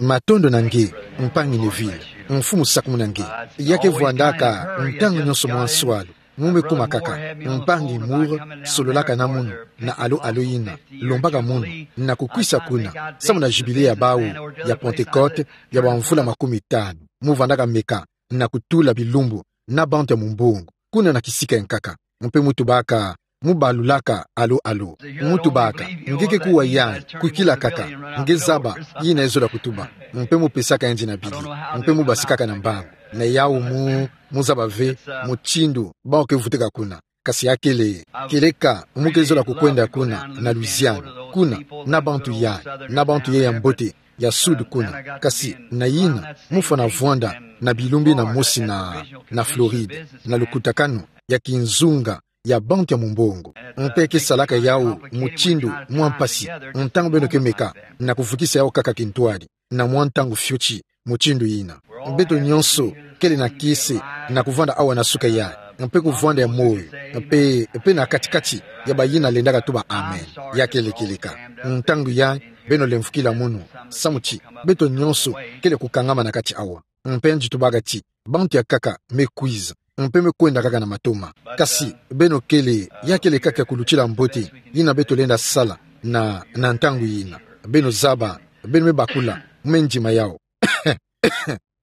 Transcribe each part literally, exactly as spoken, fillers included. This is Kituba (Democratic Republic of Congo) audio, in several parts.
Matondo na nge, mpangi Neville, mfumu sakumuna nge. Ya ke vwandaka ntangu nyonso mwa nswalu, mu me kuma kaka, mpangi Moore, sololaka na munu, na alo alo yina, lombaka munu, na kukwisa kuna, samu na jubile ya bawu, ya Pentecote, ya bamvula makumi tanu, mu vwandaka meka, na kutula bilumbu, na bantu ya mumbongo, kuna na kisika ya nkaka, mpe mu tubaka, mu balulaka, alo, alo. Mu tubaka, nge ke kuwa yayi, kwikila kaka, nge zaba, yina ezola kutuba, mpe mu pesaka yandi na bili, mpe mu basikaka na mbangu, na yawu mu, mu zaba ve, mutindu, bawu ke vutuka kuna. Kasi ya kele, kieleka, mu ke zola kukwenda kuna, na Louisiane, kuna, na bantu yayi, na bantu yayi ya mbote, ya Sud kuna, kasi na yina, mu fwana vwanda, na bilumbu yina mosi na, na Floride, na lukutakanu, ya kinzunga, ya bantu ya mumbongo. Mpe ke salaka yawu, mutindu, mwa mpasi, ntangu beno ke meka, na kuvukisa yawu kaka kintwadi, na mwa ntangu fioti, mutindu yina. Beto nyonso, kele na kiese, na kuvwanda awa na suka yayi, mpe kuvwanda ya moyo, mpe, mpe na kati-kati, ya bayina lendaka tuba amen. Ya kele kieleka. Ntangu yayi, beno lemvukila munu, samu ti, beto nyonso, kele kukangama na kati awa. Mpe nge tubaka ti, bantu ya nkaka, me kwiza, mpe me kwenda kaka na matoma. Kasi, beno kele, ya kele kaka kulutila mbote, yina beto lenda sala, na, na ntangu yina. Beno zaba, beno me bakula, me ndima yawu.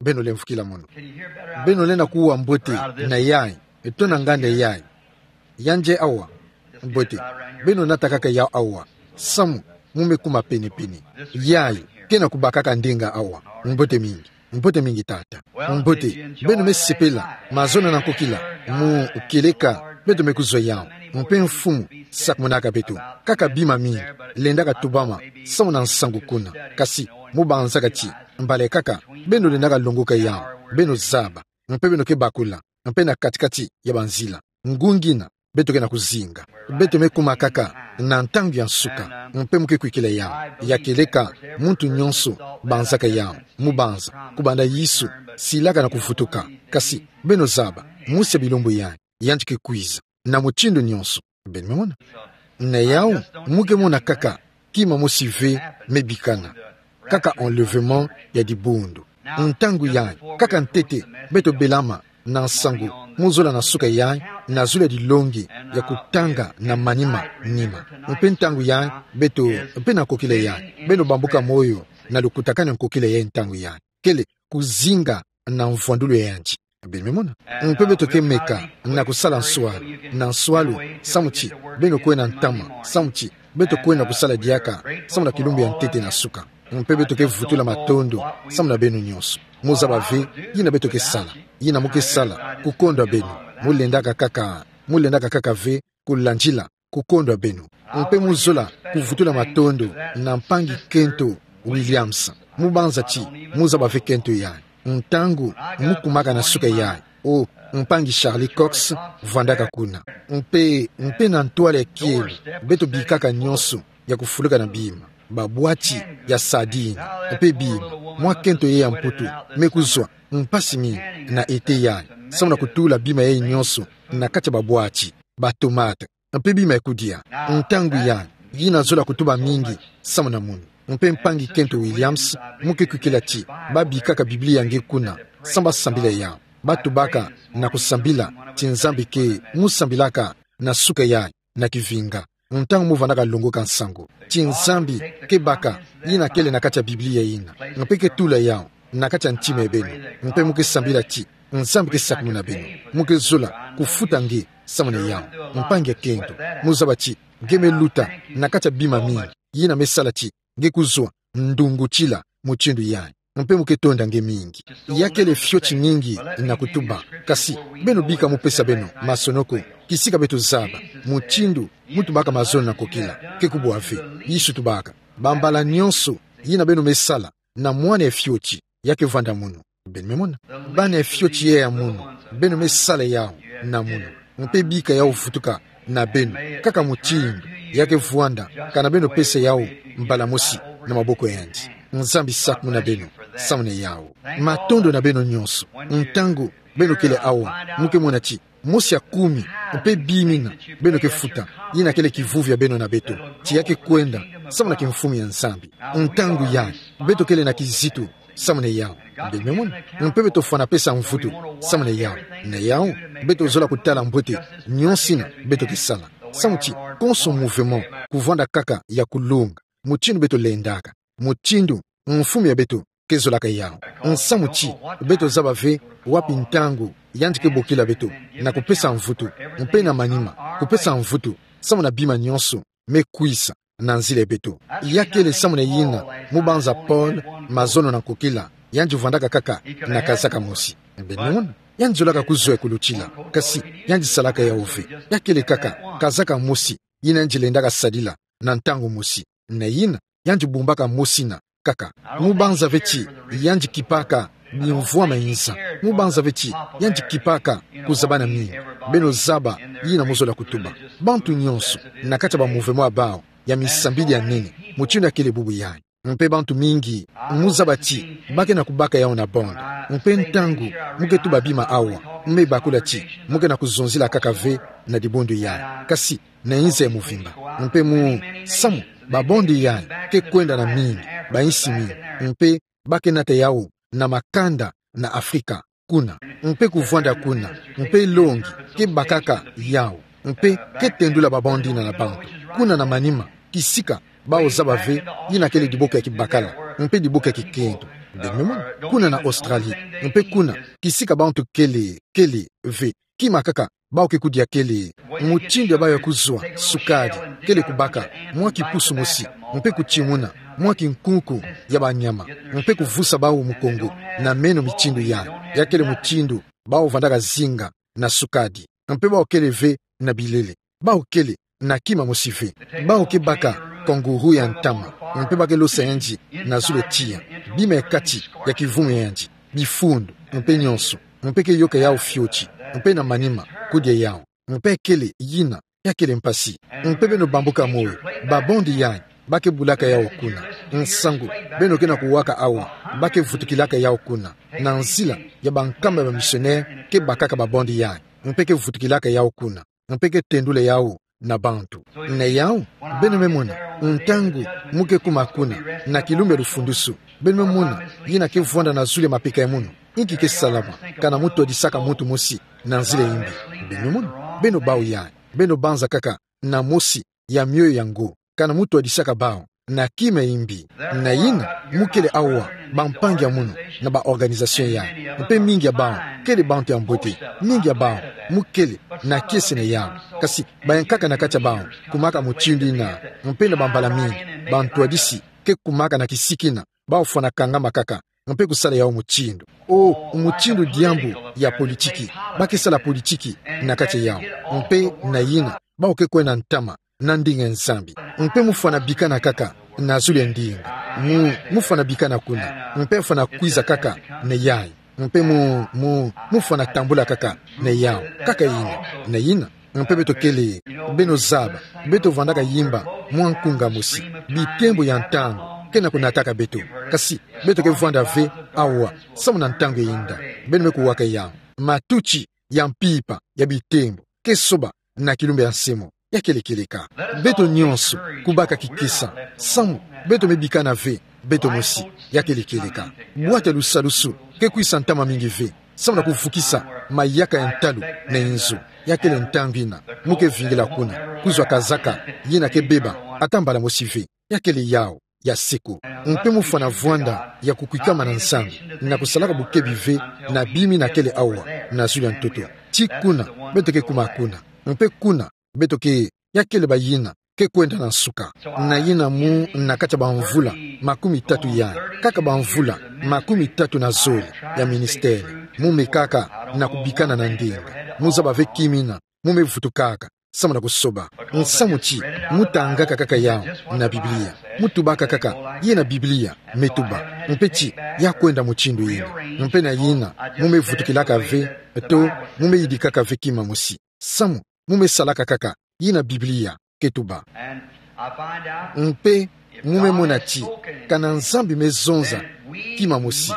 Beno lemvukila munu. Beno lenda kuwa mbote na yayi, to na nganda yayi. Yandi awa. Mbote. Beno nata kaka yawu awa. Samu, mu me kuma pene-pene. Yayi, ke na kubakaka ndinga awa. Mbote mingi. Mbote mingi tata. Mbote, beno me sepela, mazono na nkokila, mu kieleka, beto me kuzwa yawu. Mpe mfumu, sakumunaka beto. Kaka bima mingi, lendaka tubama, samu na nsangu kuna. Kasi, mu banzaka ti, mbala kaka, beno lendaka longoka yawu, beno zaba, mpe beno ke bakula, mpe na kati-kati ya banzila. Ngunga yina, beto ke na kuzinga. Beto me kuma kaka, na ntangu ya nsuka, mpe mu ke kwikila yawu. Ya kieleka, muntu nyonso, banzaka yawu, mu banza, kubanda Yesu, silaka na kuvutuka. Kasi, beno zaba, musi ya bilumbu yayi, yandi ke kwiza. Na mutindu nyonso. Beno me mona. Na yawu, mu ke mona kaka, kima mosi ve, me bikana. Kaka enlèvement ya dibundu. Ntangu yayi, kaka ntete, beto belama, na nsangu, mu zola na suka yayi, na zulu ya dilongi, ya kutanga, na manima, nima. Mpe ntangu yayi, beto, mpe na nkokila yayi, beno bambuka moyo, na lukutakanu ya nkokila yayi ntangu yayi. Kele, kuzinga, na mvwandulu ya yandi. Beno me mona. Mpe beto ke meka, na kusala nswalu, na nswalu, samu ti, beno kwenda ntama, samu ti, beto kwenda kusala diaka, samu na kilumbu ya ntete na suka. Mpe beto ke vutula matondo, samu na beno nyonso. Mu zaba ve, yina beto ke sala, yina mu ke sala, kukondwa beno, mu lendaka kaka, mu lendaka kaka ve, kulandila, kukondwa beno. Mpe mu zola, kuvutula matondo, na mpangi Kento Williams. Mu banza ti, mu zaba ve kento yayi. Ntangu, mu kumaka na suka yayi. O, mpangi Charlie Cox, vwandaka kuna. Mpe, mpe na ntwala ya kielo, beto bikaka nyonso, ya kufuluka na bima. Babwati, ya sardine. Mpe bima. Mwa kento yayi ya Mputu, me kuzwa, mpasi mingi, na ete yayi. Samu na kutula bima yayi nyonso, na kati ya babwati, batomate. Mpe bima ya kudia. Ntangu yayi, yina zola kutuba mingi, samu na munu. Mpe mpangi Kento Williams, mu ke kwikila ti, babikaka Biblia nge kuna, samu basambila yawu. Batubaka, na kusambila, ti Nzambi ke, mu sambilaka, na suka yayi, na kivinga. Ntangu mu vandaka longoka nsangu. Ti Nzambi, ke baka, yina kele na kati ya Biblia yina. Mpe ke tula yawu, na kati ya ntima ya beno. Mpe mu ke sambila ti, Nzambi ke sakumuna beno. Mu ke zola, kufuta nge, samu na yawu. Mpangi ya kento. Mu zaba ti, nge me luta, na kati ya bima mingi. Yina me sala ti, nge kuzwa, ndungutila, mutindu yayi. Mpe mu ke tonda nge mingi. Ya kele fioti mingi, na kutuba. Kasi, beno bika mu pesa beno, masonoko. Kisika beto zaba. Mutindu, mu tubaka mazono na nkokila. Ke kubwa ve. Yesu tubaka. Bambala nyonso, yina beno me sala. Na mwana ya fioti, ya ke vwanda munu. Beno me mona. Bana ya fioti yayi ya munu. Beno me sala yawu, na munu. Mpe bika yawu vutuka, na beno. Kaka mutindu, ya ke vwanda, kana beno pesa yawu, mbala mosi, na maboko ya yandi. Nzambi sakumuna beno, samu na yawu. Matondo na beno nyonso. Ntangu, beno kele awa, mu ke mona ti, mosi ya kumi, mpe bimina, beno ke futa, yina kele kivuvi ya beno na beto, ti ya ke kwenda, samu na kimfumu ya Nzambi. Ntangu yai, beto kele na kizitu samu na yawu. Beno me mona, mpe beto fwana pesa mvutu samu na yawu. Na yawu, beto zola kutala mbote nyonso ina beto ke sala. Samu ti, konso mouvement kuvwanda kaka ya kulunga, mutindu beto lendaka, mutindu mfumu ya beto ke zolaka yawu. Nsamu ti, beto zaba ve wapi ntangu yandi ke bokila beto na kupesa mvutu, mpe na manima, kupesa mvutu samu na bima nyonso me kwisa na nzila ya beto. Ya kele samu na yina mubanza Paul, mazono na nkokila, yandi vwandaka kaka na kazaka mosi. Beno me mona, yandi zolaka kuzwa ya kulutila, kasi yandi salaka yawu ve. Ya kele kaka kazaka mosi yina yandi lendaka sadila na ntangu mosi. Na yina, yandi bumbaka mosi ina kaka. Mubanza ve ti yandi kipaka bimvwama inza. Mubanza ve ti yandi kipaka kuzabana mingi. Beno zaba yina muzola kutuba. Bantu nyonso na kati ya ba mouvement ya bawu ya misambidi ya nene, mutindu ya kele bubu yai. Mpe bantu mingi muzaba ti ba ke na kubaka yawu na bande. Mpe ntangu mu ke tuba bima awa, mu me bakula ti mu ke na kuzonzila kaka ve na dibundu yai, kasi na inza ya muvimba. Mpe mu samu, ba bande yai ke kwenda na mingi, ba insi mingi, mpe ba ke nata yawu na makanda na Afrika kuna, mpe kuvwanda kuna, mpe longi ke bakaka yawu, mpe ke tendula ba bande ina na bantu. Kuna na manima, kisika bawu zaba ve yina kele diboko ya kibakala, mpe diboko ya kikento. Beno me mona, kuna na Australie, mpe kuna, kisika bantu kele, kele ve kima kaka bawu ke kudia kele mutindu ya bawu ya kuzwa sukadi, kele kubaka mwa kipusu mosi, mpe kutimuna mwa kinkunku ya banyama, mpe kuvusa bawu mukongo na meno, mitindu yai. Ya kele mutindu bawu vwandaka zinga na sukadi, mpe bawu kele ve na bilele. Bawu kele na kima mosi ve. Bawu ke baka kangourou ya ntama, mpe ba ke losa yandi na zulu ya tiya, bima ya kati ya kivumu ya yandi, bifundu, mpe nyonso, mpe ke yoka yawu fioti, mpe na manima, kudia yawu. Mpe kele yina, ya kele mpasi. Mpe beno bambuka moyo, ba bande yai ba ke bulaka yawu kuna. Nsangu beno ke na kuwaka awa, ba ke vutukilaka yawu kuna, na nzila ya bankamba ya ba missionnaire ke bakaka ba bande yai, mpe ke vutukilaka yawu kuna, mpe ke tendula yawu na bantu. Na yawu, beno me mona, ntangu mu ke kuma kuna, na kilumbu ya lufundusu, beno me mona yina ke vwanda na zulu ya mapeka ya munu, inki ke salama, kana mu twadisaka muntu mosi na nzila ya imbi. Beno me mona, beno bawu yai, beno banza kaka na mosi ya mioyo yango, kana mu twadisaka bawu na kima ya imbi. Na yina, mu kele awa, bampangi ya munu, na ba organisation yai, mpe mingi ya bawu kele bantu ya mbote, mingi ya bawu mu kele na kiese na yawu. Kasi bayankaka na kati ya bawu kumaka mutindu yina, mpe na bambala mingi bantwadisi ke kumaka na kisika yina, bawu fwana kangama kaka, mpe kusala yawu mutindu. O, mutindu diambu ya politiki. Ba ke sala politiki na kati ya yawu. Mpe na yina, bawu ke kwenda ntama na ndinga ya Nzambi. Mpe mu fwana bikana kaka na zulu ya ndinga. Mu, mu fwana bikana kuna, mpe fwana kwiza kaka na yai. Mpe mu, mu, mu fwana tambula kaka na yawu. Kaka yina, na yina. Mpe beto kele, beno zaba, beto vwandaka yimba mwa nkunga mosi. Bitembo ya ntangu ke na kunataka beto. Kasi beto ke vwanda ve awa, samu na ntangu ya inda. Beno me kuwaka yawu. Matuti ya mpimpa ya bitembo ke soba na kilumbu ya nse mo. Ya kele kieleka. Beto nyonso kubaka kikesa, samu beto me bikana ve beto mosi. Ya kele kieleka. Bwatu ya lusalusu ke kwisa ntama mingi ve, samu na kuvukisa mayaka ya ntalu na inzo. Ya kele ntangu yina, mu ke vingila kuna, kuzwa kazaka yina ke beba ata mbala mosi ve. Ya kele yawu ya seko. Mpe mu fwana vwanda ya kukwikama na Nzambi, na kusalaka bukebi ve na bima yina kele awa na zulu ya ntoto. Ti kuna beto ke kuma kuna, mpe kuna beto ke, ya kele bayina ke kwenda na nsuka. Na yina mu na kati ya bamvula makumi tatu yai, kaka bamvula makumi tatu na zole ya ministère, mu mekaka na kubikana na ndinga. Mu zaba ve kima yina mu me vutukaka, samu na kusoba. Nsamu ti, mu tangaka kaka yawu na Biblia. Mu tubaka kaka yina Biblia me tuba. Mpe ti, ya kwenda mutindu yina. Mpe na yina, mu me vutukilaka ve, to, mu me yidikaka ve kima mosi. Samu, mu me salaka kaka yina Biblia ke tuba. Mpe mu me mona ti, kana Nzambi me zonza kima mosi,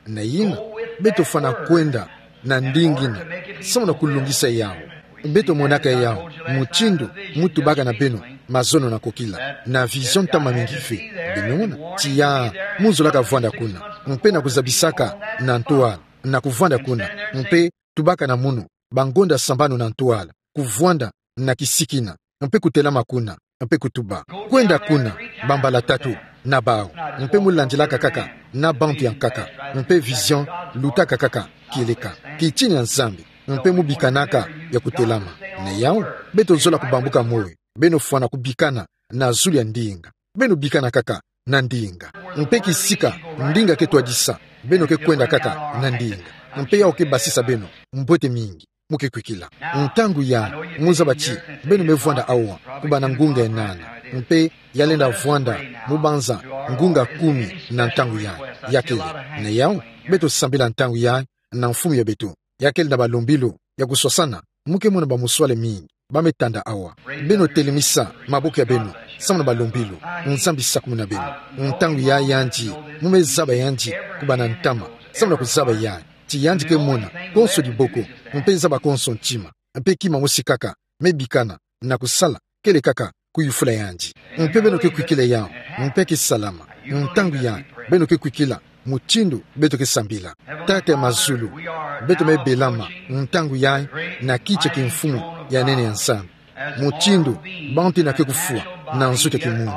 na yina, beto fwana kwenda na ndinga yina, samu na kulungisa yawu. Beto monaka yawu mutindu mu tubaka na beno mazono na kokila, na vision ntama mingi ve. Beno mona, tiya, mu zolaka vwanda kuna, mpe na kuzabisaka na ntwala, na kuvwanda kuna, mpe tubaka na munu bangonda sambanu na ntwala, kuvwanda na kisikina, mpe kutelama kuna, mpe kutuba. Kwenda kuna, bambala tatu, na bau, mpe mu landilaka kaka, na bantu ya nkaka, mpe vision lutaka kaka, kieleka, kitini ya Nzambi, mpe mu bikanaka ya kutelama. Na yau, beto zola kubambuka moyo, beno fwana kubikana na zulu ya ndinga. Beno bikana kaka na ndinga. Mpe kisika ndinga ke twadisa, beno ke kwenda kaka na ndinga. Mpe yau ke basisa beno mbote mingi. Mu ke kwikila. Ntangu ya, mu zaba ti, beno me vwanda awa, kubana ngunga enana. Mpe ya lenda vwanda, mu banza, ngunga kumi na ntangu ya, ya kele. Na yau, beto sambila ntangu ya, na mfumu ya beto. Ya kele na balombilu ya kuswasana, mu ke mona bamuswale mingi ba me tanda awa. Beno telemisa maboko ya beno, samu na balombilu, Nzambi sakumuna beno. Ntangu ya yandi, mu me zaba yandi, kubana ntama, samu na kuzaba ya, ti yandi ke mona konso diboko, mpe zaba konso ntima, mpe kima mosi kaka me bikana na kusala, kele kaka kuyufula yandi. Mpe beno ke kwikila yau, mpe ke salama. Ntangu ya, beno ke kwikila mutindu beto ke sambila. Tata ya mazulu, beto me belama ntangu ya, na kiti ya kimfumu ya nene ya Nzambi. Mutindu bantu yina ke kufwa na nsuki ya kimuntu.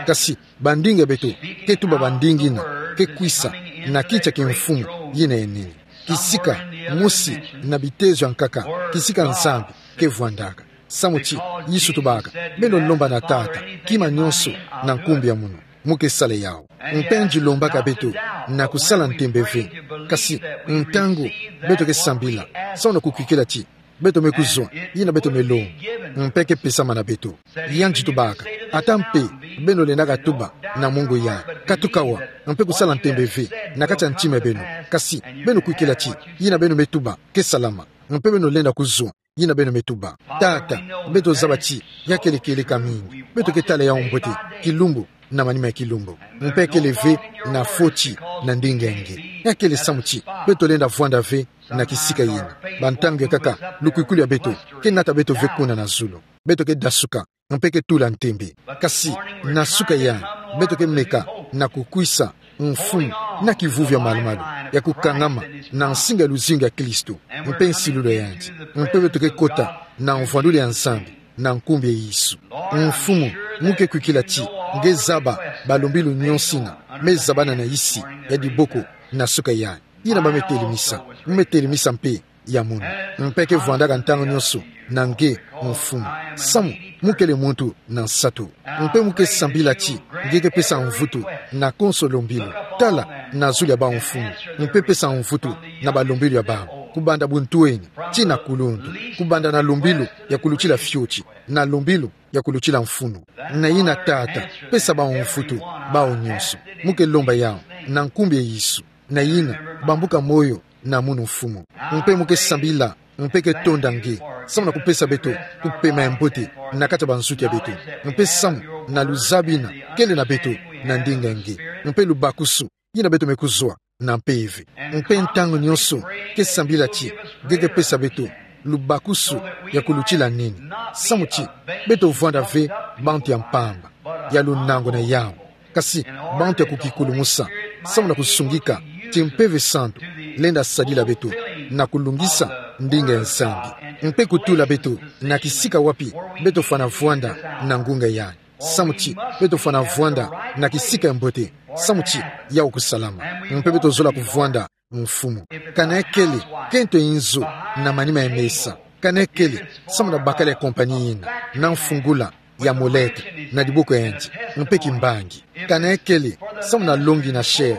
Kasi bandinga ya beto ke tuba bandinga yina ke kwisa na kiti ya kimfumu yina ya nene. Kisika mosi na bitezo ya nkaka, kisika Nzambi ke vwandaka. Samu ti Yesu tubaka, beno lomba na Tata kima nionso na nkumbu ya munu, mu ke sala yau. Mpe nge lombaka beto na kusala ntembe ve. Kasi ntangu beto ke sambila, samu na kukwikila ti beto me kuzwa yina beto me longa, mpe ke pesama na beto. Yandi tubaka, ata mpe beno lendaka tuba na mongo ya, katuka awa, mpe kusala ntembe ve na kati ya ntima ya beno. Kasi beno kwikila ti yina beno me tuba ke salama, mpe beno lenda kuzwa yina beno me tuba. Tata, beto zaba ti ya kele kieleka mingi. Beto ke tala yau mbote, kilumbu na manima ya kilumbu. Mpe kele ve na foti na ndinga ya nge. Ya kele samu ti beto lenda vwanda ve na kisika yina. Bantangu ya nkaka, lukwikulu ya beto ke nata beto ve kuna na zulu. Beto ke dasuka, mpe ke tula ntembe. Kasi na suka ya, beto ke meka na kukwisa mfumu na kivuvu ya malumalu ya kukangama na nsinga ya luzingu ya Kristo, mpe nsilulu ya yandi. Mpe beto ke kota na mvwandulu ya Nzambi na nkumbu ya Yesu. Mfumu, mu ke kwikila ti nge zaba balombilu nionso yina me zabana na isi ya diboko na suka ya, yina ba me telemisa, mu me telemisa mpe ya munu. Mpe ke vwandaka ntangu nionso na nge, mfumu, samu mu kele muntu na nsatu. Mpe mu ke sambila ti nge ke pesa mvutu na konso lombilu. Tala na zulu ya bau, mfumu, mpe pesa mvutu na balombilu ya bau, kubanda buntwenya tii na kulundu, kubanda na lombilu ya kulutila fioti, na lombilu ya kulutila mfunu. Na yina, Tata, pesa bau mvutu, bau nionso. Mu ke lomba yau na nkumbu ya Yesu. Na yina, bambuka moyo na munu, mfumu. Mpe mu ke sambila, mpe ke tonda nge, samu na kupesa beto kupema ya mbote na kati ya bansuki ya beto. Mpe samu na luzabi yina kele na beto na ndinga ya nge, mpe lubakusu yina beto me kuzwa na mpeve. Mpe ntangu nionso ke sambila ti nge ke pesa beto lubakusu ya kulutila nini, samu ti beto vwanda ve bantu ya mpamba, ya lunango na yau, kasi bantu ya kukikulumusa, samu na kusungika ti Mpeve Santu lenda sadila beto na kulungisa ndinga ya Nzambi, mpe kutula beto na kisika wapi beto fwana vwanda na ngunga ya, samu ti beto fwana vwanda na kisika ya mbote, samu ti yau kusalama, mpe beto zola kuvwanda, mfumu. Kana ya kele kento inzo na manima ya mesa, kana ya kele samu na bakala ya compagnie yina, na mfungula ya molete na diboko ya yandi, mpe kimbangi. Kana ya kele samu na longi na chef,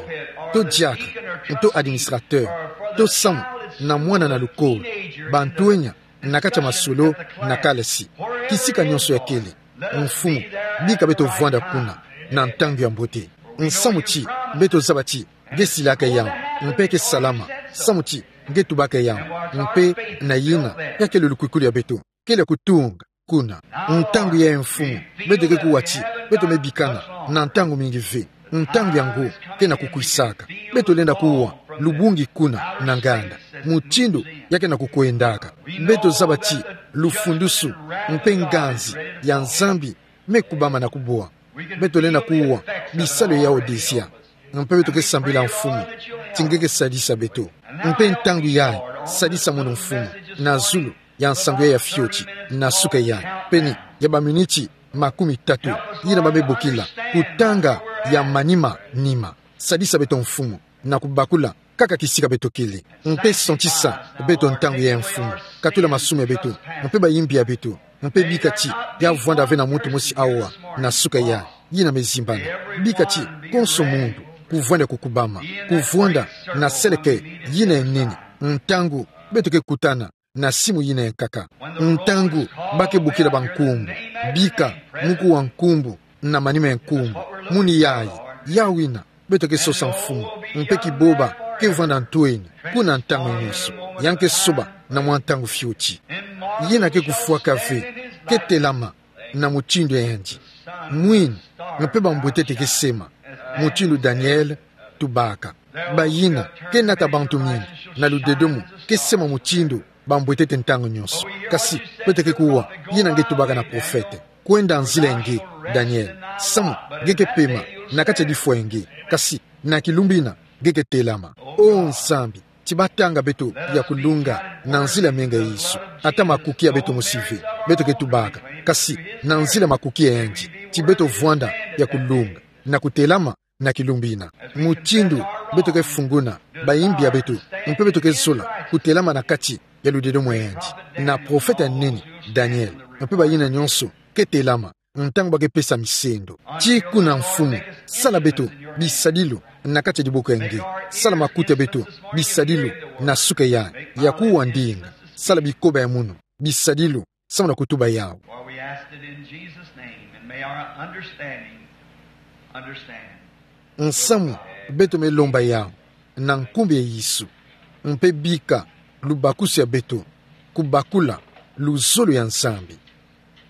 to diacre, to administrateur, to samu na mwana na lukolo, bantwenya na kati ya masolo na kalasi. Kisika nionso ya kele, mfumu, bika beto vwanda kuna na ntangu ya mbote, samu ti beto zaba ti nge silaka yau, mpe ke salama, samu ti nge tubaka yau, mpe na yina ya kele lukwikulu ya beto, kele kutunga kuna. Ntangu ya, mfumu, beto ke kuwa ti beto me bikana na ntangu mingi ve. Ntangu yango ke na kukwisaka. Beto lenda kuwa lubungi kuna na nganda, mutindu ya ke na kukwendaka. Beto zaba ti lufundusu mpe nganzi ya Nzambi me kubama na kubwa. Beto lenda kuwa bisalu ya Odisia. Mpe beto ke sambila Mfumu ti nge ke sadisa beto. Mpe ntangu yayi, sadisa mono Mfumu na zulu ya nsangu yayi ya fioti, na suka yayi, pene ya baminiti makumi tatu yina ba me bokila, kutanga ya manima nima. Sadisa beto Mfumu na kubakula kaka kisika beto kele. Mpe santisa beto ntangu yayi Mfumu. Katula masumu ya beto, mpe bayimbi ya beto, mpe bika ti ya vwanda ve na muntu mosi awa na suka yayi yina me zimbana. Bika ti konso muntu kuvwanda kukubama, kuvwanda na seleke yina ya nene ntangu beto ke kutana na simu yina ya nkaka. Ntangu ba ke bokila bankumbu, bika mu kuwa nkumbu na manima ya nkumbu. Muni yayi, yawu yina beto ke sosa Mfumu, mpe kiboba ke vwanda ntweni kuna ntangu nyonso. Ya nge ke soba na mwa ntangu fioti. Yina ke kufwaka ve ke telama na mutindu yandi. Mwini, mpe bambwetete ke sema mutindu Daniele tubaka. Bayina ke nata bantu mingi na ludedomo ke sema mutindu bambwetete ntangu nyonso. Kasi beto ke kuwa yina nge tubaka na profete. Kwenda nzila ya nge, Daniele. Samu nge ke pema na kati ya difwa ya nge, kasi na kilumbu yina nge ke telama. O Nzambi, ti batanga beto ya kulunga na nzila menga Yesu. Ata makuki ya beto mosi ve, beto ke tubaka, kasi na nzila makuki ya yandi, ti beto vwanda ya kulunga na kutelama na kilumbu yina. Mutindu beto ke funguna bayimbi ya beto, mpe beto ke zola kutelama na kati ya ludedomo ya yandi, na profete ya nene Daniele, mpe bayina nyonso ke telama ntangu ba ke pesa misendo. Ti kuna Mfumu, sala beto bisadilu na kati ya diboko ya nge. Sala makuta ya beto bisadilu na suka yayi, ya kuwa ndinga. Sala bikoba ya munu bisadilu samu na kutuba yawu. For we ask it in Jesus' name, and may our understanding understand. Nsamu beto me lomba yawu na nkumbu ya Yesu, mpe bika lubakusu ya beto kubakula luzolo ya Nzambi.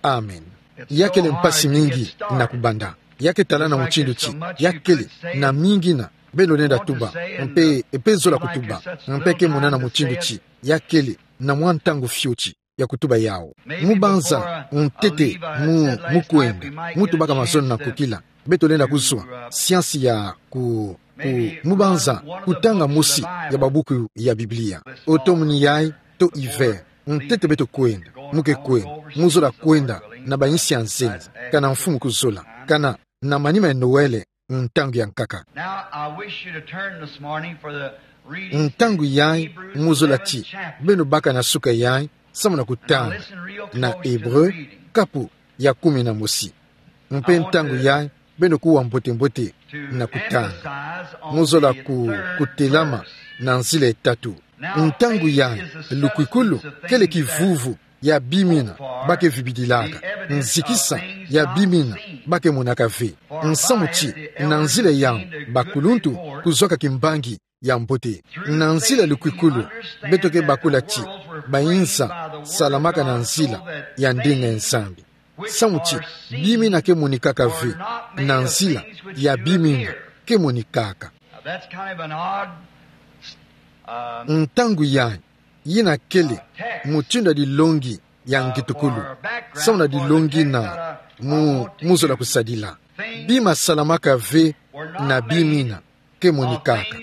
Amen. Ya kele mpasi mingi na kubanda. Ya ke tala na mutindu ti ya kele na mingi yina beno lenda tuba, mpe, mpe zola kutuba, mpe ke mona na mutindu ti ya kele na mwa ntangu fioti ya kutuba yawu. Mu banza, ntete mu, mu kwenda, mu tubaka mazono na nkokila, beto lenda kuzwa siansi ya ku, ku, mu banza, kutanga mosi ya babuku ya Biblia. Automne yayi to hiver, ntete beto kwenda, mu ke kwenda, mu zola kwenda na bayinsi ya nzenza, kana Mfumu kuzola, kana na manima ya Noël, ntangu ya nkaka. Now, I wish you to turn this morning for the reading. Ntangu yayi, mu zola ti beno baka na suka yayi samu na kutanga na Hébreu, kapu ya kumi na mosi. Mpe ntangu yayi, beno kuwa mbote-mbote na kutanga. Mu zola ku, kutelama na nzila ya tatu. Ntangu yayi, lukwikulu kele kivuvu ya bima yina ba ke vibidilaka, nzikisa ya bima yina ba ke monaka ve. Nsamu ti na nzila yawu bakuluntu kuzwaka kimbangi ya mbote. Na nzila lukwikulu, beto ke bakula ti bayinza salamaka na nzila ya ndinga ya Nzambi. Samu ti bima yina ke monikaka ve na nzila ya bima yina ke monikaka. Now, that's kind of an odd, um, ntangu yayi, yina kele mutindu ya dilongi ya ngitukulu samu na dilongi yina mu, mu zola kusadila. Bima salamaka ve na bima yina ke monikaka.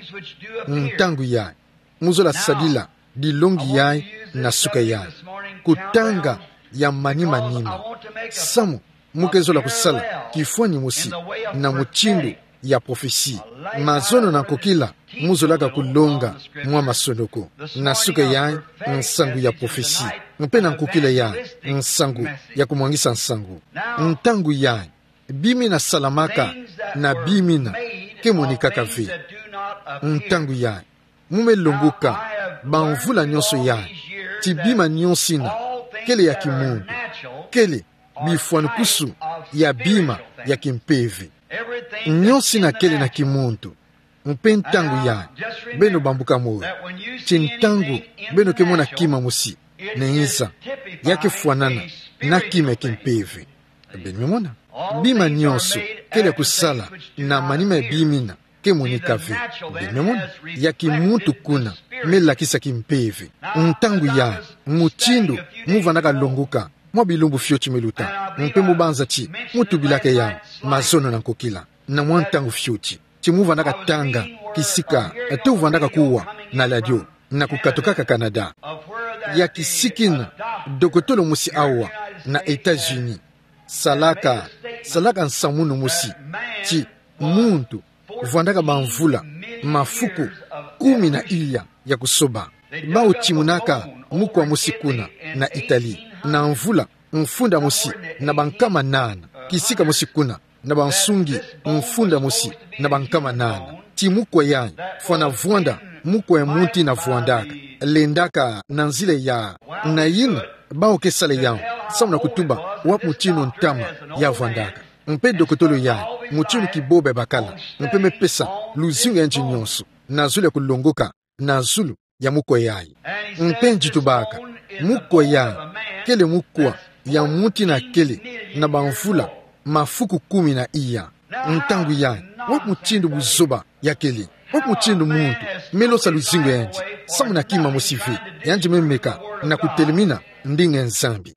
Ntangu yayi, mu zola sadila dilongi yayi na suka yayi. Kutanga ya manima-nima. Samu mu ke zola kusala kifwani mosi na mutindu ya prophetie. Mazono na nkokila mu zolaka kulonga mwa masonoko. Na suka yayi, nsangu ya prophetie. Mpe na nkokila yayi, nsangu ya kumwangisa nsangu. Ntangu yayi, bima yina salamaka na bima yina ke monikaka ve. Ntangu yayi, mu me longoka bamvula nyonso yayi ti bima nyonso yina kele ya kimuntu, kele bifwanukusu ya bima ya kimpeve. Nyonso yina kele na kimuntu. Mpe ntangu yayi, beno bambuka moyo ti ntangu beno ke mona kima mosi nayinza, ya ke fwanana na kima ya kimpeve. Beno me mona? Bima nyonso kele ya kusala na manima ya bima yina ke monika ve. Beno me mona? Ya kimuntu kuna, me lakisa kimpeve. Ntangu yayi, mutindu mu vandaka longoka mwa bilumbu fioti me luta. Mpe mu banza ti mu tubilaka yau mazono na nkokila, na mwa ntangu fioti, ti mu vandaka tanga kisika, to vandaka kuwa na ladio, na kukatukaka Canada, ya kisikina dokotolo mosi awa na États-Unis salaka, salaka nsamunu mosi, ti muntu vandaka bamvula, mafuku kumi na iya ya kusoba. Bau timunaka mukwa mosi kuna na Italie, na mvula mfunda mosi na bankama nana, kisika mosi kuna na bansungi mfunda mosi na bankama nana. Ti mukwa yayi fwana vwanda mukwa ya muntu ina vwandaka, lendaka na nzila ya. Na yina, bau ke sala yau, samu na kutuba wapi mutinu ntama ya vwandaka. Mpe dokotolo yayi, mutinu kibobe bakala, mpe me pesa luzingu ya nge nyonso na zulu ya kulongoka na zulu ya mukwa yayi. Mpe nge tubaka, mukwa yayi kele mukwa ya muntu ina kele na bamvula mafuku kumi na iya. Ntangu yayi, wapi mutindu buzoba ya kele? Wapi mutindu muntu me losa luzingu ya nge, samu na kima mosi ve, ya nge me meka na kutelemina ndinga ya Nzambi?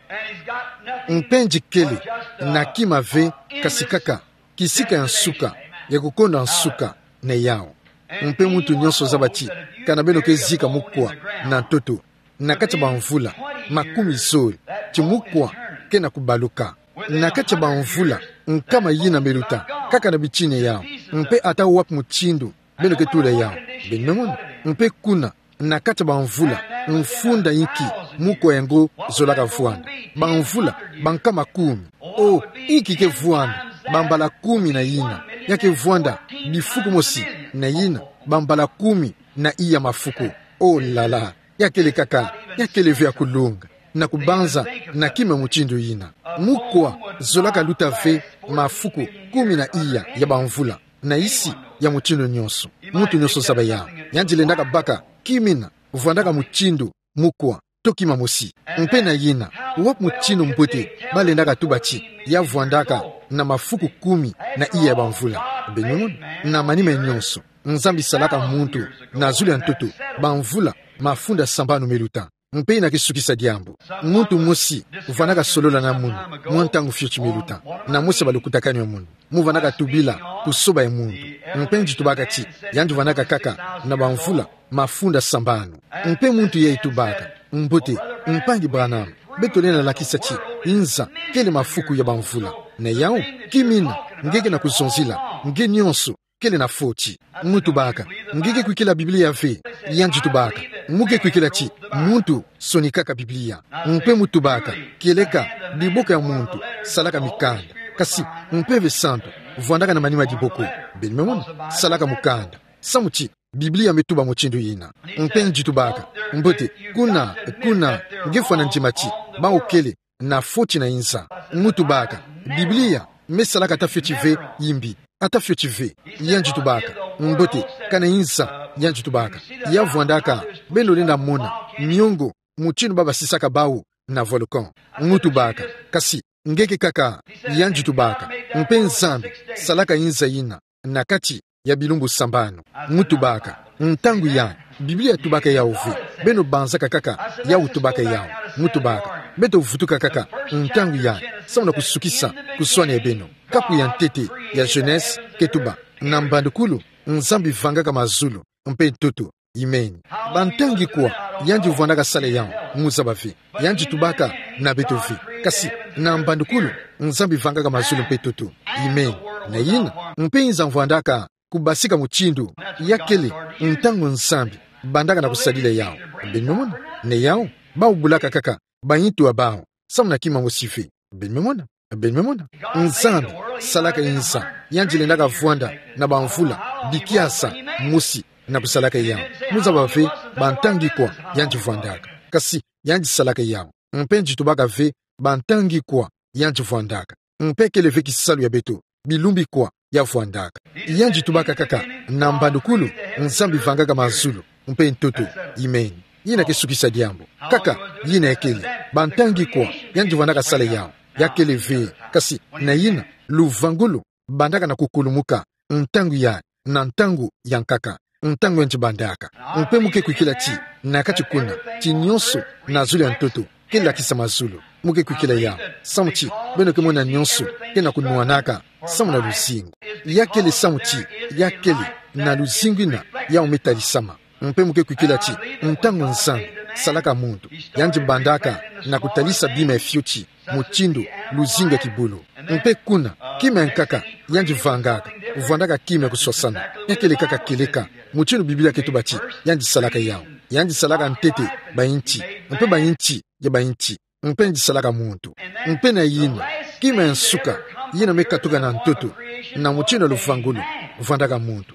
Mpe nge kele na kima ve, kasi kaka kisika ya nsuka, ya kukonda nsuka na yau. Mpe muntu nyonso zaba ti, kana beno ke zika mukwa na ntoto, na kati ya bamvula makumi zole, ti mukwa ke na kubaluka. Na kati ya bamvula nkama yina me luta, kaka na bitini ya yau, mpe ata wapi mutindu beno ke tula yau, beno me mona. Mpe kuna, na kati ya bamvula mfunda inki mukwa yango zolaka vwanda? Bamvula bankama kumi. O, inki ke vwanda bambala kumi na yina? Ya ke vwanda bifuku mosi na yina bambala kumi na iya mafuku. O lala, ya kele kaka, ya kele ve ya kulunga na kubanza na kima mutindu yina. Mukwa zolaka luta ve mafuku kumi na iya ya bamvula na isi ya mutindu nyonso. Muntu nyonso zaba yau. Ya nge lendaka baka kima ina vwandaka mutindu mukwa, to kima mosi. Mpe na yina, wapi mutinu mbote balendaka tuba ti ya vwandaka na mafuku kumi na iya ya bamvula? Beno me mona. Na manima nyonso, Nzambi salaka muntu na zulu ya ntoto bamvula mafunda sambanu me luta. Mpe ina ke sukisa diambu. Muntu mosi vandaka solola na munu mwa ntangu fioti me luta, na mosi ya balukutakanu ya munu, mu vandaka tubila kusoba ya muntu. Mpe nge tubaka ti ya nge vandaka kaka na bamvula mafunda sambanu. Mpe muntu yayi tubaka: Mbote, Mpangi Branham, beto lenda lakisa ti nza kele mafuku ya bamvula. Na yau, kima ina nge ke na kuzonzila, nge nyonso kele na foti. Mu tubaka: Nge ke kwikila Biblia ve? Ya nge tubaka: Mu ke kwikila ti muntu sonikaka Biblia. Mpe mu tubaka: Kieleka diboko ya muntu salaka mikanda, kasi Mpeve Santu vwandaka na manima diboko, beno me mona, salaka mukanda, samu ti Biblia me tuba mutindu yina. Mpe nge tubaka: Mbote, kuna, kuna nge fwana ndima ti bau kele na foti na nza. Mu tubaka: Biblia me salaka ata fioti ve yimbi, ata fioti ve. Ya nge tubaka: Mbote, kana nza, ya nge tubaka, ya vwandaka, beno lenda mona miongo mutinu ba basisaka bau na volcan. Mu tubaka: Kasi nge ke kaka? Ya nge tubaka: Mpe Nzambi salaka nza yina na kati ya bilumbu sambanu. Mu tubaka: Ntangu yayi, Biblia tubaka yau ve, beno banzaka kaka yau tubaka yau. Mu tubaka: Beto vutuka kaka ntangu yayi samu na kusukisa kuswani ya beno. Kapu ya ntete ya Genese ke tuba: Na mbandukulu Nzambi vangaka mazulu mpe ntoto. Amen. Bantangi kwa ya nge vwandaka sala yau, mu zaba ve? Ya nge tubaka na beto ve. Kasi na mbandukulu Nzambi vangaka mazulu mpe ntoto. Amen. Na yina, mpe nza vwandaka kubasika mutindu ya kele ntangu Nzambi bandaka na kusadila yau. Beno me mona? Na yau, bau bulaka kaka baintu ya bau samu na kima mosi ve. Beno me mona? Beno me mona? Nzambi salaka nza, ya nge lendaka vwanda na bamvula bikiasa mosi na kusalaka yau. Mu zaba ve bantangi kwa ya nge vwandaka. Kasi ya nge salaka yau. Mpe nge tubaka ve bantangi kwa ya nge vwandaka. Mpe kele ve kisalu ya beto bilumbu kwa ya vwandaka. Ya nge tubaka kaka: Na mbandukulu Nzambi vangaka mazulu mpe ntoto. Amen. Yina ke sukisa diambu. Kaka yina ya kele. Bantangi kwa ya nge vwandaka sala yau? Ya kele ve. Kasi na yina, luvangulu bandaka na kukulumuka ntangu yayi na ntangu ya nkaka, ntangu ya nge bandaka. Mpe mu ke kwikila ti na kati kuna, ti nyonso na zulu ya ntoto ke lakisa mazulu. Mu ke kwikila yawu. Samu ti, beno ke mona nyonso ke na kunwanaka samu na luzingu. Ya kele samu ti, ya kele na luzingu ina, yawu me talisama. Mpe mu ke kwikila ti, ntangu Nzambi salaka muntu, yandi bandaka na kutalisa bima ya fioti, mutindu luzingu ya kibulu. Mpe kuna, kima ya nkaka yandi vangaka, vwandaka kima ya kuswasana. Ya kele kaka kieleka, mutindu Biblia ke tuba ti yandi salaka yawu. Yandi salaka ntete bayinti, mpe bayinti ya bayinti, mpe yandi salaka muntu. Mpe na yina, kima ya nsuka, yina me katuka na ntoto, na mutindu ya luvangulu, vwandaka muntu.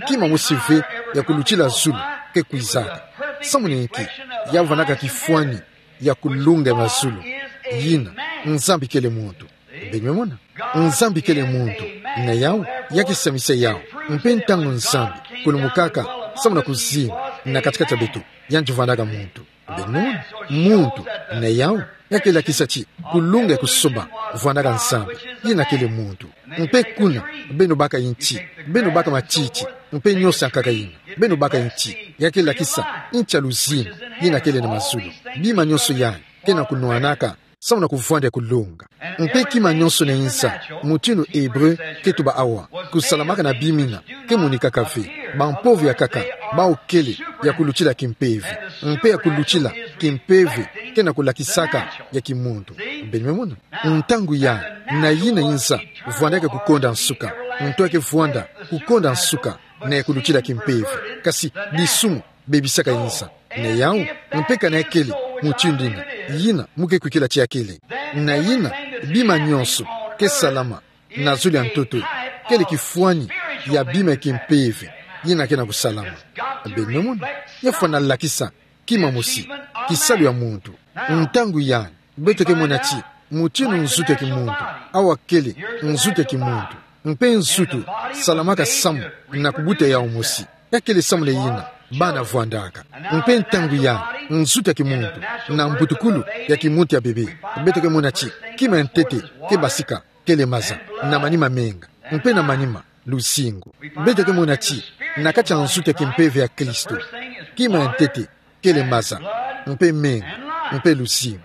Kima mosi ve ya kulutila zulu ke kwizaka. Samu na inki? Ya vwandaka kifwani ya kulunga ya mazulu. Yina, Nzambi kele muntu. Beno me mona? Nzambi kele muntu. Na yawu, ya ke samisa yawu. Mpe ntangu Nzambi kulumukaka samu na kuzima na kati-kati ya beto, yandi vwandaka muntu. Beno me mona? Muntu, na yawu, ya ke lakisa ti kulunga ya kusoba vwandaka Nzambi, yina kele muntu. Mpe kuna, beno baka inti, beno baka matiti, mpe nyonso ya nkaka yina. Beno baka inti, ya ke lakisa inti ya luzingu, yina kele na mazulu. Bima nyonso yai ke na kunwanaka samu na kuvwanda ya kulunga. Mpe kima nyonso na inza, mutindu Ebre ke tuba awa, kusalamaka na bima ina ke monikaka ve, bampovo ya nkaka, bawu kele ya kulutila kimpeve. Mpe ya kulutila kimpeve ke na kulakisaka ya kimuntu. Beno me mona? Ntangu yai, na yina inza, vwandaka kukonda nsuka. Nto ya ke vwanda kukonda nsuka, na ya kulutila kimpeve. Kasi disumu bebisaka inza. Na yawu, mpe kana ya kele mutindu ina, yina mu ke kwikila ti ya kele. Na yina, bima nyonso ke salama na zulu ya ntoto, kele kifwani ya bima ya kimpeve yina ke na kusalama. Beno me mona? Ya fwana lakisa kima mosi, kisalu ya muntu. Ntangu yai, beto ke mona ti mutindu nzutu ya kimuntu, awa kele nzutu ya kimuntu. Mpe nzutu salamaka samu na kubuta yawu mosi. Ya kele samu na yina bana vwandaka. Mpe ntangu yai, nzutu ya kimuntu na mbutukulu ya kimuntu ya bebe, beto ke mona ti kima ya ntete ke basika kele maza, na manima menga. Mpe na manima, luzingu. Beto ke mona ti na kati ya nzutu ya kimpeve ya Kristo, kima ya ntete kele maza, mpe menga, mpe luzingu.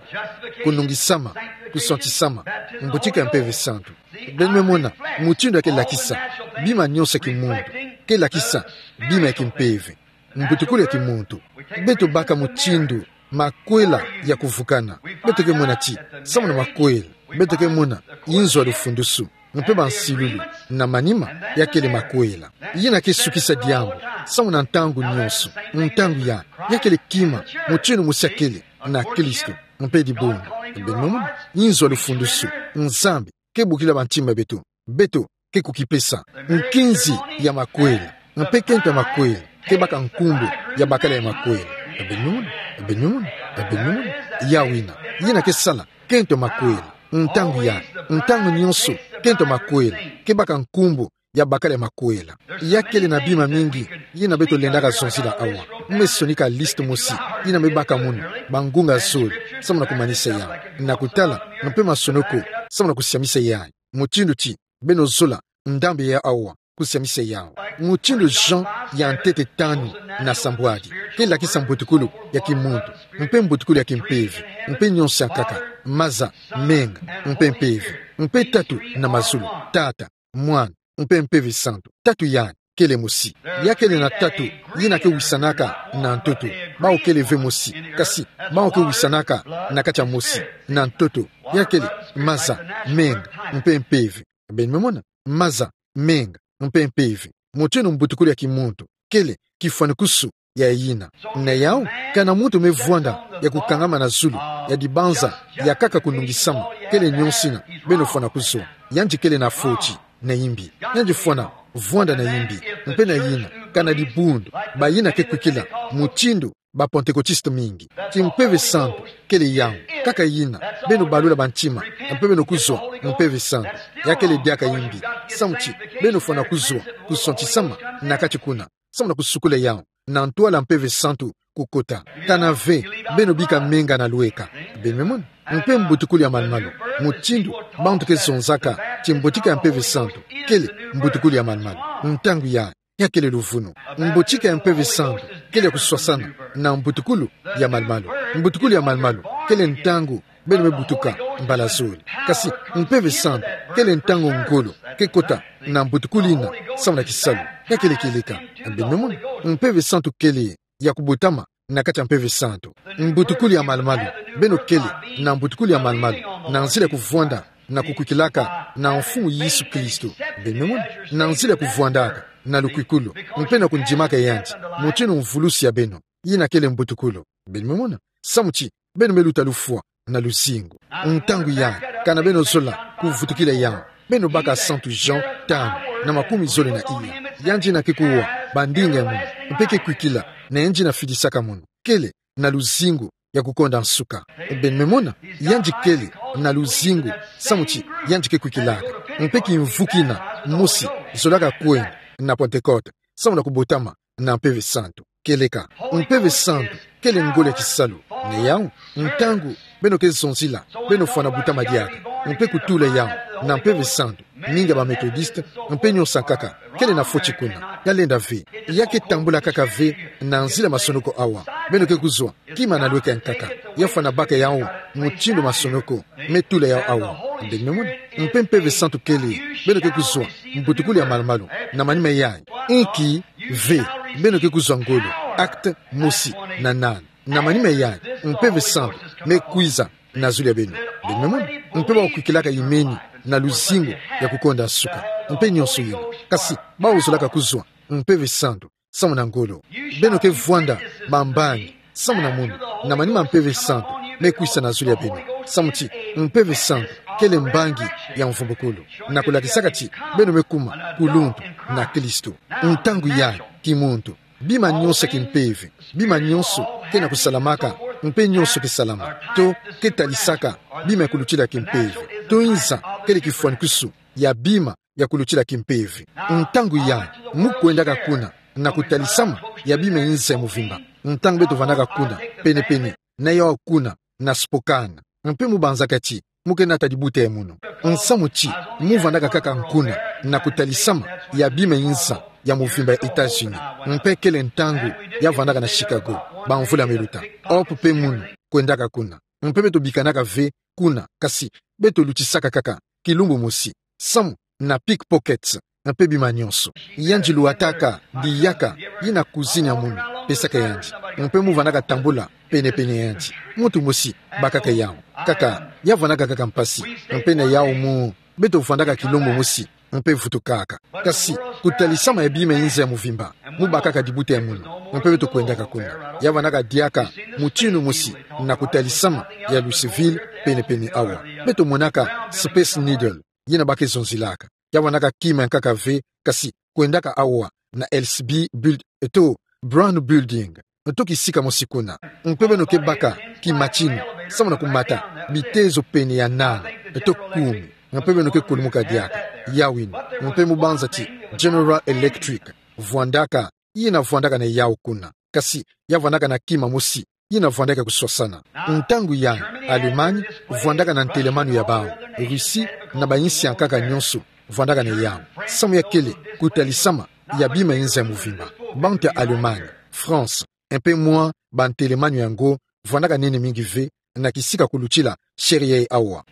Kunungisama, kuswantisama, mbutika ya Mpeve Santu. Beno me mona mutindu ya ke lakisa bima nyonso ya kimuntu, ke lakisa bima ya kimpeve, mbutukulu ya kimuntu. Beto baka mutindu makwela ya kuvukana. Beto ke mona ti samu na makwela, beto ke mona inzo ya lufundusu, mpe bansilulu, na manima, ya kele makwela. Yina ke sukisa diambu samu na ntangu nyonso. Ntangu yai, ya kele kima mutindu mosi ya kele na Kristo, mpe dibundu. Beno me mona? Inzo ya lufundusu, Nzambi ke bokila bantima beto. Beto ke kukipesa. Nkinzi ya makwela, mpe kento ya makwela ke baka nkumbu ya bakala ya makwela. Beno me mona? Beno me mona? Beno me mona? Yawu ina, yina ke sala kento ya makwela. Ntangu yai, ntangu nyonso, kento ya makwela ke baka nkumbu ya bakala ya makwela. Ya kele na bima mingi yina beto lendaka zonzila awa. Me sonika liste mosi yina me baka mono bangunga zole samu na kumanisa yawu. Na kutala, mpe masonoko samu na kusiamisa yawu. Mutindu ti beno zola ndambu ya awa, kusiamisa yawu. Mutindu Jean ya ntete tanu na sambwadi, ke lakisa mbutukulu ya kimuntu, mpe mbutukulu ya kimpeve, mpe nyonso ya nkaka, maza, menga, mpe mpeve, mpe tatu na mazulu, Tata, Mwana, mpe Mpeve Santu. Tatu yandi kele mosi. Ya kele na tatu yina ke wisanaka na ntoto. Bawu kele ve mosi, kasi bawu ke wisanaka na kati ya mosi, na ntoto. Ya kele maza, menga, mpe mpeve. Beno me mona? Maza, menga, mpe mpeve. Mutindu mbutukulu ya kimuntu kele kifwanikusu ya yina. Na yawu, kana muntu me vwanda ya kukangama na zulu ya dibanza ya nkaka kunungisama, kele nyonso yina beno fwana kuzwa. Yandi kele na foti, na imbi. Yandi fwana vwanda na imbi. Mpe na yina, kana dibundu, bayina ke kwikila mutindu ba Pantekotiste mingi. Ti Mpeve Santu kele yawu, nkaka yina beno balula bantima, mpe beno kuzwa Mpeve Santu. Ya kele diaka imbi, samu ti beno fwana kuzwa kuswantisama na kati kuna, samu na kusukula yawu na ntwala Mpeve Santu kukota. Kana ve beno bika menga na lweka. Beno me mona? Mpe mbutukulu ya malumalu, mutindu bantu ke zonzaka ti mbutika ya Mpeve Santu kele mbutukulu ya malumalu. Ntangu yai, ya kele luvunu. Mbutika ya Mpeve Santu kele ya kuswasana na mbutukulu ya malumalu. Mbutukulu ya malumalu kele ntangu beno me butuka mbala zole. Kasi Mpeve Santu kele ntangu ngolo ke kota na mbutukulu ina samu na kisalu. Ya kele kieleka. Beno me mona, Mpeve Santu kele ya kubotama na kati ya Mpeve Santu. Mbutukulu ya malumalu, beno kele na mbutukulu ya malumalu na nzila ya kuvwanda na kukwikilaka na Mfumu Yesu Kristo. Beno me mona, na nzila ya kuvwandaka na lukwikulu mpe na kundimaka yandi mutindu mvulusi ya beno, ina kele mbutukulu. Beno me mona, samu ti beno me luta lufwa na luzingu. Ntangu ya, kana beno zola kuvutukila yawu, beno baka Santu Jean tanu na makumi zole na iya. Yandi ina ke kuwa bandinga ya munu mpe ke kwikila na yandi ina fidisaka munu. Kele na luzingu ya kukonda nsuka. Beno me mona, yandi kele na luzingu samu ti yandi ke kwikilaka. Mpe kimvu kina mosi zolaka kwenda na Pentecote samu na kubotama na Mpeve Santu. Kieleka, Mpeve Santu kele ngolo ya kisalu. Na yawu, ntangu beno ke zonzila, beno fwana butama diaka mpe kutula yawu na Mpeve Santu. Mingi ya ba Methodiste mpe nyonso ankaka kele na foti kuna. Ya lenda ve, ya ke tambula kaka ve na nzila masonoko awa. Beno ke kuzwa kima na lweke ankaka, ya fwana baka yawu mutindu masonoko me tula yawu awa. Beno me mona, mpe Mpeve Santu kele, beno ke kuzwa mbutukulu ya malumalu na manima yayi. Inki ve, beno ke kuzwa ngolo, acte mosi na nana. Na manima yayi, Mpeve Santu me kwiza na zulu ya beno. Beno me mona, mpe bawu kwikilaka imeni na luzingu ya kukonda nsuka mpe nyonso yina. Kasi bawu zolaka kuzwa Mpeve Santu samu na ngolo. Beno ke vwanda bambangi samu na munu, na manima Mpeve Santu me kwisa na zulu ya beno. Samu ti Mpeve Santu kele mbangi ya mvumbukulu na kulakisaka ti beno me kuma kuluntu na Kristo. Ntangu yayi, kimuntu, bima nyonso kimpeve, bima nyonso ke na kusalamaka mpe nyonso ke salama, to ke talisaka bima ya kulutila kimpeve, to inza kele kifwanikwisu ya bima ya kulutila kimpeve. Ntangu yayi, mu kwendaka kuna na kutalisama ya bima inza ya muvimba. Ntangu beto vandaka kuna, pene-pene na yawu kuna na Spokane, mpe mu banzaka ti mu ke nata dibuta ya munu. Nsamu ti mu vandaka kaka kuna na kutalisama ya bima inza ya muvimba ya États-Unis. Mpe kele ntangu ya vandaka na Chicago, bamvula me luta. Hope mpe munu kwendaka kuna. Mpe beto bikanaka ve kuna, kasi beto lutisaka kaka kilumbu mosi samu na pickpockets mpe bima nyonso. Yandi lwataka diaka yina cousine ya munu pesaka yandi, mpe mu vandaka tambula pene-pene ya yandi. Muntu mosi bakaka yawu. Kaka ya vandaka kaka mpasi. Mpe na yawu mu, beto vandaka kilumbu mosi mpe vutukaka. Kasi kutalisama ya bima inza ya muvimba, mu bakaka dibuta ya munu, mpe beto kwendaka kuna. Ya vandaka diaka mutindu mosi na kutalisama ya Louisville pene-pene awa. Beto monaka Space Needle, yina ba ke zonzilaka. Ya vandaka kima ya nkaka ve, kasi kwendaka awa na L C B build-, eto Brown Building, eto kisika mosi kuna. Mpe beno ke baka kimatinu samu na kumata bitezo pene ya nana, eto kumi. Mpe beno ke kulumuka diaka. Yawu yina. Mpe mu banza ti General Electric vwandaka, yina vwandaka na yawu kuna. Kasi ya vandaka na kima mosi yina vwandaka kuswasana. Ntangu yayi, Allemagne vwandaka na ntelemanu ya bawu. Russie na bayinsi ya nkaka nyonso vwandaka na yawu. Samu ya kele kutalisama ya bima inza ya muvimba. Bantu ya Allemagne, France, mpe mwa bantelemanu yango vwandaka nene mingi ve na kisika kulutila chaire yayi awa.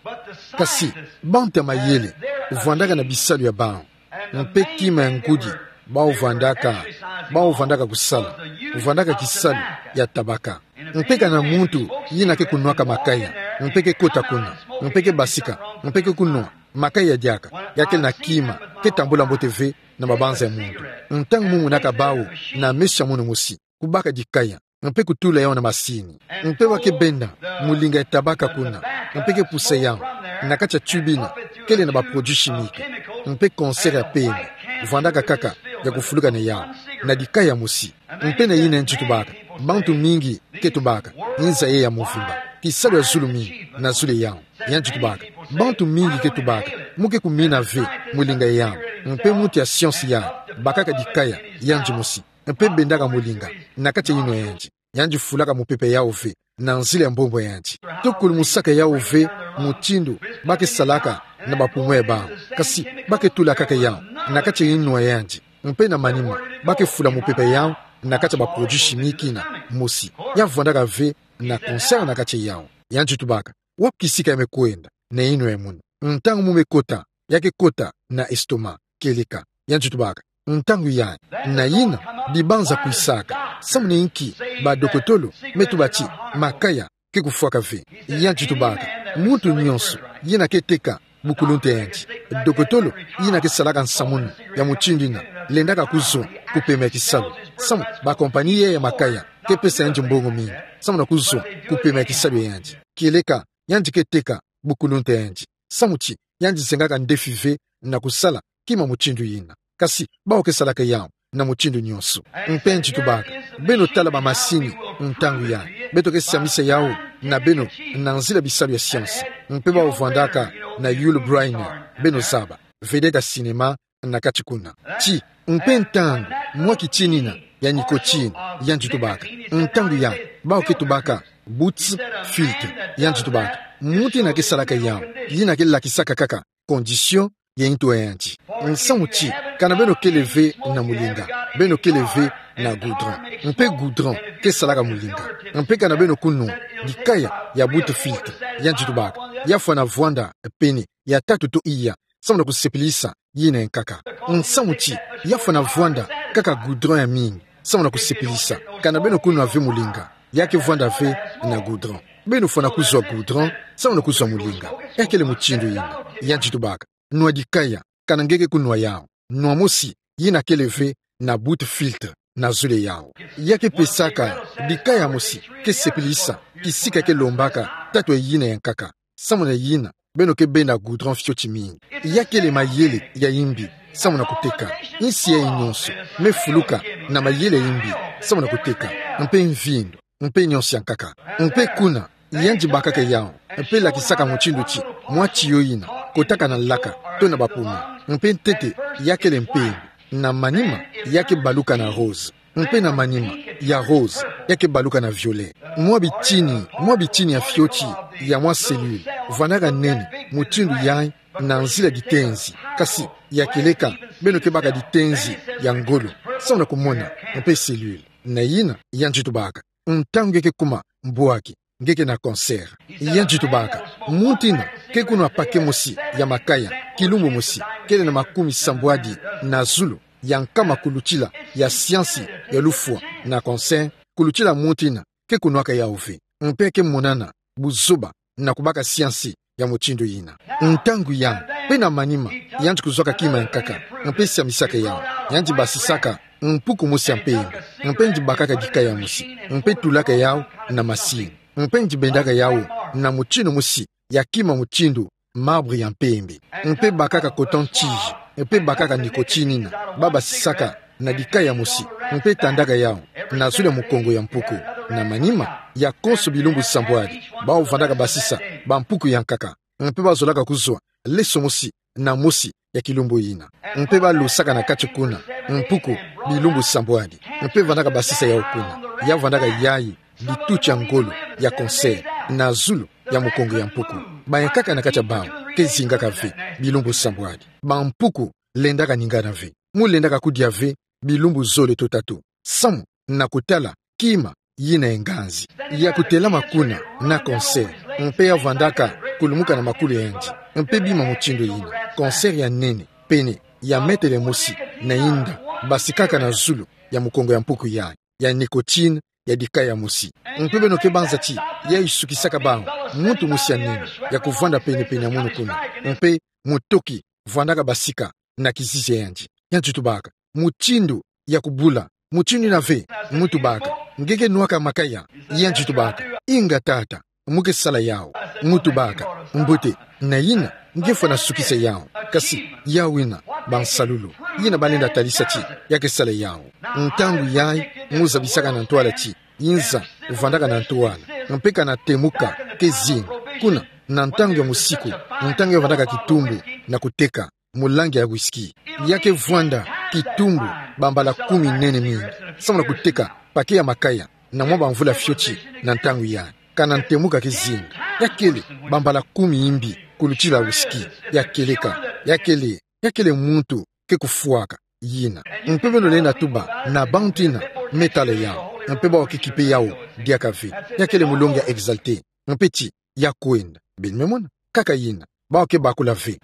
Kasi bantu ya mayele vwandaka na bisalu ya bawu, mpe kima ya ngudi bawu vwandaka, bawu vwandaka kusala, vwandaka kisalu ya tabaka. Mpe kana muntu yina ke kunwaka makaya, mpe ke kota kuna, mpe ke basika, mpe ke kunwa makaya diaka, ya kele na kima ke tambula mbote ve na mabanza ya muntu. Ntangu mu monaka bawu na meso ya munu mosi, kubaka dikaya, mpe kutula yawu na masini. Mpe ba ke benda mulinga ya tabaka kuna, mpe ke pusa yawu na kati ya tube yina kele na ba produits chimiques, mpe concert ya pembe vwandaka kaka ya kufuluka na yawu, na dikaya mosi. Mpe na yina yandi tubaka, bantu mingi ke tubaka inza yayi ya muvimba, kisalu ya zulu mingi na zulu ya yawu. Yandi tubaka, bantu mingi ke tubaka, mu ke kumina ve mulinga ya yawu. Mpe muntu ya science yayi bakaka dikaya yandi mosi, mpe bendaka mulinga na kati ya yinwa ya yandi. Yandi fulaka mupepe yawu ve na nzila ya mbombo ya yandi, to kulumusaka yawu ve mutindu ba ke salaka na ba poumon ya bawu. Kasi ba ke tula kaka yawu na kati ya yinwa ya yandi, mpe na manima ba ke fula mupepe yawu na kati ya ba produits chimiques yina mosi. Ya vwandaka ve na concert na kati ya yawu. Yandi tubaka, wapi kisika ya me kwenda, na ino ya muna. Ntangu mu me kota, ya ke kota na estomac, kieleka, ya nzi tubaka. Ntangu ya, na yina, dibanza kwisaka, samu na inki, badokotolo, me tuba ti, makaya, ke kufwaka ve. Ya nzi tubaka, muntu nyonso, yina ke teka, bukuluntu ya yandi. Dokotolo, yina ke salaka nsamunu, ya mutindu yina, lendaka kuzwa, kupema ya kisalu. Samu, bakompani ya makaya, ke pesa yandi mbongo mingi, samu na kuzwa, kupema ya kisalu ya yandi. Kieleka, yandi ke teka, bukuluntu ya yandi. Samu ti, yandi zengaka ndefi ve, na kusala, kima mutindu yina. Kasi, bawu ke salaka yawu, na mutindu nyonso. Mpe nzi tubaka, beno tala bamasini, ntangu ya, beto ke siamisa yawu, na beno, na nzila bisalu ya science. Mpe bawu vandaka, na Yul Brynner, beno zaba, vedette ya cinéma, na kati kuna. Ti, mpe ntangu, mwa kitinina, ya nicotine, ya nzi tubaka. Ntangu ya, bawu ke tubaka, Boots filter, ya nzi tubaka. Muntu yina ke salaka yawu, yina ke lakisaka kaka, condition, ya ntu ya yandi. Nsamu ti, kana beno kele ve na mulinga, beno kele ve na goudron. Mpe goudron, ke salaka mulinga. Mpe kana beno kunwa, dikaya, ya Boots filter, ya nzi tubaka. Ya fwana vwanda, pene, ya tatu to iya, samu na kusepelisa, yina ya nkaka. Nsamu ti, ya fwana vwanda, kaka goudron ya mingi, samu na kusepelisa, kana beno kunwa ve mulinga, ya ke vwanda ve, na goudron. Beno fwana kuzwa goudron, samu na kuzwa mulinga. Ya kele mutindu yina, ya nzi tubaka. Nwa dikaya, kana nge ke kunwa yawu. Nwa mosi, yina kele ve, na Boots filter, na zulu yawu. Ya ke pesaka, dikaya mosi, ke sepelisa, kisika ke lombaka, tatu ya yina ya nkaka. Samu na yina, beno ke benda goudron fioti mingi. Ya kele mayele, ya imbi, samu na kuteka. Insi yayi nyonso, me fuluka, na mayele ya imbi, samu na kuteka. Mpe mvindu, mpe nyonso ya nkaka. Mpe kuna, yandi bakaka yawu, mpe lakisaka mutindu ti, mwa tiyo yina, kotaka na laka, to na bapuma. Mpe ntete, ya kele mpembe, na manima, ya ke baluka na rose. Mpe na manima, ya rose, ya ke baluka na violet. Mwa bitini, mwa bitini ya fioti, ya mwa cellule, vwandaka nene, mutindu yayi, na nzila ditenzi, kasi, ya kieleka, beno ke baka ditenzi, ya ngolo, samu na kumona, mpe cellule. Na yina, ya nzi tubaka. Ntangu nge ke kuma, mbwaki, nge ke na cancer. Ya nzi tubaka. Muntu yina, ke kunwa paquet mosi, ya makaya, kilumbu mosi, kele na makumi sambwadi, na zulu, ya nkama kulutila, ya siansi, ya lufwa, na cancer, kulutila muntu yina, ke kunwaka yawu ve. Mpe ke monana, buzoba, na kubaka siansi, ya mutindu yina. Ntangu ya, mpe na manima, yandi kuzwaka kima ya nkaka, mpe siamisaka yawu, yandi basisaka, mpuku mosi ya mpembe, mpe yandi bakaka dikaya mosi, mpe tulaka yawu, na masini, mpe yandi bendaka yawu, na mutindu mosi, ya kima mutindu, marbre ya mpembe, mpe bakaka coton-tige, mpe bakaka nicotine yina, babasisaka, na dikaya mosi, mpe tandaka yawu, na zulu ya mukongo ya mpuku, na manima, ya konso bilumbu sambwadi, bawu vandaka basisa, bampuku ya nkaka, mpe bazolaka kuzwa, leso mosi, na mosi, ya kilumbu yina. Mpe balosaka na kati kuna, mpuku, bilumbu sambwadi, mpe vandaka basisa yawu kuna, ya vandaka yayi, dituti ya ngolo, ya cancer, na zulu, ya mukongo ya mpuku. Bayankaka na kati ya bawu, ke zingaka ve, bilumbu sambwadi. Bampuku, lendaka ningana ve. Mu lendaka kudia ve, bilumbu zole to tatu. Samu, na kutala, kima, yina ya nganzi. Ya kutelama kuna, na cancer. Mpe ya vandaka, kulumuka na makulu ya yandi. Mpe bima mutindu yina. Cancer ya nene, pene, ya metele mosi, na inda, basikaka na zulu, ya mukongo ya mpuku yayi. Ya nicotine, ya dikaya mosi. Mpe beno ke banza ti, yayi sukisaka bawu, muntu mosi ya nene, ya kuvanda pene-pene ya munu kuna. Mpe, mutoki, vandaka basika, na kizizi ya yandi. Ya nzi tubaka. Mutindu, ya kubula. Mutindu yina ve, mu tubaka. Nge ke nwaka makaya. Ya nzi tubaka. Inga tata. Mu ke sala yawu. Mu tubaka. Mbote. Na yina, nge fwana sukisa yawu. Kasi, yawu yina, bansalulu. Yina balenda talisa ti, ya ke sala yawu. Ntangu yayi, mu zabisaka na ntwala ti, yinza, vandaka na ntwala. Mpe kana temuka, ke zinga. Kuna, na ntangu ya musiku, ntangu ya vandaka kitumbu, na kuteka, mulangi ya whisky. Ya ke vwanda, kitumbu, bambala kumi nene mingi. Samu na kuteka, paquet ya makaya, na mwa bamvula fioti, na ntangu yayi. Kana ntemuka ke zinga. Ya kele, bambala kumi imbi, kulutila whisky. Ya kieleka, ya kele, ya kele muntu, ke kufwaka, yina. Mpe beno lenda tuba, na bantu yina, me tala yawu. Mpe bawu ke kipe yawu, diaka ve. Ya kele mulongi ya exalté. Mpe ti, ya kwenda. Beno me mona, kaka yina, bau ke bakula ve.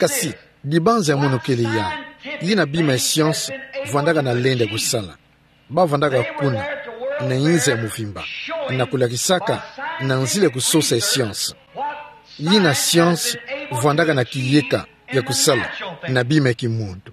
Kasi, dibanza ya mono kele ya, yina bima ya science vwandaka na lenda kusala. Bau vwandaka kuna, na inza ya mvimba, na kulakisaka, na nzila ya kusosa ya science. Yina science vwandaka na kiyeka ya kusala na bima ya kimuntu.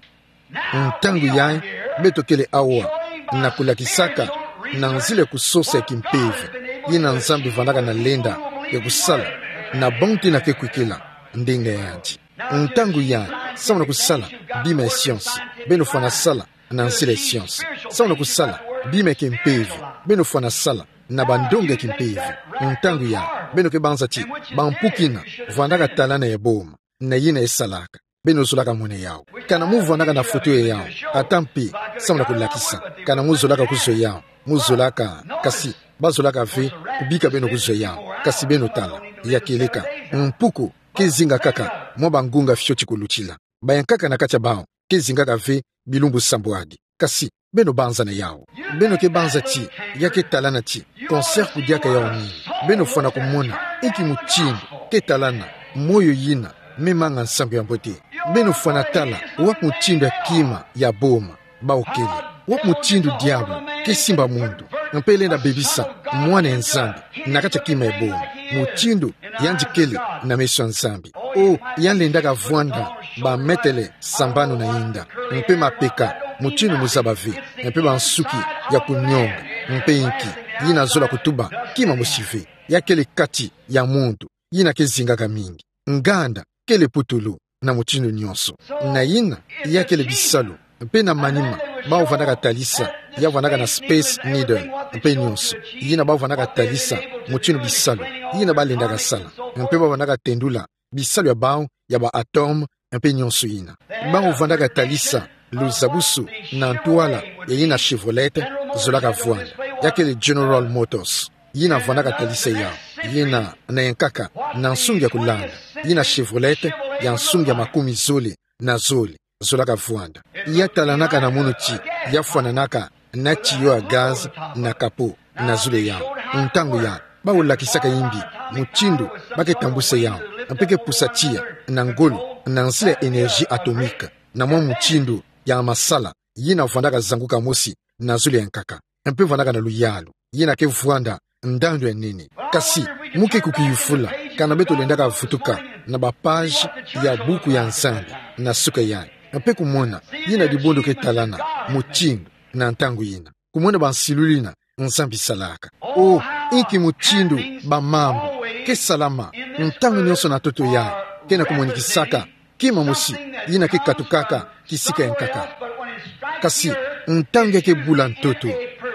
Ntangu yayi, beto kele awa, na kulakisaka, na nzila ya kusosa ya kimpeve, yina Nzambi vwandaka na lenda ya kusala, na bantu yina ke kwikila ndinga yandi. Ntangu yayi, samu na kusala bima ya science, beno fwana sala na nzila ya science. Samu na kusala bima ya kimpeve, beno fwana sala na bandonga ya kimpeve. Ntangu yayi, beno ke banza ti bampuku yina vwandaka talana ya boma, na yina esalaka. Beno zolaka mona yawu. Kana mu vwandaka na foto ya yawu, ata mpe samu na kulakisa. Kana mu zolaka kuzwa yawu, mu zolaka, kasi, bazolaka ve kubika beno kuzwa yawu. Kasi beno tala, ya keleka, mpuku ke zinga kaka mwa bangunga fioti kulutila. Bayankaka na kati ya bau ke zingaka ve bilumbu sambwadi. Kasi, beno banza na yawu. Beno ke banza ti, ya ke talana ti, cancer kudiaka yawu nini. Beno fwana kumona, inki mutindu ke talana moyo yina me manga nsangu ya mbote. Beno fwana tala, wapi mutindu ya kima ya boma bau kele. Wapi mutindu diabulu ke simba muntu, mpe lenda bebisa mwana ya Nzambi na kati ya kima ya boma. Mutindu yandi kele na meso ya Nzambi. O, yandi lendaka vwanda bametele sambanu na inda, mpe mapeka, mutindu muzaba ve, mpe bansuki ya kunionga, mpe inki, yina zola kutuba kima mosi ve. Ya kele kati ya muntu yina ke zingaka mingi. Nganda kele putulu na mutindu nyonso. Na yina, ya kele bisalu, mpe na manima, bau vwandaka talisa, ya vwandaka na Space Needle, mpe nyonso. Yina bau vwandaka talisa mutindu bisalu yina balendaka sala, mpe bau vwandaka tendula bisalu ya bau ya ba atome, mpe nyonso yina. Bau vwandaka talisa luzabusu na ntwala ya yina Chevrolet zolaka vwanda, ya kele General Motors. Yina vwandaka talisa yawu, yina na yankaka na nsungi ya kulanda, yina Chevrolet ya nsungi ya makumi zole na zole zolaka vwanda. Ya talanaka na munu ti, ya fwananaka na tiyo ya gaz na capot, na zulu ya yawu. Ntangu yayi, bau lakisaka yimbi mutindu ba ke tambusa yawu, mpe ke pusa tiya na ngolo, na nzila ya énergie atomique, na mwa mutindu ya masala yina vwandaka zanguka mosi na zulu ya nkaka. Mpe vwandaka na luyalu yina ke vwanda ndandu ya nene. Kasi, mu ke kukiyufula, kana beto lendaka vutuka na ba page ya buku ya Nzambi na suka yayi, mpe kumona yina dibundu ke talana mutindu na ntangu yina. Kumona bansilulu yina Nzambi salaka. O, inki mutindu bamambu ke salama ntangu nyonso na ntoto yayi, ke na kumonikisaka kima mosi yina ke katukaka kisika ya nkaka. Kasi, ntangu ya ke bula ntoto,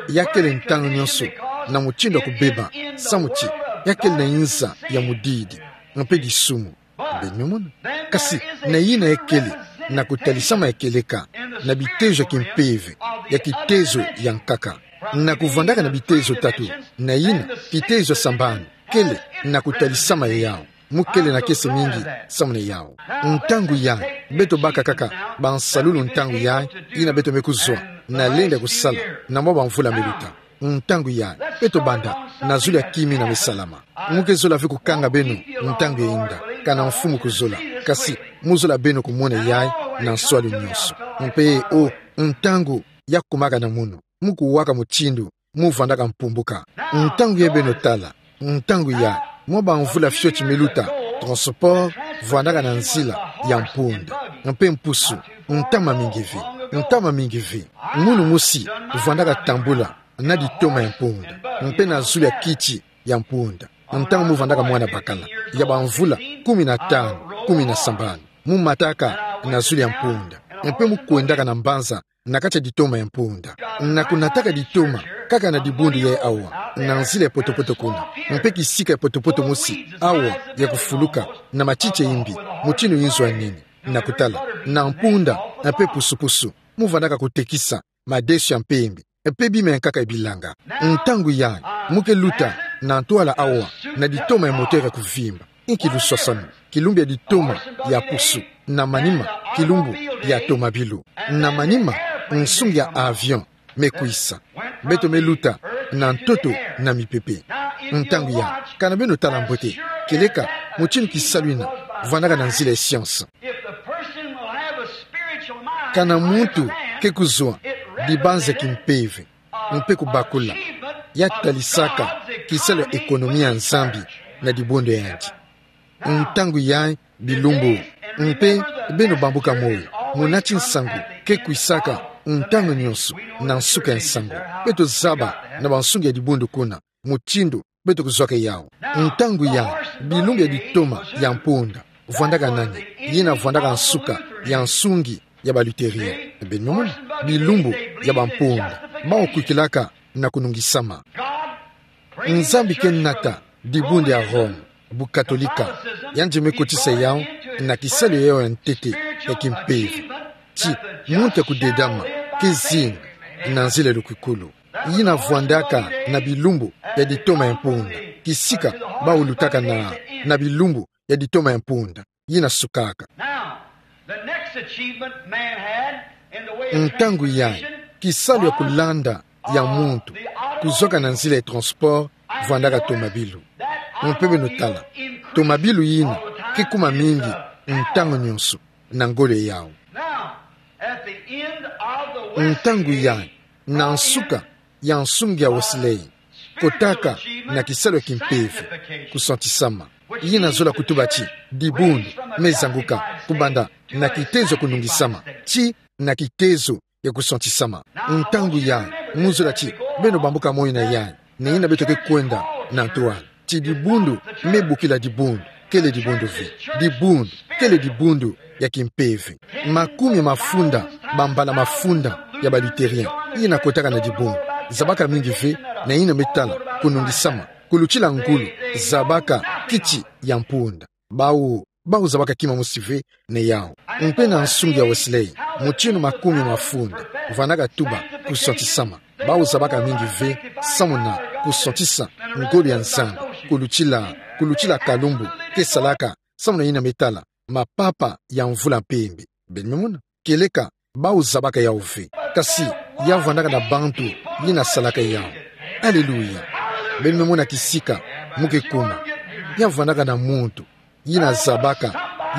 ya kele ntangu nyonso na mutindu ya kubeba, samu ti ya kele na inza ya mudidi, mpe disumu. Beno mona. Kasi, na yina ya kele na kutalisama ya kieleka na bitezo ya kimpeve ya kitezo ya nkaka. Na kuvwandaka na bitezo tatu, na yina, kitezo ya sambanu kele na kutalisama ya yawu. Mu kele na kiese mingi samu na yawu. Ntangu yayi, beto baka kaka bansalulu ntangu yayi, yina beto me kuzwa na lenda kusala na mwa bamvula meluta. Ntangu yayi, beto banda na zulu ya kima yina me salama. Mu ke zola ve kukanga beno ntangu ya inda, kana Mfumu kuzola. Kasi, mu zola beno kumona yayi na nswalu nyonso. Mpe, o, ntangu ya kumaka na munu, mu kuwaka mutindu mu vwandaka mpumbuka. Ntangu yayi beno tala, ntangu yayi, mwa bamvula fioti meluta, transport vwandaka na nzila ya mpunda. Mpe mpusu, ntama mingi ve, ntama mingi ve. Munu mosi vwandaka tambula na ditoma ya mpunda, mpe na zulu ya kiti ya mpunda. Ntangu mu vwandaka mwana bakala ya bamvula kumi na tanu, kumi na sambanu, mu mataka na zulu ya mpunda, mpe mu kwendaka na mbanza na kati ya ditoma ya mpunda. Na kunataka ditoma kaka na dibundu yayi awa, na nzila ya potopoto kuna. Mpe kisika ya potopoto mosi awa ya kufuluka na matiti ya imbi, mutindu inzo ya nene. Na kutala, na mpunda, mpe pusupusu, mu vwandaka kutekisa madeso ya mpembe, mpe bima ya nkaka ya bilanga. Ntangu yayi, mu ke luta na ntwala awa, na ditoma ya moteur ya kuvimba. Inki luswaswanu, kilumbu ya ditoma ya pusu, na manima, kilumbu ya tomabilu, na manima, nsungi ya avion me kwisa. Beto me luta na ntoto na mipepe. Ntangu ya, kana beno tala mbote, kieleka mutindu kisalu ina vwandaka na nzila ya science. Kana muntu ke kuzwa dibanzi ya kimpeve mpe kubakula, ya talisaka kisalu ya ekonomi ya Nzambi na dibundu yandi. Ntangu yayi bilumbu, mpe beno bambuka moyo, muna ti nsangu ke kwisaka ntangu nyonso na nsuka ya nsangu. Beto zaba na bansungi ya dibundu kuna mutindu beto kuzwaka yawu. Ntangu yayi bilumbu ya ditoma ya mpunda vwandaka nani? Yina vwandaka nsuka ya nsungi ya ba Lutherien. Beno mona, bilumbu ya bampunda, bawu kwikilaka na kunungisama. Nzambi ke nata dibundu ya Rome, bukatolika, yandi me kotisa yawu na kisalu ya yawu ya ntete ya kimpeve, ti muntu ya kudedama ke zinga na nzila ya lukwikulu. Yina vwandaka na bilumbu ya ditoma ya mpunda. Kisika bawu lutaka na, na bilumbu ya ditoma ya mpunda, yina sukaka. Now, the next achievement man had in the way of Ntangu yayi, transportation kisalu ya kulanda ya muntu kuzwaka na nzila ya transport vwandaka tomabilu. Mpe beno tala, tomabilu yina ke kuma mingi ntangu nyonso na ngolo ya yawu. Now, at the end of the Wesley Ntangu yayi, na nsuka ya nsungi ya Wesley, kotaka na kisalu ya kimpeve, kusantisama. Yina zola kutuba ti dibundu me zanguka kubanda na kitezo ya kunungisama tii na kitezo ya kusantisama. Ntangu yayi, mu zola ti beno bambuka moyo na yayi, na yina beto ke kwenda na ntwala, ti dibundu me bokila dibundu, kele dibundu ve. Dibundu kele dibundu ya kimpeve. Makumi mafunda, bambala mafunda ya ba Lutherien yina kotaka na dibundu. Zabaka mingi ve na yina me tala kunungisama, kulutila ngolo, zabaka kiti ya mpunda. Bawu, bawu zabaka kima mosi ve na yawu. Mpe na nsungi ya Wesley, mutindu makumi mafunda vwandaka tuba kusantisama, bawu zabaka mingi ve samu na kusantisa ngolo ya Nzambi, kulutila, kulutila kalumbu ke salaka samu na yina me tala mapapa ya mvula mpembe. Beno me mona, kieleka bawu zabaka yawu ve. Kasi ya vwandaka na bantu yina salaka yawu. Aleluya. Beno me mona kisika mu ke kuma. Ya vwandaka na muntu yina zabaka,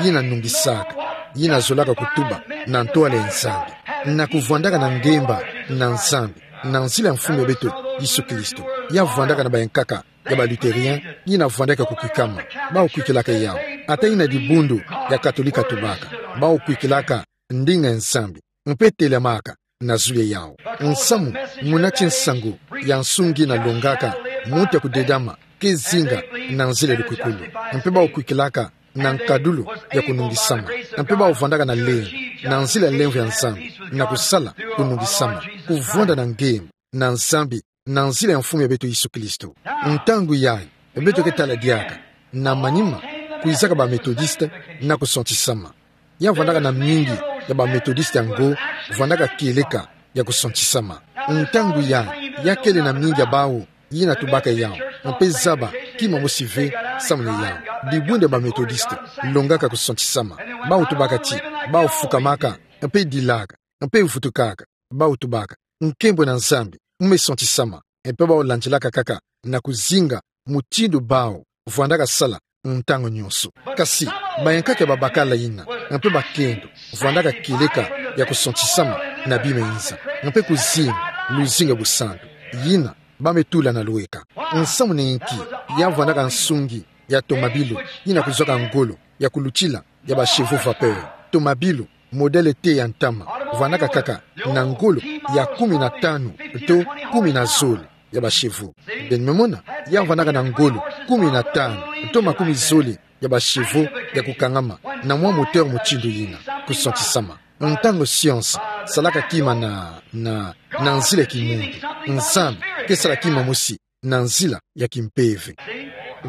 yina nungisaka, yina zolaka kutuba na ntwala ya Nzambi, na kuvwandaka na ngemba na Nzambi na nzila ya Mfumu ya beto Yesu Kristo. Ya vwandaka na bayankaka ya ba Lutherien yina vwandaka kukwikama, bawu kwikilaka yawu. Ata yina dibundu ya Katolika tubaka, bawu kwikilaka ndinga ya Nzambi mpe telamaka na zulu ya yawu. Nsamu, muna ti nsangu ya nsungi yina longaka muntu ya kudedama ke zinga na nzila ya lukwikulu, mpe bawu kwikilaka na nkadulu ya kunungisama, mpe bawu vwandaka na lemvo, na nzila ya lemvo ya Nzambi, na kusala kunungisama, kuvwanda na ngemba na Nzambi na nzila ya Mfumu ya beto Yesu Kristo. Ntangu yayi, beto ke tala diaka, na manima, kwizaka ba Methodiste na kusantisama. Ya vwandaka na mingi ya ba Methodiste yango vwandaka kieleka ya kusantisama. Ntangu yayi, ya kele na mingi ya bawu yina tubaka yawu, mpe zaba kima mosi ve samu na yawu. Dibundu ya ba Methodiste longaka kusantisama. Bawu tubaka ti bawu fukamaka, mpe dilaka, mpe vutukaka. Bawu tubaka, nkembo na Nzambi mu me santisama. Mpe bawu landilaka kaka na kuzinga mutindu bawu vwandaka sala ntangu nyonso. Kasi bayankaka ya babakala yina, mpe bakento, vwandaka kieleka ya kusantisama na bima inza, mpe kuzinga luzingu ya busantu, yina ba me tula na lweka. Nsamu na inki? Ya vwandaka nsungi ya tomabilu yina kuzwaka ngolo ya kulutila ya ba chevaux vapeur. Tomabilu modèle T ya ntama vwandaka kaka na ngolo ya kumi na tanu to kumi na zole ya ba chevaux. Beno me mona, ya vwandaka na ngolo kumi na tanu to makumi zole ya ba chevaux ya kukangama na mwa moteur mutindu yina, kusantisama. Ntangu science salaka kima na, na, na nzila ya kimuntu, Nzambi ke sala kima mosi na nzila ya kimpeve.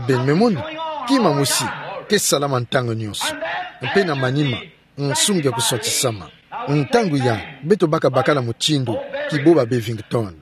Beno me mona, kima mosi ke salama ntangu nyonso. Mpe na manima, nsungi ya kusantisama. Ntangu yayi, beto baka bakala mutindu Kiboba Bevington.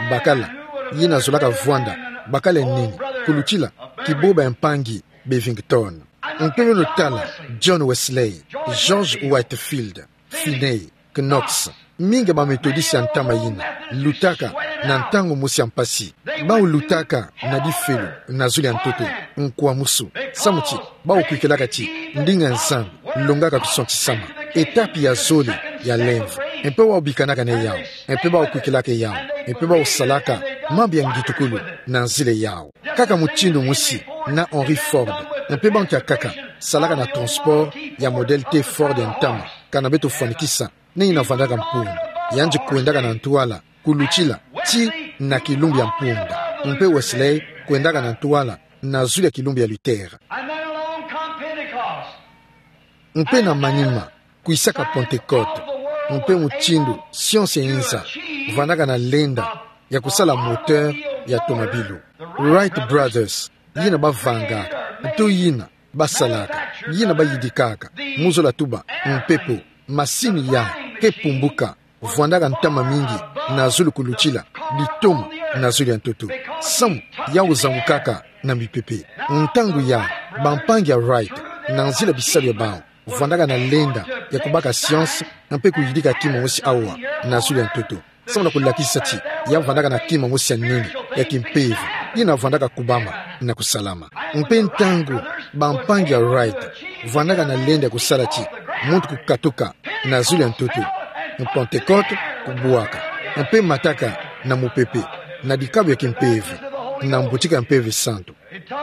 Bakala yina zolaka vwanda bakala ya nini kulutila Kiboba ya mpangi Bevington. Mpe beno tala John Wesley, George Whitefield, Finney, Knox. Mingi ya ba Methodiste ya ntama yina lutaka na ntangu mosi ya mpasi. Bawu lutaka na difelo, na zulu ya ntoto, nkwa musu. Samu ti, bawu kwikilaka ti, ndinga ya Nzambi, longaka kusontisama. Etapi ya zole, ya lemvo. Mpe bawu bikanaka na yawu. Mpe bawu kwikilaka yawu. Mpe bawu salaka mambu ya ngitukulu, na nzila yawu. Kaka mutindu mosi, na Henry Ford. Mpe bantu ya nkaka, salaka na transport, ya modèle T Ford ya ntama. Kana beto fwanikisa, na yina vandaka mpunda. Yandi kwendaka na ntwala, kulutila, ti na kilumbu ya mpunda. Mpe Wesley, kwendaka na ntwala, na zulu ya kilumbu ya Luther. And then along come Pentecost. Mpe na manima, kwisaka Pentecote. Mpe mutindu, science ya inza, vandaka na lenda, ya kusala moteur, ya tomabilu. Wright Brothers, yina bavangaka, nto yina, basalaka, yina bayidikaka, mu zola tuba, mpepo, masini ya, ke pumbuka, vandaka ntama mingi, na zulu kulutila, ditoma, na zulu ya ntoto. Samu, yawu zangukaka, na mipepe. Ntangu ya, bampangi ya Wright, na nzila bisalu ya bawu, vandaka na lenda, ya kubaka science, mpe kuyidika kima mosi awa, na zulu ya ntoto. Samu na kulakisa ti, ya vandaka na kima mosi ya nene, ya kimpeve, yina vandaka kubama, na kusalama. Mpe ntangu, bampangi ya Wright, vandaka na lenda ya kusala ti, muntu kukatuka, na zulu ya ntoto. Pentecote, kubwaka. Mpe mataka, na mupepe, na dikabu ya kimpeve, na mbutika ya Mpeve Santu.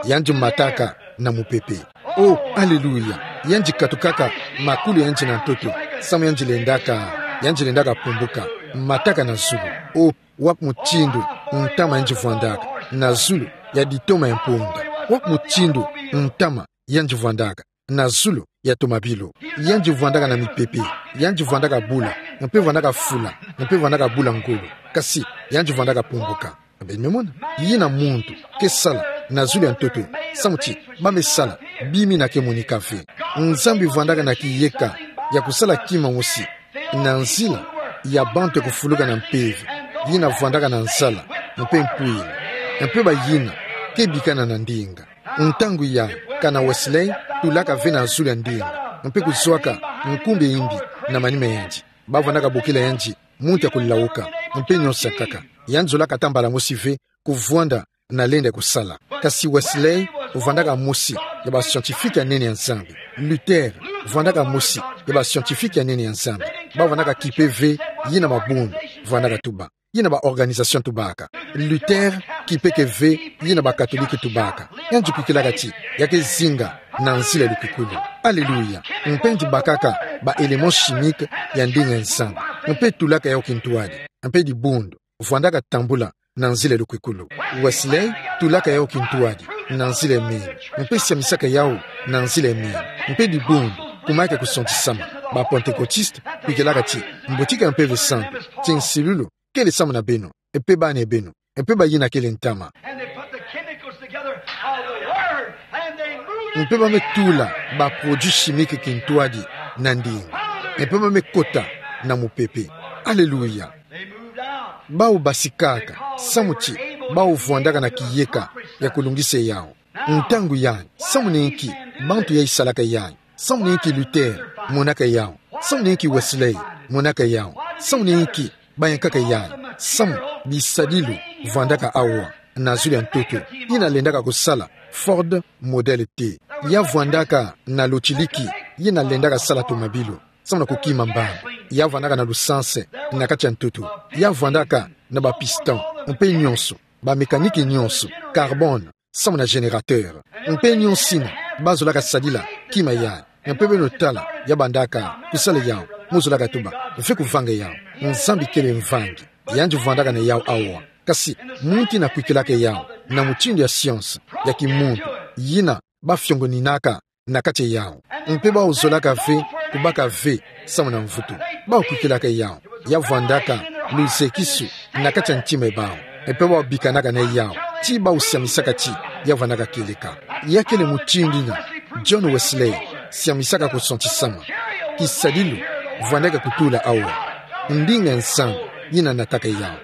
Yandi mataka na mupepe. Oh, aleluya. Yandi katukaka makulu ya yandi na ntoto. Samu yandi lendaka, yandi lendaka pumbuka. Mataka na zulu. Oh, wapi mutindu ntama yandi vwandaka. Na zulu ya ditoma ya mpunda. Wapi mutindu ntama yandi vwandaka. Na zulu ya tomabilu. Yandi vwandaka na mipepe. Yandi vwandaka bula. Mpe vwandaka fula. Mpe vwandaka bula ngolo. Kasi, yandi vwandaka pumbuka. Beno me mona, yina muntu ke sala na zulu ya ntoto, samu ti ba me sala bima yina ke monika ve. Nzambi vwandaka na kiyeka ya kusala kima mosi na nzila ya bantu ya kufuluka na mpeve, yina vwandaka na nzala mpe mpwila, mpe bayina ke bikana na ndinga. Ntangu ya, kana Wesley tulaka ve na zulu ya ndinga, mpe kuzwaka nkumbu ya yimbi na manima ya yandi. Ba vwandaka bokila yandi muntu ya kulawuka, mpe nionso ya nkaka. Yandi zolaka ata mbala mosi ve kuvwanda na lenda ya kusala. Kasi Wesley vwandaka mosi ya ba scientifique ya nene ya Nzambi. Luther vwandaka mosi ya ba scientifique ya nene ya Nzambi. Ba vwandaka kipe ve yina mabundu vwandaka tuba, yina ba organisation tubaka. Luther kipeke ve yina ba catholique tubaka. Yandi kwikilaka ti, ya ke zinga na nzila ya lukukulu. Aleluya. Mpe yandi bakaka ba éléments chimiques ya ndinga ya Nzambi, mpe tulaka yawu kintwadi. Mpe dibundu vwandaka tambula na nzila ya lukukulu. Wesley tulaka yawu kintwadi na nzila ya meno, mpe siamisaka yawu na nzila ya meno. Mpe dibundu kumayaka kusantisama. Ba Pentecôtistes kwikilaka ti, mbutika ya Mpeve Santu, tinsilulu kele samu na beno, mpe bana ya beno, mpe bayina kele ntama. And they put the chemicals together of the word, and they moved. Mpe ba me tula ba produits chimiques kintwadi na ndinga, mpe ba me kota na mupepe. Aleluya. They moved out. Bawu basikaka, samu ti bawu vwandaka na kiyeka ya kulungisa yawu. Ntangu yandi, samu na inki bantu yayi salaka yandi? Samu na inki Luther monaka yawu? Samu na inki Wesley monaka yawu? Samu na inki bayankaka yandi? Samu bisadilu vwandaka awa na zulu ya ntoto, yina lendaka kusala Ford Model T. Ya vwandaka na lotiliki, yina lendaka sala tomabilu, samu na kukima mbamba. Ya vwandaka na lusansi na kati ya ntoto. Ya vwandaka na ba piston, mpe nionso, ba mécanique nionso, carbone, samu na générateur. Mpe nionso yina ba zolaka sadila kima yandi. Mpe beno tala, ya bandaka kusala yawu, mu zolaka tuba, ve kuvanga yawu. Nzambi kele mvangi. Yandi vwandaka na yawu awa. Kasi muntu yina kwikilaka yawu na mutindu ya science ya kimuntu, yina ba fiongoninaka na kati ya yawu. Mpe bawu zolaka ve kubaka ve samu na mvutu. Bawu kwikilaka yawu. Ya vwandaka luzekisu na kati ya ntima ya bawu. Mpe bawu bikanaka na yawu, ti bawu siamisaka ti ya vwandaka kieleka. Ya kele mutindu yina John Wesley siamisaka kusantisama. Kisadilu vwandaka kutula awa. Ndinga ya Nzambi yina nataka yawu.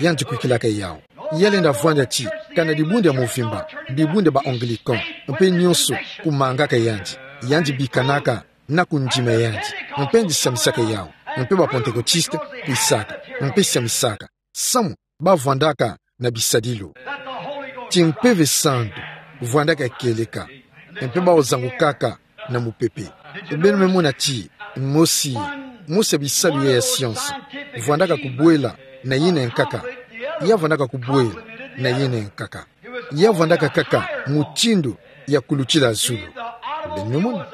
Yandi kwikilaka yawu. Ya lenda vwanda ti, kana dibundu ya mvimba, dibundu ya ba Anglican, mpe nionso kumangaka yandi. Yandi bikanaka na kundima yandi. Mpe yandi siamisaka yawu. Mpe ba Pentecôtistes kwisaka, mpe siamisaka. Samu bavwandaka na bisadilu. Ti Mpeve Santu vwandaka kieleka, mpe baozangukaka na mupepe. Beno me mona ti, mosi, mosi ya bisalu ya science, vwandaka kubwela na yina nkaka. Ya vwandaka kubwela na yina nkaka. Ya vwandaka kaka mutindu ya kulutila zulu. Beno me mona.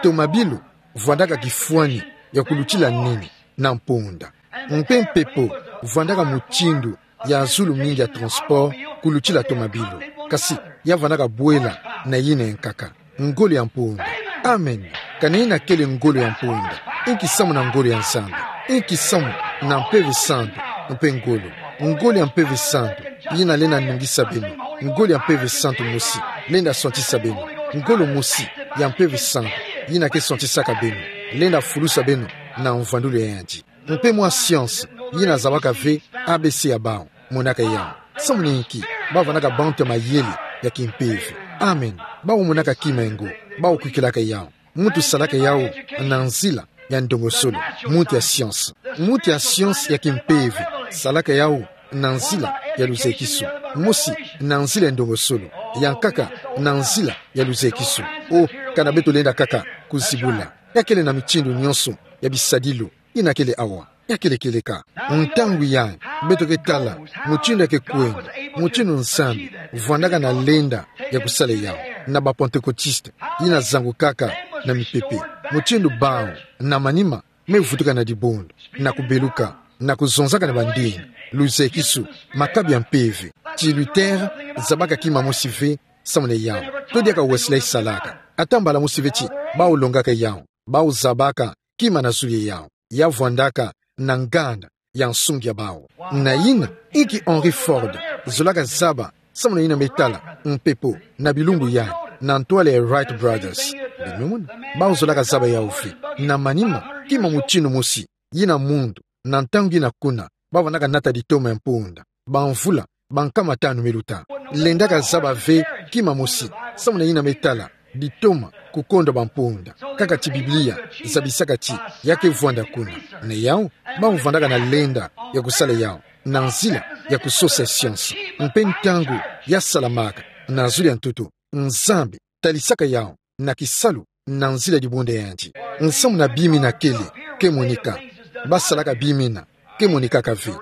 Tomabilu vwandaka kifwani ya kulutila nini na mponda. Mpe mpepo vwandaka mutindu ya zulu mingi ya transport kulutila tomabilu. Kasi, ya vwandaka bwela na yina nkaka. Ngolo ya mponda. Amen. Kana yina kele ngolo ya mponda. Inki samu na ngolo ya Nzambi. Inki samu na Mpeve Santu mpe ngolo. Ngolo ya Mpeve Santu yina lenda nungisa beno. Ngolo ya Mpeve Santu mosi lenda swantisa beno. Ngolo mosi ya Mpeve Santu yina ke swantisaka beno lenda fulusa beno na mvwandulu ya yandi. Mpe mwa science yina zabaka ve A B C ya bawu, monaka yawu. Samu na inki? Bavwandaka bantu ya mayele ya kimpeve. Amen. Bawu monaka kima ya ngo. Bawu kwikilaka yawu. Muntu salaka yawu na nzila ya ndongosolo. Muntu ya science. Muntu ya science ya kimpeve salaka yawu na nzila ya luzekisu. Mosi na nzila ya ndongosolo. Ya nkaka na nzila ya luzekisu. O, kana beto lenda kaka kuzibula. Ya kele na mitindu nyonso ya bisadilu yina kele awa. Ya kele kieleka. Ntangu yayi, beto ke tala mutindu ya ke kwenda, mutindu Nzambi vwandaka na lenda ya kusala yawu na ba Pentecôtistes yina zangukaka na mipepe. Mutindu bawu, na manima, me vutuka na dibundu, na kubeluka, na kuzonzaka na bandinga, luzekisu, makabi ya mpeve. Ti Luther zabaka kima mosi ve samu na yawu. To diaka Wesley salaka. Ata mbala mosi ve ti bawu longaka yawu. Bawu zabaka kima na zulu ya yawu. Ya vwandaka na nganda ya nsungi ya bawu. Na yina, inki Henry Ford zolaka zaba samu na yina me tala mpepo na bilumbu yayi, na ntwala ya Wright Brothers. Beno me mona. Bawu zolaka zaba yawu ve. Na manima, kima mutindu mosi yina muntu na ntangu yina kuna, bavwandaka nata ditoma ya mponda, bamvula bankama tanu me luta. Lendaka zaba ve kima mosi samu na yina me tala ditoma kukondo ba mponda. Kaka ti Biblia zabisaka ti ya ke vwanda kuna. Na yawu, bawu vwandaka na lenda ya kusala yawu na nzila ya kusosa science. Mpe ntangu ya salamaka na zulu ya ntutu, Nzambi talisaka yawu na kisalu na nzila ya dibundu ya yandi. Nsamu na bimina kele ke monika. Basalaka bimina ke monikaka ve.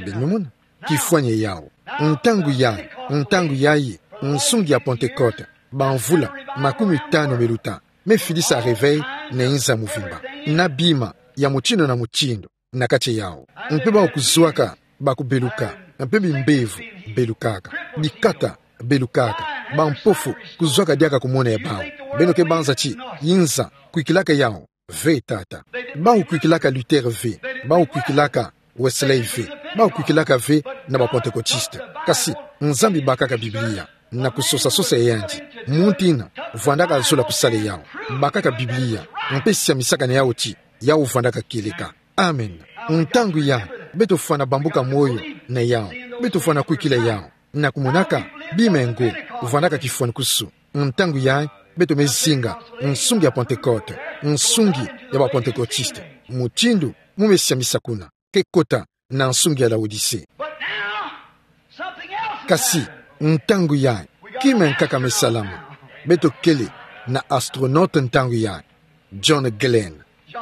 Beno me mona. Kifwani ya yawu. Ntangu yayi, ntangu yayi, nsungi ya Pentecôte, bamvula makumi tanu me luta, me fidisa réveil na inza muvimba. Na bima ya mutindu na mutindu na kati ya yawu. Mpe bawu kuzwaka, ba kubeluka, mpe bimbevo belukaka, bikata belukaka, bampofu kuzwaka diaka kumona ya bawu. Beno ke banza ti inza kwikilaka yawu ve, tata. Bawu kwikilaka Luther ve, bawu kwikilaka Wesley ve, bawu kwikilaka ve na ba Pentecôtistes. Kasi Nzambi bakaka Biblia na kusosa-sosa ya yandi. Muntu yina vwandaka zola kusala yawu. Bakaka Biblia, mpe siamisaka na yawu ti yawu vwandaka kieleka. Amen. Ntangu yayi, beto fwana bambuka moyo na yawu. Beto fwana kwikila yawu na kumonaka bima ya ngo vwandaka kifwani kusu. Ntangu yayi, beto me zinga nsungi ya Pentecôte, nsungi ya ba Pentecôtistes. Mutindu mu me siamisa kuna ke kota na nsungi ya Laodicée. But now, something else has happened. Kasi, ntangu yayi, kima ya nkaka me salama. Beto kele na astronaute ntangu yayi, John Glenn.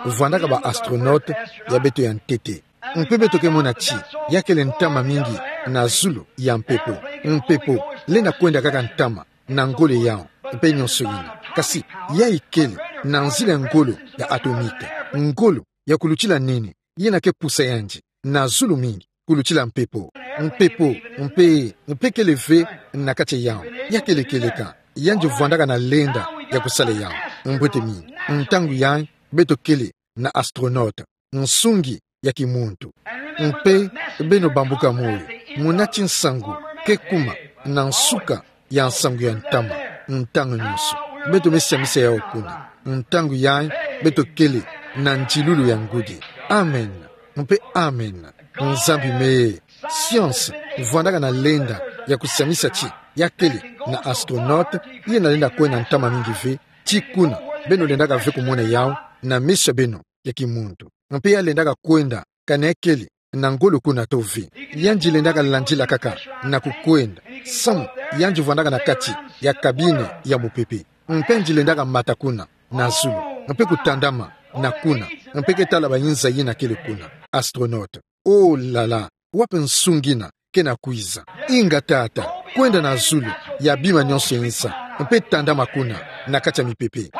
Vwandaka ba astronaute ya beto ya ntete. Mpe beto ke mona ti ya kele ntama mingi na zulu ya mpepo. Mpepo lenda kwenda kaka ntama na ngolo ya yawu, mpe nyonso yina. Kasi, yayi kele na nzila ya ngolo ya atomique. Ngolo ya kulutila nene, yina ke pusa yandi na zulu mingi kulutila mpepo. Mpepo, mpe, mpe kele ve na kati ya yawu. Ya kele kieleka, yandi vwandaka na lenda ya kusala yawu. Mbwete mingi, ntangu yayi, beto kele na astronaute, nsungi ya kimuntu. Mpe beno bambuka moyo, muna ti nsangu ke kuma na nsuka ya nsangu ya ntama, ntangu nyonso. Beto me siamisa yawu kuna. Ntangu yayi, beto kele na ndilulu ya ngudi. Amen. Mpe amen. Nzambi me. Science vwandaka na lenda ya kusiamisa ti ya kele na astronaute yina lenda kwenda ntama mingi ve, ti kuna beno lendaka ve kumona yawu na meso ya beno ya kimuntu. Mpe ya lendaka kwenda, kana ya kele na ngolo kuna to ve. Yandi lendaka landila kaka na kukwenda. Samu yandi vwandaka na kati ya kabine ya mupepe. Mpe yandi lendaka mata kuna na zulu, mpe kutandama na kuna, mpe ketala ba inza yina kele kuna. Astronaute. Oh là là, wapi nsungi ina kena kwiza? Inga tata, kwenda na zulu ya bima nyonso ya inza, mpe tandama kuna na kati ya mipepe.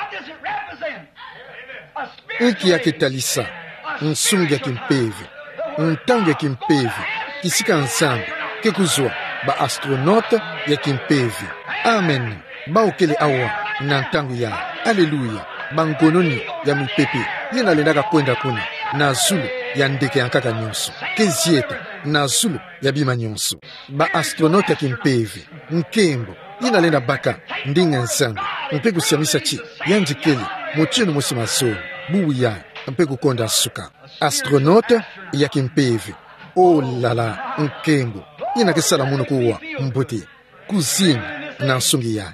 Inki ya ketalisa? Nsungi ya kimpeve. Ntangu ya kimpeve. Kisika Nzambi ke kuzwa ba astronaute ya kimpeve. Amen. Bawu kele awa na ntangu ya. Aleluya. Bangononi ya mipepe yina lendaka kwenda kuna na zulu ya ndeke ya nkaka nyonso. Kezieta na zulu ya bima nyonso. Ba astronaute ya kimpeve. Nkembo. Yina lenda baka ndinga Nzambi mpe kusiamisa ti yandi kele mutindu mosi mazono, bubu ya, mpe kukonda nsuka. Astronaute ya kimpeve. Oh là là, nkembo. Yina kesala munu kuwa mbote. Kuzini na nsungi ya.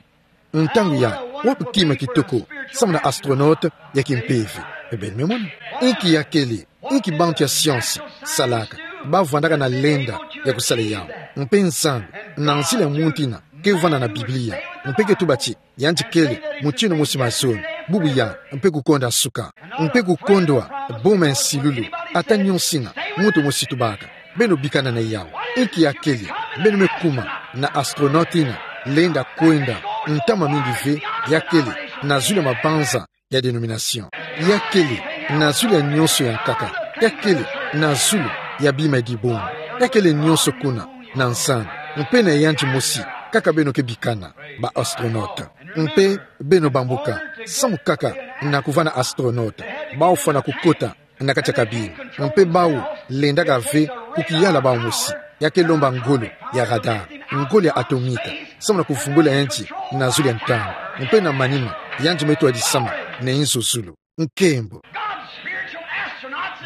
Ntangu ya, wapi kima kitoko samu na astronaute ya kimpeve? Ebeni me mona. Inki ya kele, inki bantu ya science salaka? Ba vwandaka na lenda ya kusala yawu. Mpe Nzambi, na nzila ya muntu ina, ke vwanda na Biblia. Mpe ke tuba ti yandi kele mutindu mosi mazono, bubu ya, mpe kukonda nsuka, mpe kukondwa boma ya nsilulu, ata nyonso ina muntu mosi tubaka. Beno bikana na yawu. Inki ya kele? Beno me kuma na astronaute ina lenda kwenda, ntama mingi ve, ya kele na zulu ya mabanza ya dénomination. Ya kele na zulu ya nyonso ya nkaka. Ya kele na zulu ya bima ya dibungu. Ya kele nyonso kuna na Nzambi. Mpe na yandi mosi kaka beno ke bikana, ba astronaute. Mpe beno bambuka samu kaka na kuvwanda astronaute. Bawu fwana kukota na kati ya kabine. Mpe bawu lendaka ve kukiyala bawu mosi. Ya ke lomba ngolo ya radar, ngolo ya atomika, samu na kuvumbula yandi na zulu ya ntangu. Mpe na manima, yandi me twadisama na inzo zulu. Nkembo.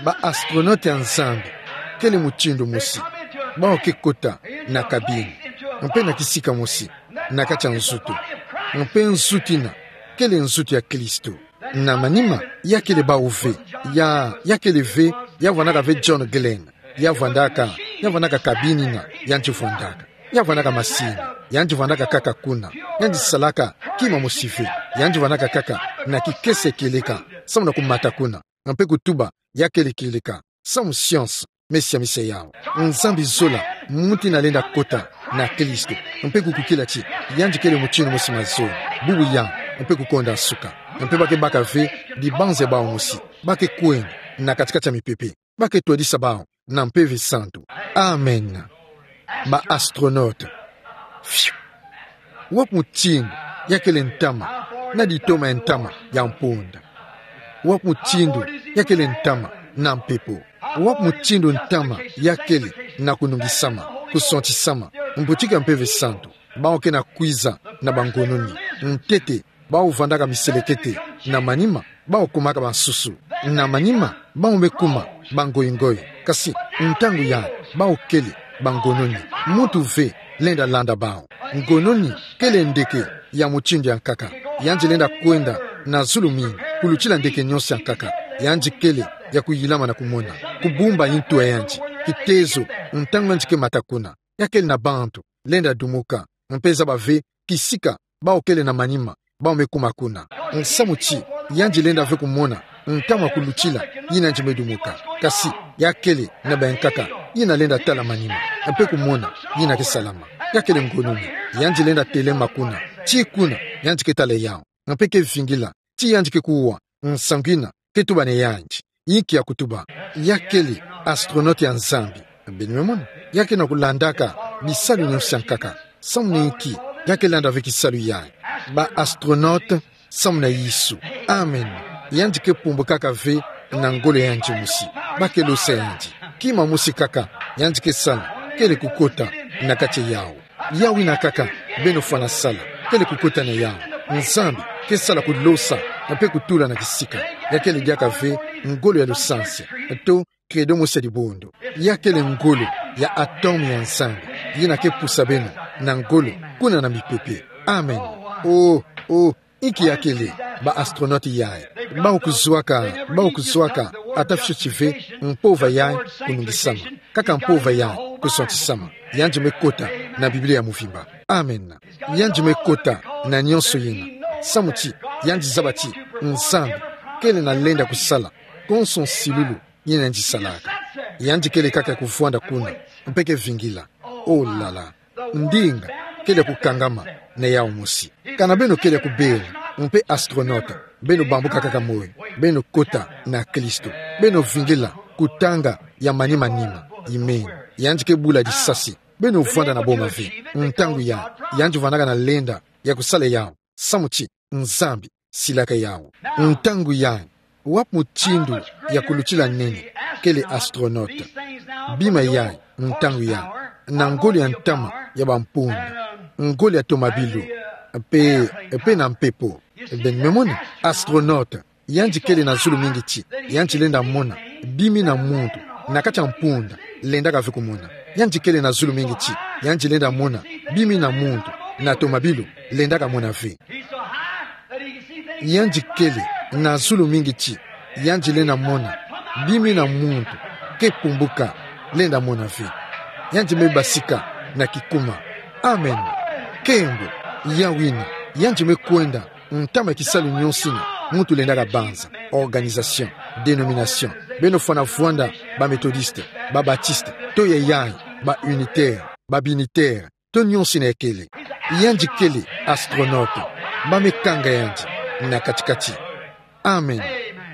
Ba astronaute ya Nzambi kele mutindu mosi. Bawu ke kota na kabine, mpe na kisika mosi na kati ya nzutu. Mpe nzutu ina kele nzutu ya Kristo. Na manima, ya kele bawu ve. Ya, ya kele ve, ya vwandaka ve John Glenn. Ya vwandaka, ya vwandaka kabine ina yandi vwandaka. Ya vwandaka masini, yandi vwandaka kaka kuna. Yandi salaka kima mosi ve. Yandi vwandaka kaka na kikese kieleka samu na kumata kuna. Mpe kutuba ya kele kieleka samu science me siamisa yawu. Nzambi zola muntu ina lenda kota na Kristo, mpe kukukila ti yandi kele mutindu mosi mazono, bubu ya, mpe kukonda nsuka. Mpe ba ke baka ve dibanza ya bawu mosi. Ba ke kwenda na kati-kati ya mipepe. Ba ke twadisa bawu na Mpeve Santu. Amen. Ba astronaute. Fiu. Wapi mutindu ya kele ntama na ditoma ya ntama ya mponda? Wapi mutindu ya kele ntama na mpepo? Wapi mutindu ntama ya kele na kunungisama, kusontisama, mbutiki ya Mpeve Santu? Bawu ke na kwiza na bangononi. Ntete, bawu vwandaka miselekete. Na manima, bawu kumaka bansusu. Na manima, bawu me kuma bangoingoi. Kasi, ntangu yayi, bawu kele bangononi. Muntu ve lenda landa bawu. Ngononi kele ndeke ya mutindu ya nkaka. Yandi lenda kwenda na zulu mingi, kulutila ndeke nyonso ya nkaka. Yandi kele ya kuyilama na kumona, kubumba ntu ya yandi. Kitezo, ntangu yandi ke mata kuna, ya kele na bantu lenda dumuka, mpe zaba ve kisika bawu kele na manima, bawu me kuma kuna. Nsamu ti, yandi lenda ve kumona ntama kulutila yina yandi me dumuka. Kasi, ya kele na bayankaka yina lenda tala manima, mpe kumona yina ke salama. Ya kele ngononi, yandi lenda telema kuna. Tii kuna, yandi ke tala yawu. Mpe ke vingila ti yandi ke kuwa nsangu yina ke tuba na yandi. Inki ya kutuba? Ya kele astronaute ya Nzambi. Beno me mona. Ya ke na kulandaka bisalu nyonso ya nkaka. Samu na inki? Ya ke landa ve kisalu yayi. Ba astronaute samu na Yesu. Amen. Yandi ke pumbukaka ve na ngolo ya yandi mosi. Ba ke losa yandi. Kima mosi kaka yandi ke sala kele kukota na kati yawu. Yawu yina kaka beno fwana sala, kele kukota na yawu. Nzambi ke sala kulosa, mpe kutula na kisika. Ya kele diaka ve ngolo ya lusansi, to credo mosi ya dibundu. Ya kele ngolo ya atome ya Nzambi, yina ke pusa beno na ngolo kuna na mipepe. Amen. Oh, oh, inki ya kele ba astronaute yayi? Bawu kuzwaka, bawu kuzwaka Ata fioti ve mpova yayi kunungisama, kaka mpova yayi kusontisama. Yandi me kota na Biblia ya muvimba. Amen. Yandi me kota na nionso yina. Samu ti yandi zaba ti Nzambi kele na lenda kusala konso nsilulu yina yandi salaka. Yandi kele kaka kuvwanda kuna, mpe ke vingila. Oh là là. Ndinga kele kukangama na yawu mosi. Kana beno kele kubela, mpe astronaute, beno bambuka kaka moyo, beno kota na Kristo, beno vingila kutanga ya manima nima. Amen. Yandi ke bula disasi. Beno vwanda na boma ve. Ntangu yayi, yandi vwandaka na lenda ya kusala yawu. Samu ti Nzambi silaka yawu. Ntangu yayi, wapi mutindu ya kulutila nene kele astronaute? Bima yayi, ntangu yayi, na ngolo ya ntama ya bampunda, ngolo ya tomabilu, mpe, mpe na mpepo. Beno me mona, astronaute, yandi kele na zulu mingi ti yandi lenda mona bima muntu na kati ya mpunda lendaka ve kumona. Yandi kele na zulu mingi ti yandi lenda mona bima muntu na tomabilu lendaka mona ve. Yandi kele na zulu mingi ti yandi lenda mona bima muntu ke pumbuka lenda mona ve. Yandi me basika na kikuma. Amen. Nkembo. Yawu yina, yandi me kwenda ntama ya kisalu nionso yina muntu lendaka banza, organisation, dénomination. Beno fwana vwanda ba Methodiste, ba Batiste, to ya yayi, ba Unitaire, ba Binitaire, to nionso yina kele. Yandi kele astronaute, ba me kanga yandi na kati-kati. Amen.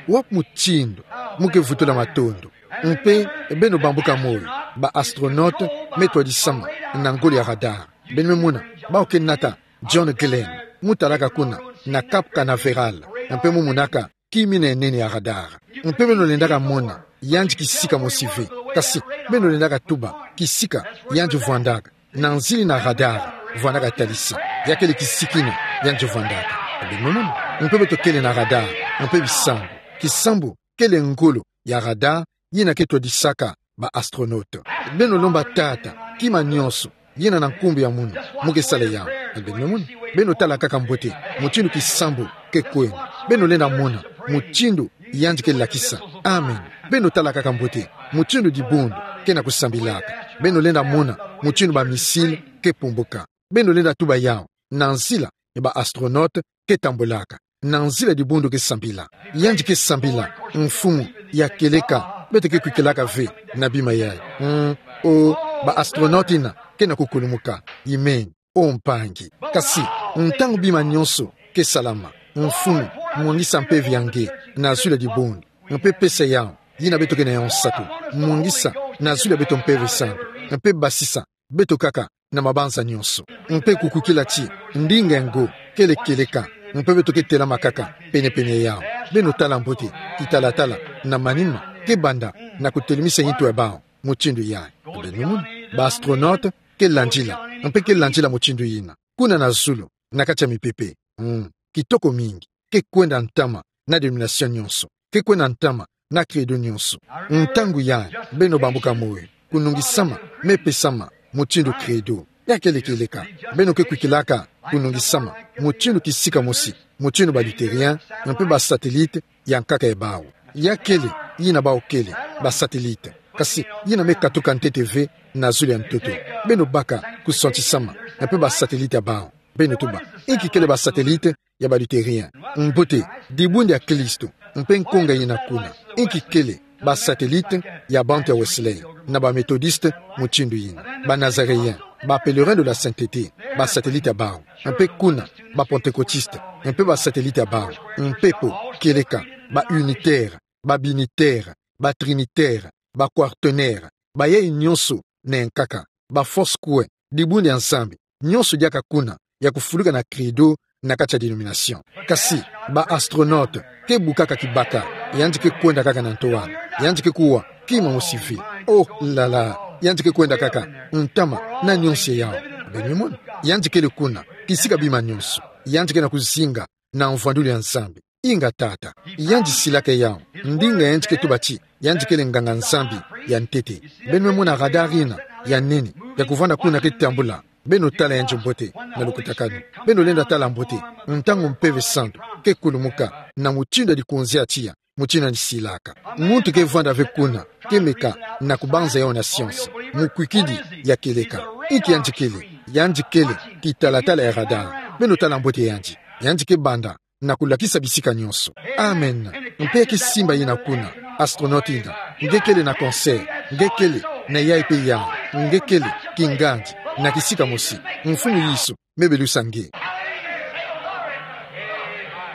Wapi mutindu mu ke vutula matondo? Mpe beno bambuka moyo, ba astronaute me twadisama na ngolo ya radar. Beno me mona, bawu ke nata John Glenn, mu talaka kuna na Cap Canaveral, mpe mu monaka kima yina ya nene ya radar. Mpe beno lendaka mona yandi kisika mosi ve, kasi beno lendaka tuba kisika yandi vwandaka. Na nzila yina radar vwandaka talisa, ya kele kisika yina yandi vwandaka. Beno me mona, mpe beto kele na radar, mpe bisambu. Kisambu kele ngolo ya radar yina ke twadisaka ba astronaute. Beno lomba Tata kima nionso yina na nkumbu ya munu mu ke sala yawu. Beno me mona, beno tala kaka mbote mutindu kisambu ke kwenda. Beno lenda mona mutindu yandi ke lakisa. Amen. Beno tala kaka mbote mutindu dibundu ke na kusambilaka. Beno lenda mona mutindu ba missile ke pumbuka. Beno lenda tuba yawu na nzila ya ba astronaute ke tambulaka, na nzila dibundu ke sambila. Yandi ke sambila, mfumu ya kieleka, beto ke kwikilaka ve na bima yayi. Mm, o, ba astronaute yina ke na kukulumuka. Amen. O mpangi. Kasi, ntangu bima nionso ke salama, mfumu, mwangisa mpeve ya nge na zulu ya dibundu, mpe pesa yawu yina beto ke na yawu nsatu, mwangisa na zulu ya beto Mpeve Santu, mpe basisa beto kaka na mabanza nionso. Mpe kukwikila ti ndinga ya ngo kele kieleka, mpe beto ke telama kaka pene-pene yawu. Beno tala mbote kitalatala na manima ke banda na kutelemisa yintu ya bawu mutindu yayi. Beno me mona, ba astronaute ke landila, mpe ke landila mutindu yina kuna na zulu, na kati ya mipepe. Mm, kitoko mingi. Ke kwenda ntama na dénomination nionso. Ke kwenda ntama na credo nionso. Ntangu yayi, beno bambuka moyo, kunungisama me pesama mutindu credo. Ya kele kieleka. Beno ke kwikilaka kunungisama mutindu kisika mosi, mutindu ba Lutherien, mpe ba satellite ya nkaka ya bawu. Ya kele yina bawu kele, ba satellite, kasi yina me katuka ntete ve na zulu ya ntoto. Beno baka kusantisama mpe ba satellite ya bawu. Beno tuba, inki kele ba satellite ya ba Lutherien? Mbote, dibundu ya Kristo, mpe nkonga yina kuna. Inki kele ba satellite ya bantu ya Wesley, na ba Methodiste mutindu yina, ba Nazaréen, ba Pèlerins de la Sainteté, ba satellite ya bawu. Mpe kuna, ba Pentecôtistes, mpe ba satellite ya bawu. Mpepo, kieleka, ba Unitaires, ba Binitaires, ba Trinitaires, ba Quaternaires, bayayi nionso na nkaka, ba Foursquare, dibundu ya Nzambi nionso diaka kuna, ya kufuluka na credo na kati ya dénomination. Kasi, ba astronautes ke bukaka kibaka, yandi ke kwenda kaka na ntoa, yandi ke kuwa kima mosi ve. Oh là là, yandi ke kwenda kaka ntama na nionso yawu. Beno me mona, yandi kele kuna, kisika bima nionso. Yandi ke na kuzinga na mvwandulu ya Nzambi. Inga tata, yandi silaka yawu, ndinga yandi ke tuba ti yandi kele nganga-Nzambi ya ntete. Beno me mona radar yina ya nene, ya kuvanda kuna ke tambula. Beno tala yandi mbote na lukutakanu. Beno lenda tala mbote ntangu Mpeve Santu ke kulumuka na mutindu ya dikonzi ya tiya, mutindu yandi silaka. Muntu ke vwanda ve kuna, ke meka na kubanza yau na science. Mukwikidi ya kieleka. Inki yandi kele? Yandi kele kitalatala ya radar. Beno tala mbote yandi. Yandi ke banda na kulakisa bisika nyonso. Amen. Mpe ke simba yina kuna, astronaute yina. Nge kele na cancer. Nge kele na yayi mpe yayi. Nge kele kingandi na kisika mosi. Mfumu Yesu, me belusa nge.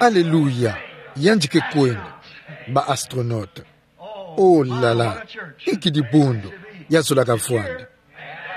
Aleluya. Yandi ke kwenda. Ba astronaute. Oh là là. Inki dibundu ya zolaka vwanda.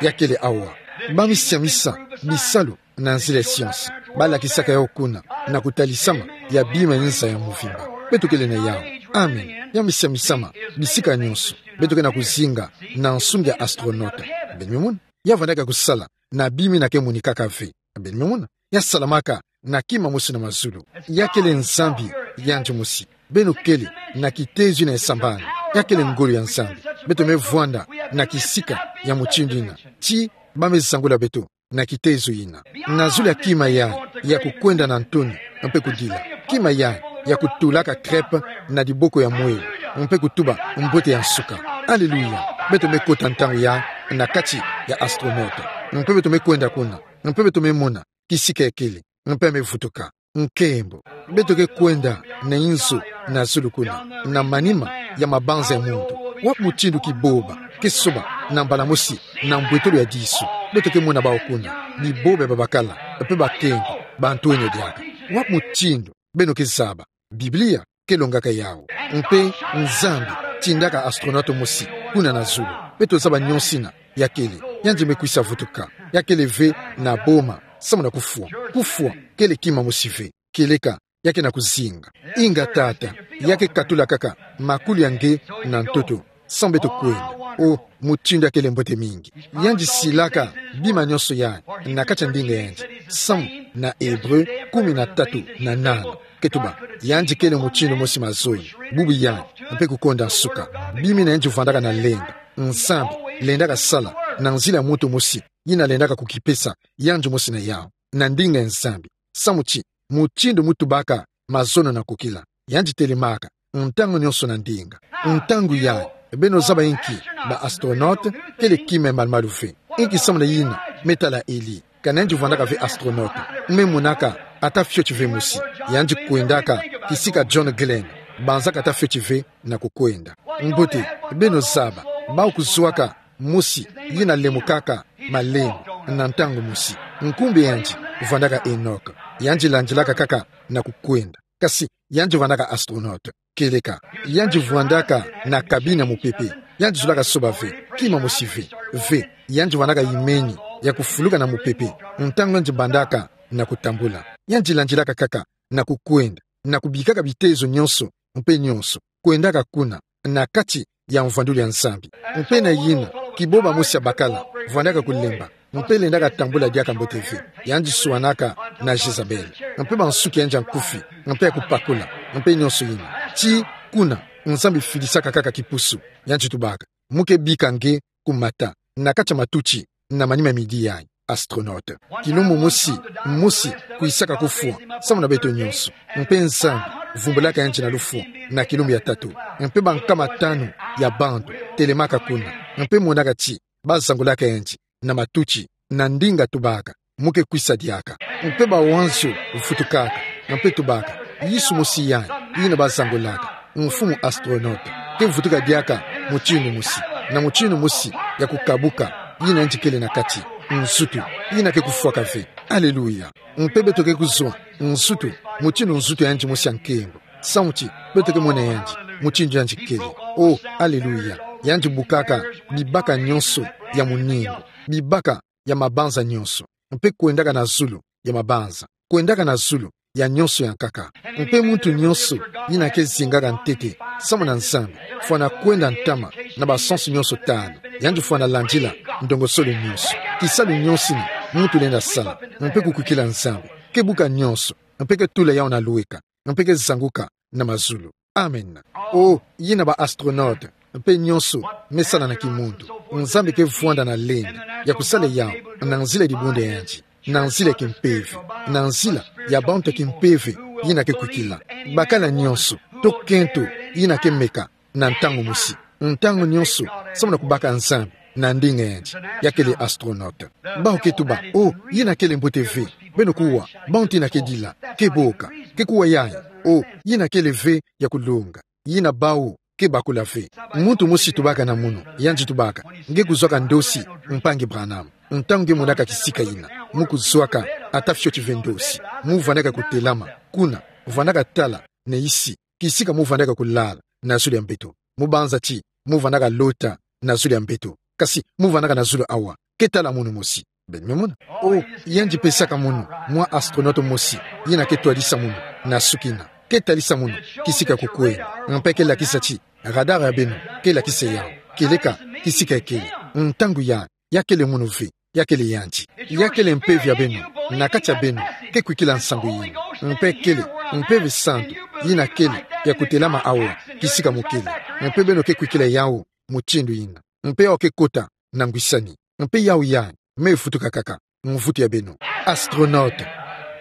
Ya kele awa. Ba misiamisa, bisalu, na nzila ya science. Ba lakisaka yau kuna, na kutalisama ya bima ya nza ya mvimba. Beto kele na yau. Amen. Ya misiamisama, bisika nyonso. Beto ke na kuzinga na nsunga ya astronaute. Beno me mona. Ya vandaka kusala na bima yina ke monikaka ve. Beno me mona. Ya salamaka na kima mosi na mazulu. Ya kele Nzambi yandi mosi. Beno kele na kitezo yina ya sambani. Ya kele ngolo ya Nzambi. Beto me vwanda na kisika ya mutindu yina. Ti ba me zangula beto na kitezo yina. Na zulu ya kima yayi ya kukwenda na ntoni, mpe kudila. Kima yayi ya kutulaka crêpe na diboko ya mwelo, mpe kutuba mbote ya nsuka. Aleluya. Beto me kota ntangu yayi na kati ya astronaute. Mpe beto me kwenda kuna. Mpe beto me mona kisika ya kele. Mpe me vutuka. Nkembo. Beto ke kwenda na inzo na zulu kuna, na manima ya mabanza ya muntu. Wapi mutindu kiboba ke soba na mbala mosi na mbwetolo ya disu? Beto ke mona bau kuna. Biboba ya babakala, mpe bakenge, bantu ene diaka. Wapi mutindu beno ke zaba? Biblia ke longaka yau. Mpe Nzambi tindaka astronaute mosi kuna na zulu. Beto zaba nyonso yina ya kele. Yandi me kwisa vutuka. Ya kele ve na boma, samu na kufwa. Kufwa kele kima mosi ve. Kieleka, ya ke na kuzinga. Inga tata, ya ke katula kaka makulu ya nge na ntoto, samu beto kwenda. Oh, mutindu ya kele mbote mingi. Yandi silaka bima nyonso yayi na kati ya ndinga ya yandi, samu na Hébreux kumi na tatu na nana ke tuba: Yandi kele mutindu mosi mazono, bubu yayi, mpe kukonda nsuka. Bima yina yandi vwandaka na lenda. Nzambi lendaka sala na nzila ya muntu mosi yina lendaka kukipesa yandi mosi na yau, na ndinga ya Nzambi. Samu ti mutindu mu tubaka mazono na kukila, yandi telemaka ntangu nyonso na ndinga. Ntangu yayi, beno zaba inki? Ba astronaute kele kima ya malumalu ve. Inki samu na yina? Me tala Élie. Kana yandi vwandaka ve astronaute, me monaka ata fioti ve mosi. Yandi kwendaka kisika John Glenn, banzaka ata fioti ve na kukwenda. Mbote, beno zaba, bau kuzwaka mosi yina lemukaka malembe na ntangu mosi. Nkumbu ya yandi vwandaka Enoch. Yandi landilaka kaka na kukwenda. Kasi yandi vwandaka astronaute. Kieleka, yandi vwandaka na kabine ya mupepe. Yandi zolaka soba ve kima mosi ve. Ve, yandi vwandaka imeni ya kufuluka na mupepe ntangu yandi bandaka na kutambula. Yandi landilaka kaka na kukwenda, na kubikaka bitezo nyonso, mpe nyonso kwendaka kuna, na kati ya mvwandulu ya Nzambi. Mpe na yina, kiboba mosi ya bakala vwandaka kulemba, mpe lendaka tambula diaka mbote ve. Yandi swanaka na Jezabel, mpe bansuki ya yandi ya nkufi, mpe ya kupakula, mpe nyonso yina. Ti kuna, Nzambi filisaka kaka kipusu. Yandi tubaka: Mu ke bika nge ku mata, na kati ya matuti, na manima midi yayi. Astronaute. Kilumbu mosi, mosi kwisaka kufwa samu na beto nyonso. Mpe Nzambi vumbulaka yandi na lufwa na kilumbu ya tatu. Mpe bankama tanu ya bantu telemaka kuna, mpe monaka ti bazangulaka yandi na matuti, na ndinga, tubaka: Mu ke kwisa diaka. Mpe bawanzio vutukaka, mpe tubaka: Yesu mosi yayi, yina bazangulaka, mfumu astronaute, ke vutuka diaka mutindu mosi, na mutindu mosi ya kukabuka, yina yandi kele na kati, nzutu, yina ke kufwaka ve. Aleluya. Mpe beto ke kuzwa nzutu, mutindu nzutu ya yandi mosi ya nkembo. Samu ti beto ke mona yandi mutindu yandi kele. Oh, aleluya. Yandi bukaka bibaka nyonso ya muningu, bibaka ya mabanza nyonso, mpe kwendaka na zulu ya mabanza, kwendaka na zulu ya nyonso ya nkaka. Mpe muntu nyonso yina ke zingaka ntete samu na Nzambi, fwana kwenda ntama na basansu nyonso tanu. Yandi fwana landila ndongosolo nyonso, kisalu nyonso yina muntu lenda sala, mpe kukwikila Nzambi. Ke buka nyonso, mpe ke tula yau na lweka, mpe ke zanguka na mazulu. Amen. Oh, yina ba astronaute, mpe nyonso me sala na kimuntu. Nzambi ke vwanda na lenda ya kusala yau na nzila dibundu ya yandi, na nzila kimpeve, na nzila ya bantu kimpeve yina ke kwikila. Bakala nyonso, to kento, yina ke meka na ntangu mosi. Ntangu nyonso, samu na kubaka Nzambi na ndinga yandi, ya kele astronaute. Bawu ke tuba, oh, yina kele mbote ve. Beno kuwa, bawu tina ke dila, ke boka, ke kuwa yayi. Oh, yina kele ve ya kulonga. Yina bawu ke bakula ve. Muntu mosi tubaka na munu, yandi tubaka, nge kuzwaka ndosi, mpangi Branham. Ntangu nge monaka kisika yina, mu kuzwaka ata fioti ve ndosi, mu vandaka kutelama, kuna, vandaka tala na insi, kisika mu vandaka kulala na zulu ya mbeto. Mu banza ti mu vandaka lota na zulu ya mbeto, kasi mu vandaka na zulu awa. Ke tala munu mosi. Beno me mona. Oh, yandi pesaka munu mwa astronaute mosi, yina ke twadisa munu na sukina, ke talisa munu kisika kukwenda, mpe ke lakisa ti radar ya beno ke lakisa yawu kieleka kisika kele. Ntangu ya, ya kele munu ve, ya kele yandi. Ya kele mpeve ya beno, na kati ya beno, ke kwikila nsangu yina. Mpe kele Mpeve Santu, yina kele ya kutelama awa kisika mu kele. Mpe beno ke kwikila yawu mutindu yina. Mpe yawu ke kota na ngwisani. Mpe yawu ya me vutuka kaka, mvutu ya beno. Astronaute.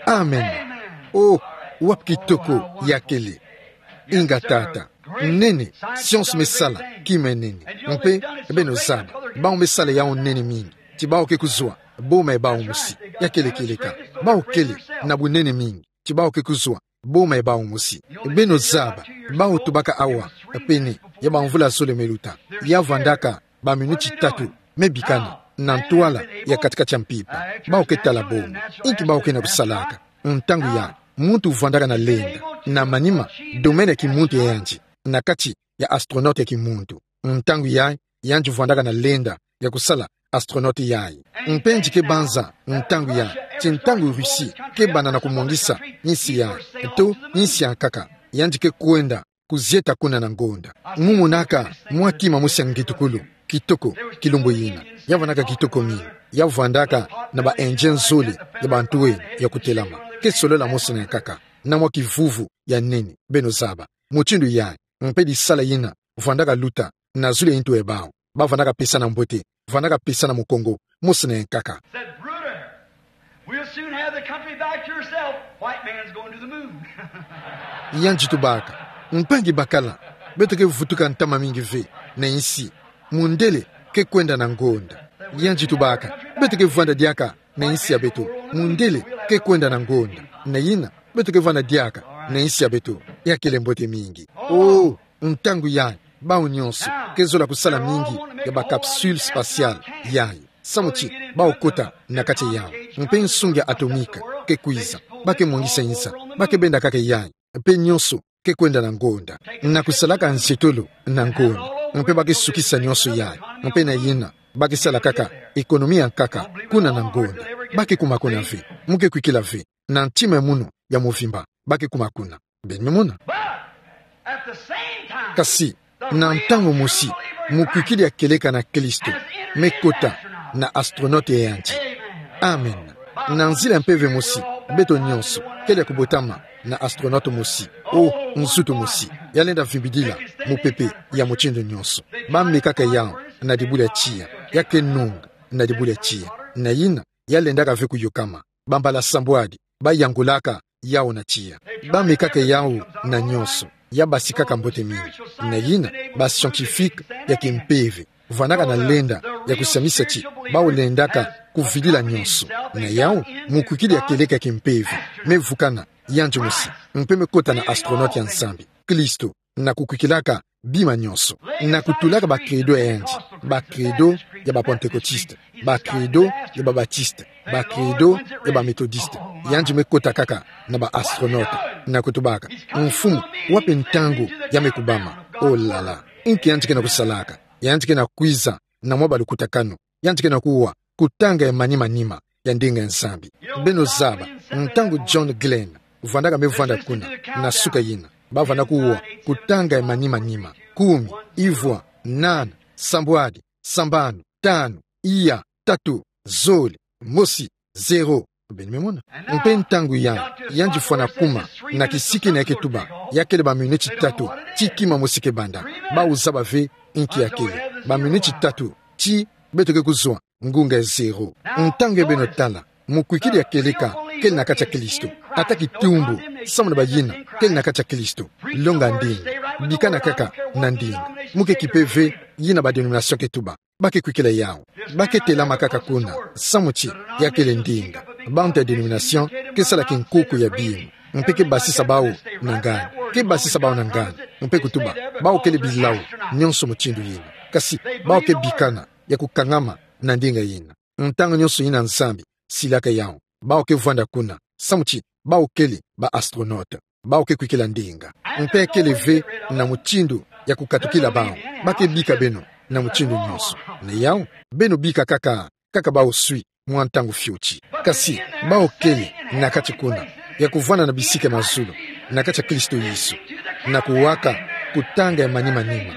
Amen. Oh, wapi kitoko ya kele. Inga tata. Nene, science me sala kima nene. Mpe beno zaba, bawu me sala yawu nene mingi, ti bawu ke kuzwa boma ya bawu mosi. Ya kele kieleka. Bawu kele na bunene mingi, ti bawu ke kuzwa boma ya bawu mosi. Beno zaba, bawu tubaka awa, pene ya bamvula zole me luta, ya vandaka baminiti tatu me bikana na ntwala ya kati-kati ya mpimpa. Bawu ke tala boma. Inki bawu ke na kusalaka? Ntangu ya, muntu vandaka na lenda na manima, domaine ya kimuntu ya yandi, na kati ya astronaute ya kimuntu. Ntangu ya, yandi vandaka na lenda ya kusala astronaute yayi. Mpe nge ke banza ntangu ya, ti ntangu Russie ke banda na kumwangisa insi ya, to insi ya nkaka, yandi ke kwenda kuzieta kuna na ngonda. Mu monaka mwa kima mosi ya ngitukulu kitoko, kilumbu yina. Ya vandaka kitoko mingi. Ya vandaka na ba engins zole ya bantwenya ya kutelama. Ke solola mosi na nkaka, na mwa kivuvu ya nene, beno zaba. Mutindu yayi, mpe disala yina vandaka luta na zulu ya ntu ya bawu. Ba vandaka pesana mbote, vandaka pesana mukongo, mosi na nkaka. Said, "Bruder, we'll soon have the country back to yourself. White man's going to the moon." Yandi tubaka, mpangi bakala, beto ke vutuka ntama mingi ve na insi. Mundele ke kwenda na ngonda. Yandi tubaka, beto ke vanda diaka na insi ya beto. Mundele ke kwenda na ngonda. Na yina, beto ke vanda diaka na insi ya beto. Ya kele mbote mingi. Oh, ntangu yayi, bawu nyonso ke zola kusala mingi ya ba capsule spatiale yayi, samu ti bawu kota na kati yawu. Mpe nsungi ya atomique ke kwiza, ba ke mwangisa nza, ba ke benda kaka yayi. Mpe nyonso ke kwenda na ngonda. Na kusalaka nzietolo na ngonda. Mpe ba ke sukisa nyonso yayi. Mpe na yina, ba ke sala kaka économie ya nkaka kuna na ngonda. Ba ke kuma kuna ve. Mu ke kwikila ve. Na ntima ya munu ya mvimba, ba ke kuma kuna. Beno me mona. But at the same time, kasi, na ntangu mosi, mukwikidi ya kieleka na Kristo me kota na astronaute ya yandi. Amen. Na nzila ya mpeve mosi, beto nyonso kele ya kubotama na astronaute mosi. Oh, nzutu mosi ya lenda vimbidila mupepe ya mutindu nyonso. Ba mekaka yawu na dibula ya tiya. Ya ke nunga na dibula ya tiya. Na yina, ya lendaka ve kuyokama. Bambala sambwadi ba yangulaka yawu na tiya. Ba mekaka yawu na nyonso. Ya basikaka mbote mingi. Na yina, ba scientifique ya kimpeve vandaka na lenda ya kusiamisa ti bawu lendaka kuvidila nyonso. Na yawu, mukwikidi ya kieleka ya kimpeve me vukana yandi mosi, mpe me kota na astronaute ya Nzambi, Kristo, na kukwikilaka bima nyonso, na kutulaka ba credo ya yandi, ba credo ya ba pentecôtiste, ba credo ya ba baptiste, ba credo ya ba méthodiste. Yandi me kota kaka na ba astronaute, na kutubaka: Mfumu, wapi ntangu ya me kubama? Oh là là. Inki yandi ke na kusalaka? Yandi ke na kwiza na mwa balukutakanu. Yandi ke na kuwa kutanga ya manima-nima ya ndinga ya Nzambi. Beno zaba, ntangu John Glenn vandaka me vanda kuna, na suka yina, ba vanda kuwa kutanga ya manima-nima: kumi, ivwa, nana, sambwadi, sambanu, tanu, iya, tatu, zole, mosi, zero. Beno me mona. Mpe ntangu ya, yandi fwana kuma na kisiki na ya ke tuba, ya kele ba miniti tatu ti kima mosi ke banda. Bawu zaba ve inki ya kele. Ba miniti tatu ti beto ke kuzwa ngunga ya zero. Ntangu ya beno tala, mukwikidi ya kieleka kele na kati ya Kristo. Ata kitumbu samu na bayina kele na kati ya Kristo. Longa ndinga. Bikana kaka na ndinga. Mu ke kipe ve yina ba dénomination ke tuba. Ba ke kwikila yawu. Ba ke telama kaka kuna, samu ti ya kele ndinga. Bantu ya dénomination ke sala kinkuku ya bima. Mpe ke basisa bawu na ngani. Ke basisa bawu na ngani. Mpe kutuba, bawu kele bilawu, nyonso mutindu yina. Kasi, bawu ke bikana ya kukangama na ndinga yina. Ntangu nyonso yina Nzambi silaka yawu, bawu ke vwanda kuna, samu ti bawu kele ba astronaute. Bawu ke kwikila ndinga. Mpe kele ve na mutindu ya kukatukila bawu. Ba ke bika beno na mutindu nyonso. Na yawu, beno bika kaka, kaka bawu swi mwa ntangu fioti. Kasi, bawu kele na kati kuna, ya kuvwanda na bisika ya mazulu, na kati ya Kristo Yesu. Na kuwaka kutanga ya manima-nima,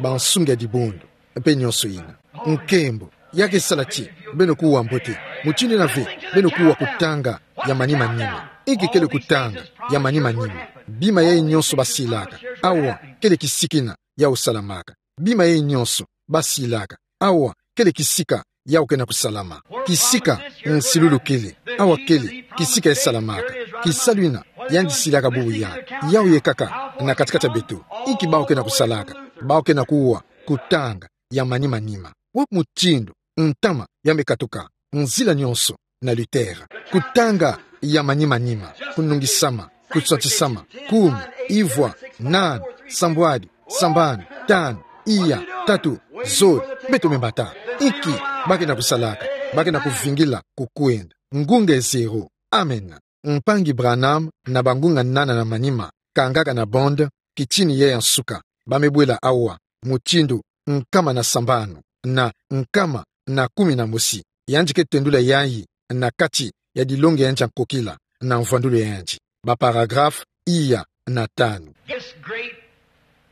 bansungi ya dibundu, mpe nyonso yina. Nkembo, ya ke sala ti beno kuwa mbote, mutindu yina ve, beno kuwa kutanga ya manima-nima. Inki kele kutanga ya manima-nima? Bima yayi nyonso basilaka, awa, kele kisika yina yawu salamaka. Bima yayi nyonso basilaka, awa, kele kisika yawu ke na kusalama. Kisika nsilulu kele, awa kele kisika ya salamaka. Kisalu yina yandi silaka bubu ya, yawu ye kaka na kati-kati ya beto. Inki bawu ke na kusalaka? Bawu ke na kuwa kutanga ya manima-nima. Wapi mutindu ntama ya me katuka? Nzila nyonso na Luther. Kutanga ya manima-nima, kunungisama, kuswatisama, kumi, ivwa, nani, sambwadi, sambanu, tanu, iya, tatu, zole. Beto me mbata. Inki ba ke na kusalaka? Ba ke na kuvingila kukwenda. Ngunga e zero. Amen. Mpangi Branham na bangunga nana na manima kangaka na bande, kitini ye ya nsuka, ba me bwela awa, mutindu nkama na sambanu na nkama na kumi na mosi. Yandi ke tendula yayi na kati ya dilongi ya yandi ya nkokila na mvwandulu ya yandi, ba paragraphe iya na tanu.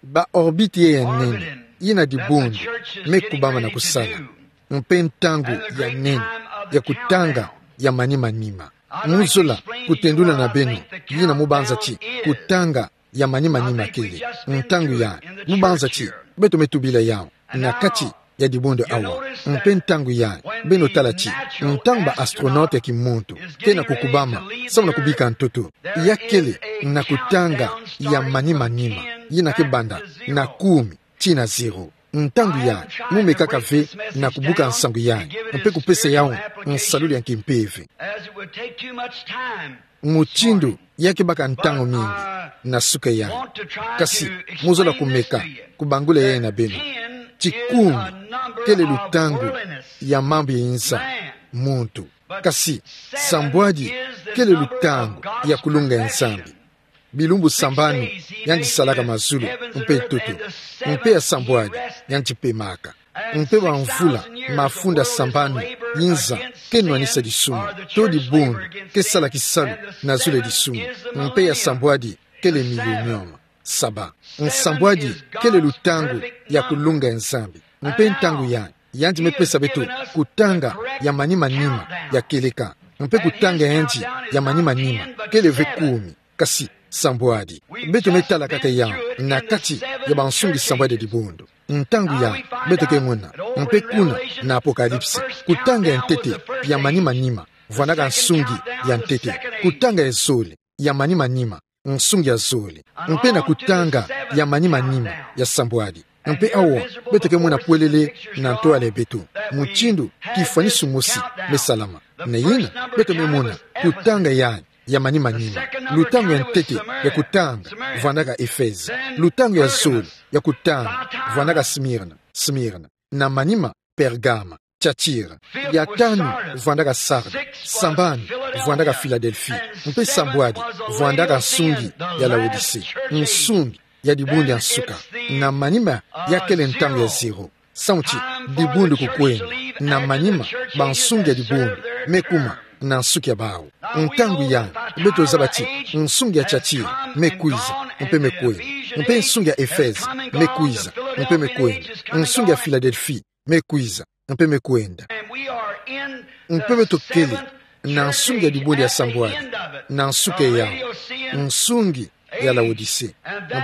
Ba orbite ya nene yina dibundu me kubama na kusala, mpe ntangu ya nene ya kutanga ya manima-nima. Mu zola kutendula na beno yina mu banza ti kutanga ya manima-nima kele. Ntangu yayi, mu banza ti beto me tubila yawu na kati ya dibundu awa. Mpe ntangu yayi, beno tala ti ntangu ba astronaute ya kimuntu ke na kukubama samu na kubika ntoto, ya kele na kutanga ya manima-nima, yina ke banda na kumi tii na zero. Ntangu yayi, mu me kaka ve na kubuka nsangu yayi, mpe kupesa yawu nsalulu ya kimpeve. Mutindu ya ke baka ntangu mingi na suka yayi. Kasi, mu zola kumeka kubangula yayi na beno. Ti kumi kele lutangu ya mambu ya inza muntu. Kasi, sambwadi kele lutangu ya kulunga ya Nzambi. Bilumbu sambanu yandi salaka mazulu mpe ntoto, mpe ya sambwadi yandi pemaka. Mpe bamvula mafunda sambanu inza ke nwanisa disumu, to dibundu ke sala kisalu na zulu ya disumu, mpe ya sambwadi kele millennium. Saba, nsambwadi kele lutangu ya kulunga ya Nzambi. Mpe ntangu yayi, yandi me pesa beto kutanga ya manima-nima ya kieleka. Mpe kutanga ya yandi ya manima-nima kele ve kumi, kasi sambwadi. Beto me tala kaka yawu na kati ya bansungi sambwadi ya dibundu. Ntangu yayi, beto ke mona, mpe kuna na Apocalypse, kutanga ya ntete ya manima-nima vwandaka nsungi ya ntete. Kutanga ya zole ya manima-nima, nsungi ya zole. Mpe na kutanga ya manima-nima ya sambwadi. Mpe awa, beto ke mona pwelele na ntwala ya beto mutindu kifwanisu mosi me salama. Na yina, beto me mona kutanga yayi ya manima-nima. Lutangu ya ntete ya kutanga vwandaka Efeze. Lutangu ya zole ya kutanga vwandaka Smirna, Smirna. Na manima, Pergama, Tiatira. Ya tanu vwandaka Sarde. Sambanu vwandaka Filadelfi. Mpe sambwadi vwandaka nsungi ya Laodise, nsungi ya dibundu ya nsuka. Na manima, ya kele ntangu ya zero. Samu ti dibundu kukwenda. Na manima, bansungi ya dibundu me kuma na nsuki ya bawu. Ntangu yayi, beto zaba ti nsungi ya Tiatira me kwiza, mpe me kwenda. Mpe nsungi ya Efeze me kwiza, mpe me kwenda. Nsungi ya Filadelfi me kwiza, mpe me kwenda. Mpe beto kele na nsungi ya dibundu ya sambwadi, na nsuka yawu, nsungi ya Laodise.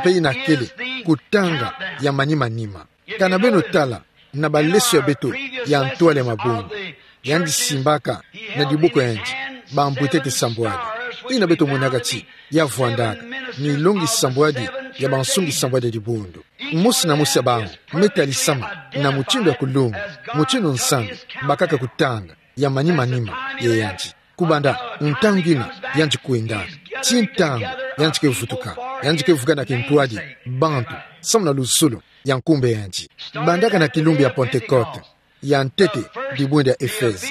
Mpe yina kele kutanga ya manima-nima. Kana beno tala na baleso ya beto ya ntwala ya mabundu, yandi simbaka na diboko ya yandi bambwetete sambwadi. Yina beto monaka ti ya vwandaka milongi sambwadi ya bansungi sambwadi ya dibundu. Mosi na mosi ya bawu me talisama na mutindu ya kulunga, mutindu Nzambi bakaka kutanga ya manima-nima ye yandi. Kubanda ntangu ina yandi kwendaka, tii ntangu yandi ke vutuka, yandi ke vukana kintwadi bantu samu na luzolo ya nkumbu yandi. Bandaka na kilumbu ya Pentekote, ya ntete dibundu ya Efeze,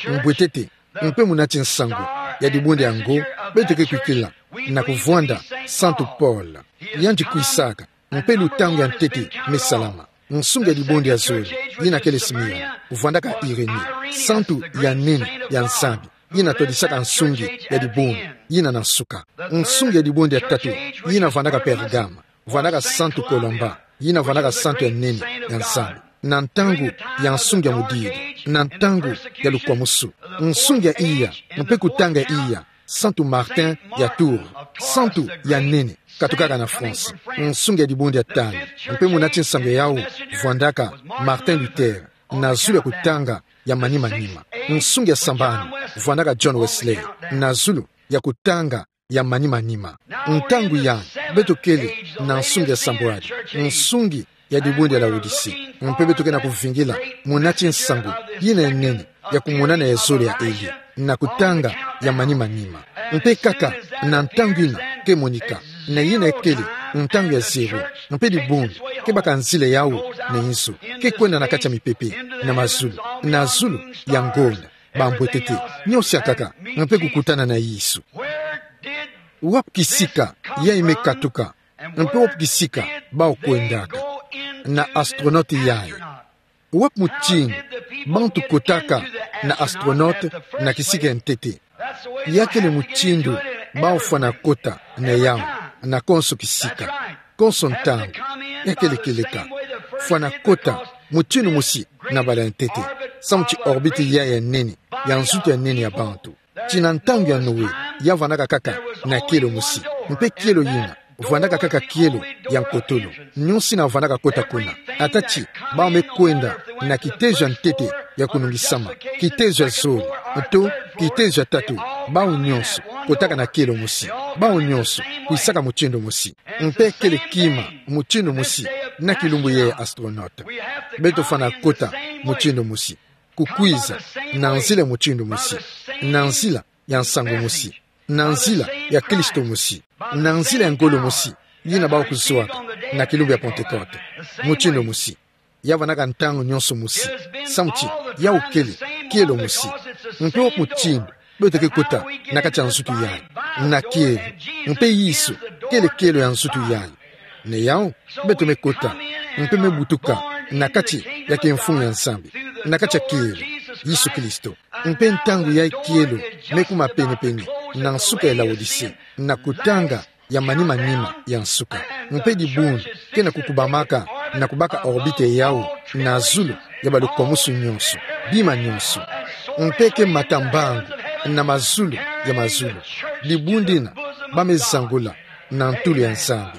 mbwetete mpe munati nsangu ya dibundu yango beto ke kwikila na kuvwanda Santu Paul. Yandi kwisaka, mpe lutangu ya ntete me salama. Nsungi ya dibundu ya zole, yina kele Simeone, vwandaka Irenee, santu ya nene ya Nzambi, yina twadisaka nsungi ya dibundu yina na nsuka. Nsungi ya dibundu ya tatu, yina vwandaka Pergame, vwandaka Santu Colomba, yina vwandaka santu ya nene ya Nzambi, na ntangu ya nsungi ya mudidi, na ntangu ya lukwamusu. Nsungi ya iya, mpe kutanga ya iya, Santu Martin ya Tours, santu ya nene katukaka na France. Nsungi ya dibundu ya tanu, mpe munati nsangu ya yawu, vwandaka Martin Luther, na zulu ya kutanga ya manima-nima. Nsungi ya sambanu, vwandaka John Wesley, na zulu ya kutanga ya manima-nima. Ntangu yai, beto kele na nsungi ya sambwadi, nsungi ya dibundu ya Laodicee, mpe beto ke na kuvingila munati nsangu yina ya nene ya kumonana ya zole ya Elie, na kutanga ya manima-nima. Mpe kaka na ntangu ina ke monika, na yina kele ntangu ya zero, mpe dibundu ke baka nzila ya yawu na inzo, ke kwenda na kati ya mipepe, na mazulu, na zulu ya ngonda, bambwetete, nionso ya nkaka, mpe kukutana na Yesu. Wapi kisika yai me katuka, mpe wapi kisika bawu kwendaka? Na astronaute yai. Wapi mutindu bantu kotaka na astronaute na kisika ya ntete? Ya kele mutindu bawu fwana kota na yawu, na konso kisika, konso ntangu. Ya kele kieleka. Fwana kota mutindu mosi na bala ya ntete, samu ti orbite yai ya nene, ya nzutu ya nene ya bantu. Ti na ntangu ya Noe, ya vwandaka kaka na kielo mosi. Mpe kielo yina vwandaka kaka kielo ya nkotolo. Nionso ina vwandaka kota kuna. Ata ti bawu me kwenda na kitezo ya ntete ya kunungisama, kitezo ya zole, to kitezo ya tatu, bawu nionso kotaka na kielo mosi. Bawu nionso kwisaka mutindu mosi. Mpe kele kima mutindu mosi na kilumbu yai ya astronaute. Beto fwana kota mutindu mosi, kukwiza na nzila ya mutindu mosi, na nzila ya nsangu mosi, na nzila ya Kristo mosi, na nzila ya ngolo mosi, yina bawu kuzwaka na kilumbu ya Pentekote. Mutindu mosi. Ya vwandaka ntangu nionso mosi, samu ti yawu kele kielo mosi. Mpe wapi mutindu beto ke kota na kati ya nzutu yai? Na kielo. Mpe Yesu kele kielo ya nzutu yai. Na yawu, beto me kota, mpe me butuka na kati ya kimfumu ya Nzambi, na kati ya kielo, Yesu Kristo. Mpe ntangu yai kielo me kuma pene-pene na nsuka ya Laodicee, na kutanga ya manima-nima ya nsuka. Mpe dibundu ke na kukubamaka na kubaka orbite ya yawu na zulu ya balukwamusu nionso, bima nionso. Mpe ke mata mbangu na mazulu ya mazulu. Dibundu ina ba me zangula na ntulu ya Nzambi.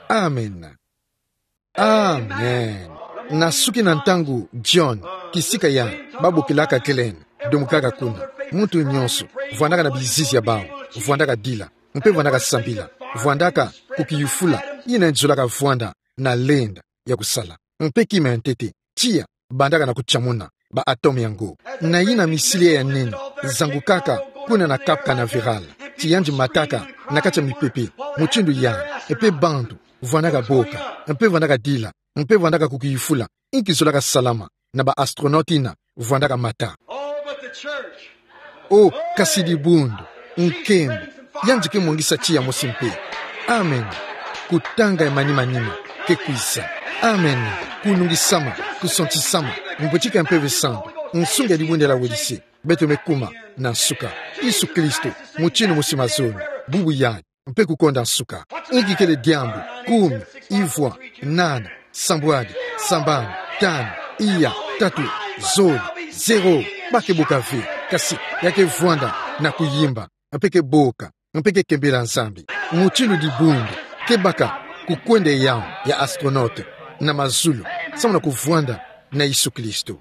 Amen. Amen. Na suki na ntangu John, kisika ya ba bokilaka Glenn, domokaka kuna. Muntu nionso vwandaka na bizizi ya bawu, vwandaka dila, mpe vwandaka sambila, vwandaka kukiyufula yina nzolaka vwanda na lenda ya kusala. Mpe kima ya ntete, tiya bandaka na kutiamuna ba atome yango. Na yina missile ya nene zangukaka kuna na Cap Canaveral, ti yandi mataka na kati ya mipepe, mutindu yandi, mpe bantu vwandaka boka, mpe vwandaka dila, mpe vwandaka kukiyufula, inki zolaka salama na ba astronaute yina vwandaka mata. Oh, but the church. Oh, kasi dibundu, nkembo, yandi ke mwangisa tiya mosi mpe. Amen. Kutanga ya manima-nima ke kwiza. Amen. Kunungisama, kusontisama, mbwetike ya Mpeve Santu, nsungi ya dibundu ya Laodicee, beto me kuma na nsuka. Yesu Kristo, mutindu mosi mazono, bubu yandi, mpe kukonda nsuka. Inki kele diambu, kumi, ivwa, nana, sambwadi, sambanu, tanu, iya, tatu, zole, zero, ba ke boka ve, kasi ya ke vwanda na kuyimba, mpe ke boka, mpe ke kembela Nzambi. Mutindu dibundu ke baka kukwenda yawu ya astronaute na mazulu, samu na kuvwanda na Yesu Kristo.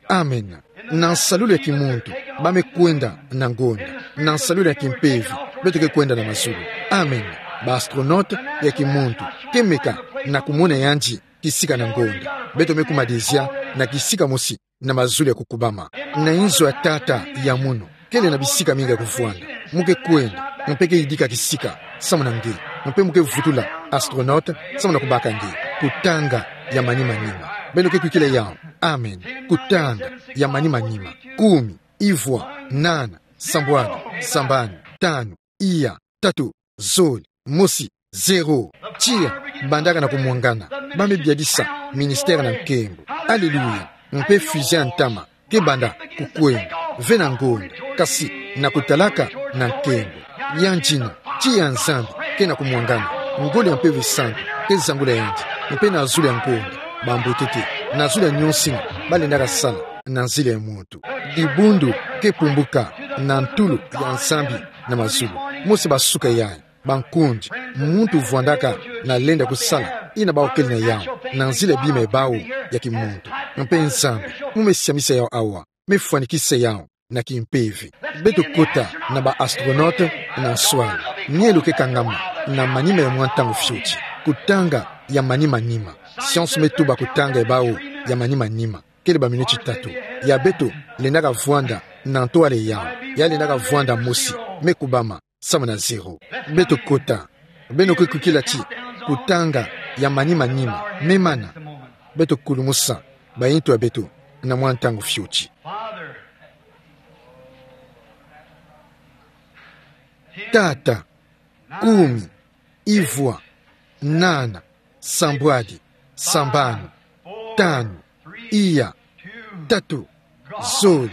Amen. Na nsalulu ya kimuntu, ba me kwenda na ngonda. Na nsalulu ya kimpeve, beto ke kwenda na mazulu. Amen. Ba astronaute ya kimuntu ke meka na kumona yandi kisika na ngonda. Beto me kuma dezia na kisika mosi na mazulu ya kukubama, na inzo ya tata ya munu, kele na bisika mingi ya kuvwanda. Mu ke kwenda, mpe ke yidika kisika, samu na nge, mpe mu ke vutula astronaute, samu na kubaka nge, kutanga ya manima nima. Beno ke kwikila yawu. Amen. Kutanga ya manima nima. Kumi, ivwa, nana, sambwadi, sambanu, tanu, iya, tatu, zole, mosi, zero. Tiya bandaka na kumwangana. Ba me biadisa ministère na nkembo. Alléluia. Mpe fusée ya ntama ke banda kukwenda. Ve na ngonda, kasi na kutalaka na nkembo. Yandi na tiya ya Nzambi ke na kumwangana. Ngolo ya Mpeve Santu ke zangula yandi. Mpe na zulu ya ngonda, bambwetete, na zulu ya nionso yina ba lendaka sala na nzila ya muntu. Dibundu ke pumbuka na ntulu ya Nzambi na mazulu. Mosi ba suka yayi, bankundi, muntu vwandaka na lenda kusala yina bawu kele na yawu, na nzila ya bima ya bawu ya kimuntu. Mpe Nzambi mu me siamisa yawu awa, me fwanikisa yawu na kimpeve. Beto kota na ba astronaute na nswala. Mielo ke kangama na manima ya mwa ntangu fioti. Kutanga ya manima nima. Science me tuba kutanga ya bawu ya manima nima kele ba minuti tatu. Ya beto lendaka vwanda na ntwala yawu, ya lendaka vwanda mosi, me kubama samu na zero. Beto kota. Beno ke kwikila ti kutanga ya manima nima me mana. Beto kulumusa bayinto ya beto na mwa ntangu fioti. Tata, kumi, ivwa, nana, sambwadi, sambanu, tanu, iya, tatu, zole,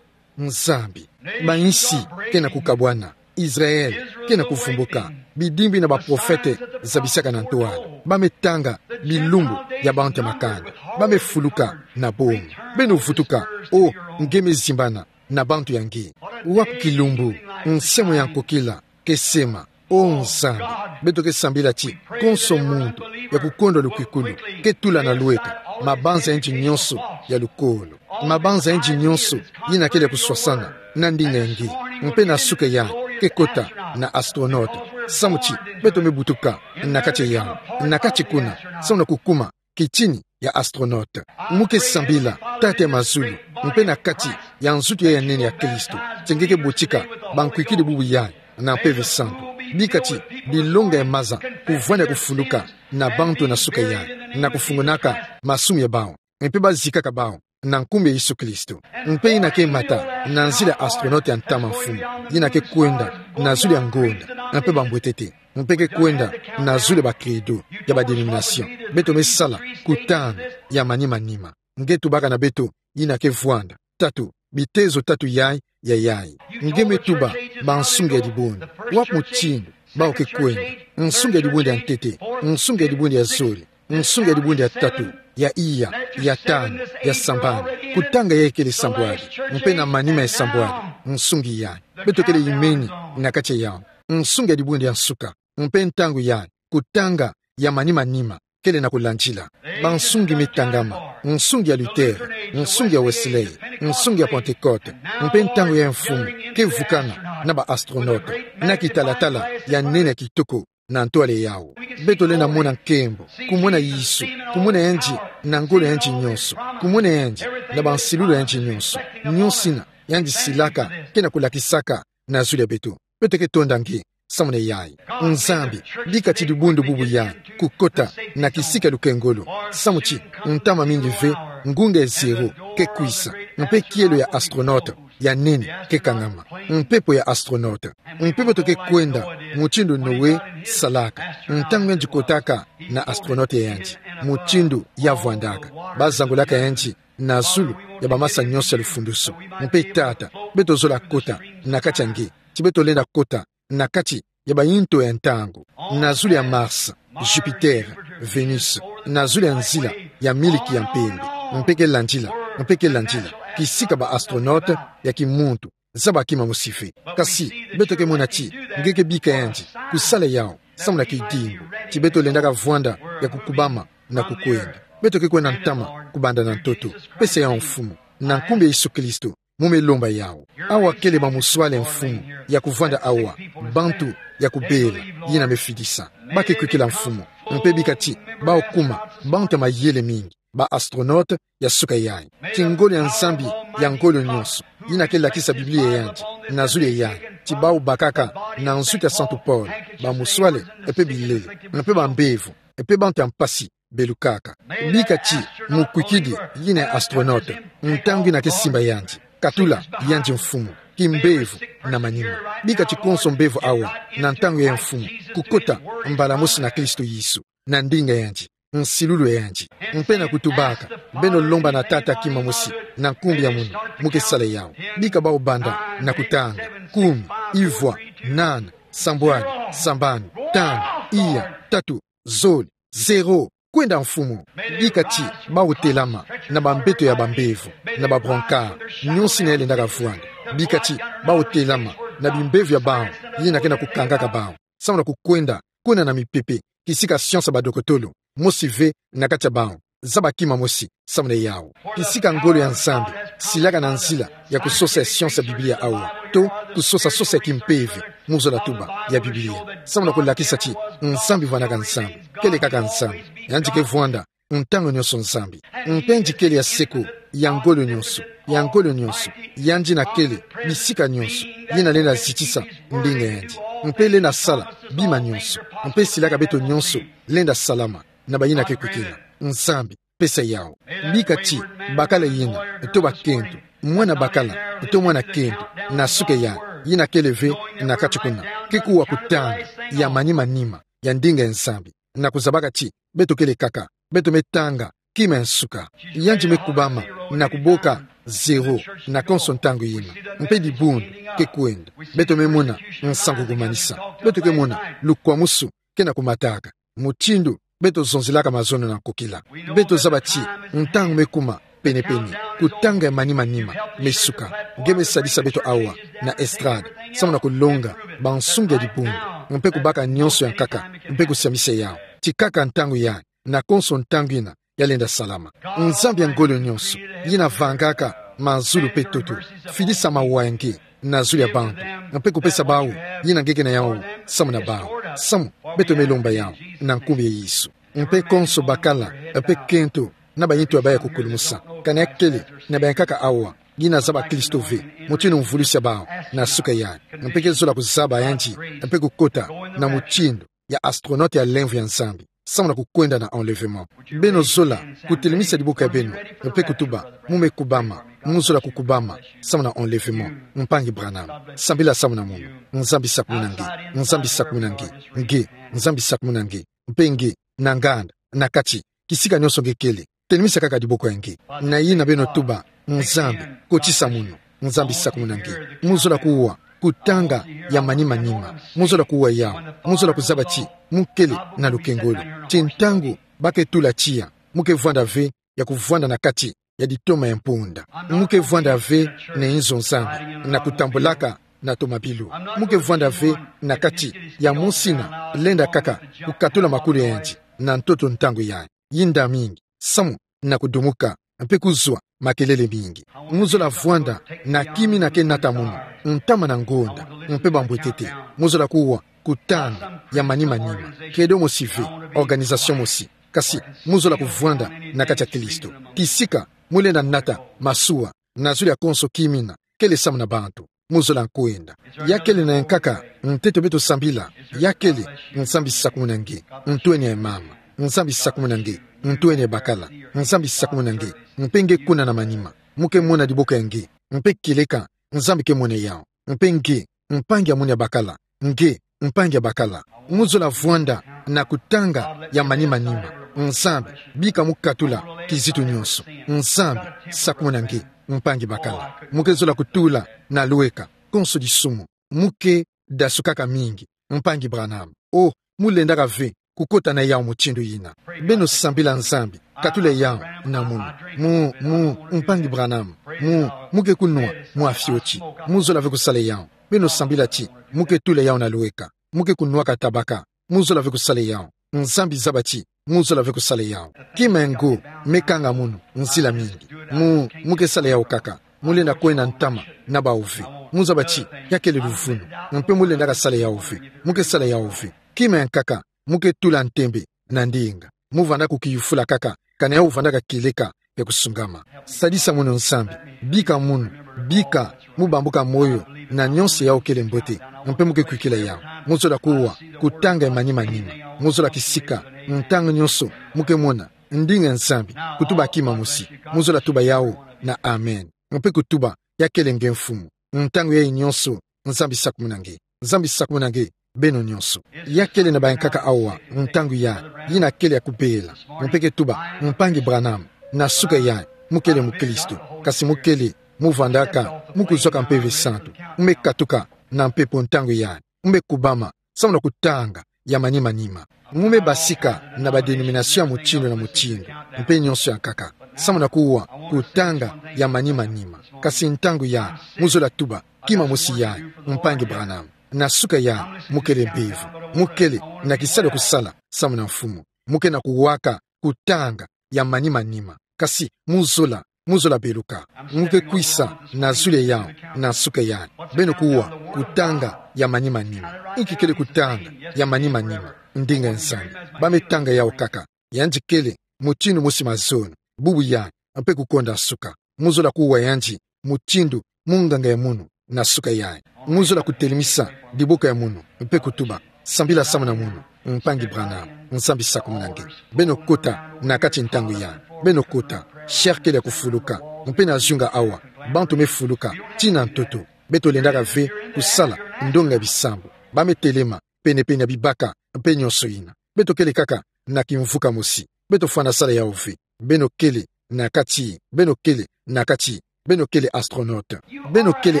Nzambi. Bayinsi ke na kukabwana. Israël ke na kuvumbuka. Bidimbu yina baprofete zabisaka na ntwala. Ba me tanga bilumbu ya bantu ya makanda. Ba me fuluka na bonga. Beno vutuka, o nge me zimbana na bantu ya nge. Wapi kilumbu nsembo ya nkokila ke sema? O Nzambi, beto ke sambila ti konso muntu ya kukondwa lukwikulu ke tula na lweka mabanza yandi nionso ya lukolo, mabanza yandi nionso yina kele kuswasana na ndinga ya nge. Mpe na suka yayi ke kota na astronaute, samu ti beto me butuka na kati ya yawu, na kati kuna, samu na kukuma kitini ya astronaute. Mu ke sambila Tata ya mazulu, mpe na kati ya nzutu yayi ya nene ya Kristo, ti nge ke botika bankwikidi bubu yayi na Mpeve Santu. Bika ti bilonga ya maza kuvwanda kufuluka na bantu na suka yayi, na kufungonaka masumu ya bawu, mpe bazikaka bawu na nkumbu ya Yesu Kristo. Mpe yina ke mata na nzila ya astronaute ya ntama, mfumu, yina ke kwenda na zulu ya ngonda, mpe bambwetete, mpe ke kwenda na zulu ya ba credo, ya ba dénomination. Beto me sala kutanga ya manima nima. Nge tubaka na beto yina ke vwanda. Tatu, bitezo tatu yayi ya yayi. Nge me tuba bansunga ya dibundu. Wapi mutindu bawu ke kwenda? Nsunga ya dibundu ya ntete, nsunga ya dibundu ya zole, nsunga ya dibundu ya tatu, ya iya, ya tanu, ya sambanu. Kutanga yayi kele sambwadi, mpe na manima ya sambwadi, nsunga yayi. Beto kele yimeni na kati ya yawu. Nsunga ya dibundu ya nsuka, mpe ntangu yayi, kutanga ya manima nima kele na kulandila. Bansungi me tangama, nsungi ya Luther, nsungi ya Wesley, nsungi ya Pentecôte, mpe ntangu yayi, mfumu, ke vukana na ba astronaute na kitalatala ya nene ya kitoko na ntwala yawu. Beto lenda mona nkembo, kumona Yesu, kumona yandi na ngolo ya yandi nionso, kumona yandi na bansilulu ya yandi nionso, nionso yina yandi silaka ke na kulakisaka na zulu ya beto. Beto ke tonda nge samu na yayi. Nzambi, bika ti dibundu bubu yayi kukota na kisika ya lukengolo, samu ti ntama mingi ve, ngunga ya zero ke kwisa, mpe kielo ya astronaute ya nene ke kangama, mpepo ya astronaute. Mpe beto ke kwenda mutindu Noé salaka, ntangu yandi kotaka na astronaute ya yandi, mutindu ya vwandaka. Bazangulaka yandi na zulu ya bamasa nionso ya lufundusu. Mpe Tata, beto zola kota na kati ya nge, ti beto lenda kota na kati ya bayinto ya ntangu, na zulu ya Mars, Jupiter, Vénus, na zulu ya nzila ya miliki ya mpembe, mpe ke landila, mpe ke landila kisika ba astronaute ya kimuntu zaba kima mosi ve. Kasi beto ke mona ti nge ke bika yandi kusala yawu samu na kidimbu. Ti beto lendaka vwanda ya kukubama na kukwenda. Beto ke kwenda ntama kubanda na ntoto. Pesa yawu, mfumu, na nkumbu ya Yesu Kristo. Mu me lomba yawu. Awa kele bamusuale mfumu ya kuvwanda awa, bantu ya kubela, yina me fidisa. Ba ke kwikila mfumu. Mpe bika ti, bawu kuma, bantu ya mayele mingi, ba astronaute ya suka yayi. Ti ngolo ya Nzambi ya ngolo nyonso, yina ke lakisa Biblia yandi, na zulu ya yandi, ti bawu bakaka na nsuki ya Santu Paul, bamusuale, mpe bilele, mpe bambevo, mpe bantu ya mpasi, belukaka. Bika ti, mukwikidi, yina astronaute, ntangu yina ke simba yandi, katula, yandi mfumu, kimbevo, na manima. Bika ti konso mbevo awa, na ntangu ya mfumu, kukota, mbala mosi na Kristo Yesu, na ndinga yandi, nsilulu yandi. Mpe na kutubaka, beno lomba na Tata kima mosi, na nkumbu ya munu, mu ke sala yawu. Bika bawu banda, na kutanga, kumi, ivwa, nana, sambwadi, sambanu, tanu, iya, tatu, zole, zero, kwenda mfumu. Bika ti, bawu telama, na bambeto ya bambevo, na ba brancard, nyonso yina lenda kavwanda. Bika ti, bawu telama, na bimbevo ya bawu, yina ke na kukangaka bawu. Samu na kukwenda, kuna na mipepe, kisika science ya badokotolo, mosi ve na kati ya bawu, zaba kima mosi, samu na yawu. Kisika ngolo ya Nzambi, silaka na nzila, ya kusosa ya science ya Biblia awa, to, kusosa sosa ya kimpeve, mu zola tuba, ya Biblia. Samu na kulakisa ti, Nzambi vwanaka Nzambi, kele kaka Nzambi, yandi ke vwanda, ntangu nyonso Nzambi. Mpe yandi kele ya seko, ya ngolo nyonso, ya ngolo nyonso, yandi yina kele, bisika nyonso, yina lenda zitisa, ndinga yandi. Mpe lenda sala, bima nyonso, mpe silaka beto nyonso, lenda salama, na bayina ke kwikila. Nzambi, pesa yawu. Bika ti, bakala yina, to bakento, mwana bakala, to mwana kento, na suka ya, yina kele ve, na kati kuna, ke kuwa kutanga, ya manima nima, ya ndinga ya Nzambi, na kuzabaka ti, beto kele kaka, beto me tanga, kima ya nsuka. Yandi me kubama, na kuboka, zero, na konso ntangu yina. Mpe dibundu, ke kwenda. Beto me mona, nsangu kumanisa. Beto ke mona, lukwamusu, ke na kumataka. Mutindu, beto zonzelaka mazono na nkokila. Beto zaba ti, ntangu me kuma, penepene, kutanga ya manima nima, me suka. Nge me sadisa beto awa, na estrade, samu na kulonga, bansungi ya dibundu. Mpe kubaka nyonso ya nkaka, mpe kusiamisa yawu. Ti kaka ntangu ya, na konso ntangu yina, ya lenda salama. Nzambi ya ngolo nyonso, yina vangaka, mazulu mpe ntoto, fidisa mawa ya nge, na zulu ya bantu, mpe kupesa bawu, yina nge ke na yawu, samu na bawu, samu, beto me lomba yawu, na nkumbu ya Yesu. Mpe konso bakala, mpe kento, na bayintu ya baya kukulumusa, kana ya kele, na baya nkaka awa, yina zaba Kristo ve, mutindu mvulusi ya bawu, na suka ya, mpe ke zola kuzaba yandi, mpe kukota, na mutindu, ya astronaute ya lemvo ya Nzambi, samu na kukwenda na enlèvement. Beno zola, kutelemisa diboko ya beno, mpe kutuba, mu me kubama, mu zola kukubama, samu na enlèvement, mpangi Branham. Sambila samu na munu, Nzambi sakumuna nge, Nzambi sakumuna nge, nge, Nzambi sakumuna nge, mpe nge, na nganda, na kati, kisika nyonso nge kele, telemisa kaka diboko ya nge. Na yina beno tuba, Nzambi, kotisa munu, Nzambi sakumuna nge. Mu zola kuwa, kutanga, ya manima nima. Mu zola kuwa yawu, mu zola kuzaba ti, mu kele, na lukengolo. Ti ntangu, ba ke tula tiya, mu ke vwanda ve, ya kuvwanda na kati, ya ditoma ya mpunda. Mu ke vwanda ve, na inzo Nzambi, na kutambulaka, na tomabilu. Mu ke vwanda ve, na kati, ya musina, lenda kaka, kukatula makulu ya yandi, na ntoto ntangu ya. Yinda mingi, samu, na kudumuka, mpe kuzwa, makelele mingi. Mu zola vwanda, na kimi na ke nata munu, ntama na ngonda, mpe bambwetete. Mu zola kuwa, kutanga, ya manima nima. Credo mosi ve, organisation mosi. Kasi, mu zola kuvwanda, na kati ya Kristo. Kisika, mu lenda nata, masuwa, na zulu ya konso kimina, kele samu na bantu. Mu zola nkwenda. Ya kele na yankaka, ntete beto sambila. Ya kele, Nzambi sakumuna nge, ntwenia ya mama. Nzambi sakumuna nge, ntwenia ya bakala. Nzambi sakumuna nge, mpe nge kuna na manima. Mu ke mona diboko ya nge, mpe kieleka, Nzambi ke mona yawu. Mpe nge, mpangi ya munu ya bakala. Nge, mpangi ya bakala. Mu zola vwanda, na kutanga, ya manima nima. Nzambi, bika mu katula, kizitu nyonso. Nzambi, sakumuna nge, mpangi bakala. Mu ke zola kutula, na lweka, konso disumu. Mu ke, dasukaka mingi, mpangi Branham. Oh, mu lendaka ve, kukota na yawu mutindu yina. Beno sambila Nzambi, katula yawu, na munu. Mu, mu, mpangi Branham. Mu, mu ke kunwa, mwa fioti. Mu zola ve kusala yawu. Beno sambila ti, mu ke tula yawu na lweka. Mu ke kunwaka tabaka. Mu zola ve kusala yawu. Nzambi zaba ti, mu zola ve kusala yawu. Kima ya ngo, me kanga munu, nzila mingi. Mu, mu ke sala yawu kaka. Mu lenda kwenda ntama na bawu ve. Mu zaba ti, ya kele luvunu. Mpe mu lendaka sala yawu ve. Mu ke sala yawu ve. Kima ya nkaka, mu ke tula ntembe na ndinga. Mu vanda kukiyufula kaka, kana yawu vandaka kieleka, ya kusungama. Sadisa munu Nzambi, bika munu, bika mu bambuka moyo na nyonso yawu kele mbote, mpe mu ke kwikila yawu. Mu zola kuwa, kutanga ya manima-nima. Mu zola kisika, ntangu nyonso, mu ke mona ndinga ya Nzambi kutuba kima mosi. Mu zola tuba yawu na amen. Mpe kutuba, ya kele nge Mfumu. Ntangu yayi nyonso, Nzambi sakumuna nge. Nzambi sakumuna nge, beno nyonso. Ya kele na bayankaka awa, ntangu yayi, yina kele ya kubela. Mpe ke tuba, Mpangi Branham, na suka yayi, mu kele mukristu. Kasi mu kele, mu vandaka, mu kuzwaka Mpeve Santu. Mu me katuka na mpepo ntangu yayi. Mu me kubama, samu na kutanga ya manima-nima. Mu me basika na ba dénomination ya mutindu na mutindu, mpe nyonso ya nkaka, samu na kuwa, kutanga ya manima-nima. Kasi ntangu yayi, mu zola tuba, kima mosi yayi, Mpangi Branham. Na suka yayi, mu kele mbevo. Mu kele na kisalu ya kusala, samu na Mfumu. Mu ke na kuwaka, kutanga ya manima-nima. Kasi, mu zola, mu zola beluka. Mu ke kwisa na zulu yawu, na suka yayi. Beno kuwa, kutanga ya manima-nima. Inki kele kutanga ya manima-nima? Ndinga ya Nzambi. Ba me tanga yawu kaka. Yandi kele, mutindu mosi mazono. Bubu yayi, mpe kukonda suka. Mu zola kuwa yandi, mutindu munganga ya munu, na suka yayi. Mu zola kutelemisa diboko ya munu, mpe kutuba, sambila samu na munu, Mpangi Branham, Nzambi sakumuna nge. Beno kota na kati ntangu yayi. Beno kota, chair kele ya kufuluka. Mpe na zunga awa, bantu me fuluka tii na ntoto. Beto lendaka ve kusala ndonga ya bisambu. Ba me telema pene-pene ya bibaka, mpe nyonso yina. Beto kele kaka na kimvuka mosi. Beto fwana sala yawu ve. Beno kele na kati, beno kele na kati, beno kele astronaute. Beno kele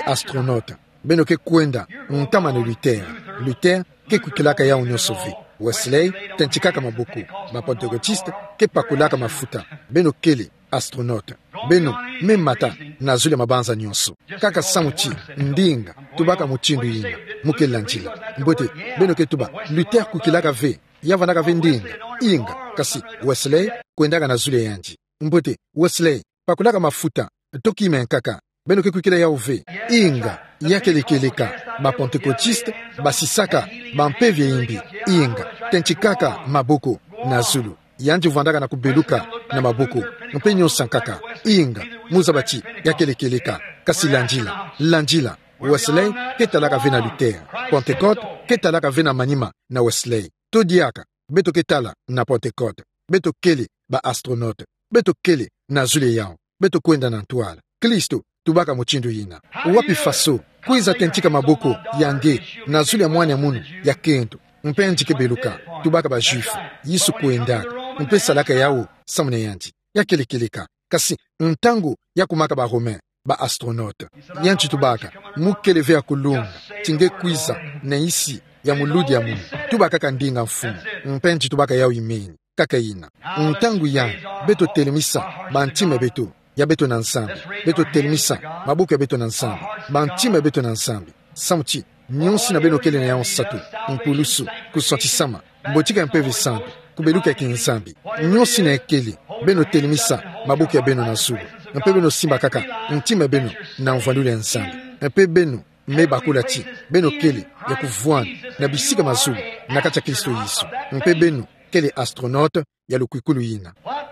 astronaute. Beno ke kwenda ntama na Luther. Luther ke kwikilaka yawu nyonso ve. Wesley, tentikaka maboko. Ba Pentecôtiste ke pakulaka mafuta. Beno kele astronaute. Beno me mata na zulu ya mabanza nyonso. Kaka samu ti, ndinga, tubaka mutindu yina. Mu ke landila. Mbote, beno ke tuba, Luther kwikilaka ve. Ya vandaka ve ndinga. Inga, kasi, Wesley, kwendaka na zulu ya yandi. Mbote, Wesley, pakulaka mafuta, to kima ya nkaka. Beno ke kwikila yawu ve. Inga, ya kele kieleka, ba Pentecôtiste basisaka bampeve ya imbi. Inga, tentikaka maboko na zulu. Yandi vandaka na kubeluka na maboko. Mpe nyonso ya nkaka. Inga, mu zaba ti, ya kele kieleka. Kasi landila, landila. Wesley ke talaka ve na Luther. Pentecôte ke talaka ve na manima na Wesley. To diaka, beto ke tala na Pentecôte. Beto kele ba astronaute. Beto kele na zulu yawu. Beto kwenda na ntwala. Kristo tubaka mutindu yina. Wapi faso? Kwiza tentika maboko ya nge na zulu ya mwana ya munu ya kento. Mpe yandi ke beluka. Tubaka ba Juifs. Yesu kwendaka. Mpe salaka yawu samu na yandi. Ya kele kieleka. Kasi ntangu ya kumaka ba Romains, ba astronautes, yandi tubaka, mu kele ve ya kulunga ti nge kwiza na nsi ya muludi ya munu? Tuba kaka ndinga, Mfumu. Mpe yandi tubaka yawu imeni. Kaka yina. Ntangu yayi, beto telemisa bantima ya beto, ya beto na Nzambi. Beto telemisa maboko ya beto na Nzambi, bantima ya beto na Nzambi. Samu ti, nyonso yina beno kele na yawu nsatu, mpulusu, kusantisama, mbotika ya Mpeve Santu, kubeluka ya kinzambi. Nyonso yina kele, beno telemisa maboko ya beno na zulu. Mpe beno simba kaka ntima ya beno na mvwandulu ya Nzambi. Mpe beno me bakula ti, beno kele ya kuvwanda na bisika mazulu na kati ya Kristo Yesu. Mpe beno kele astronautes ya lukwikulu yina. What?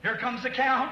Here comes the count.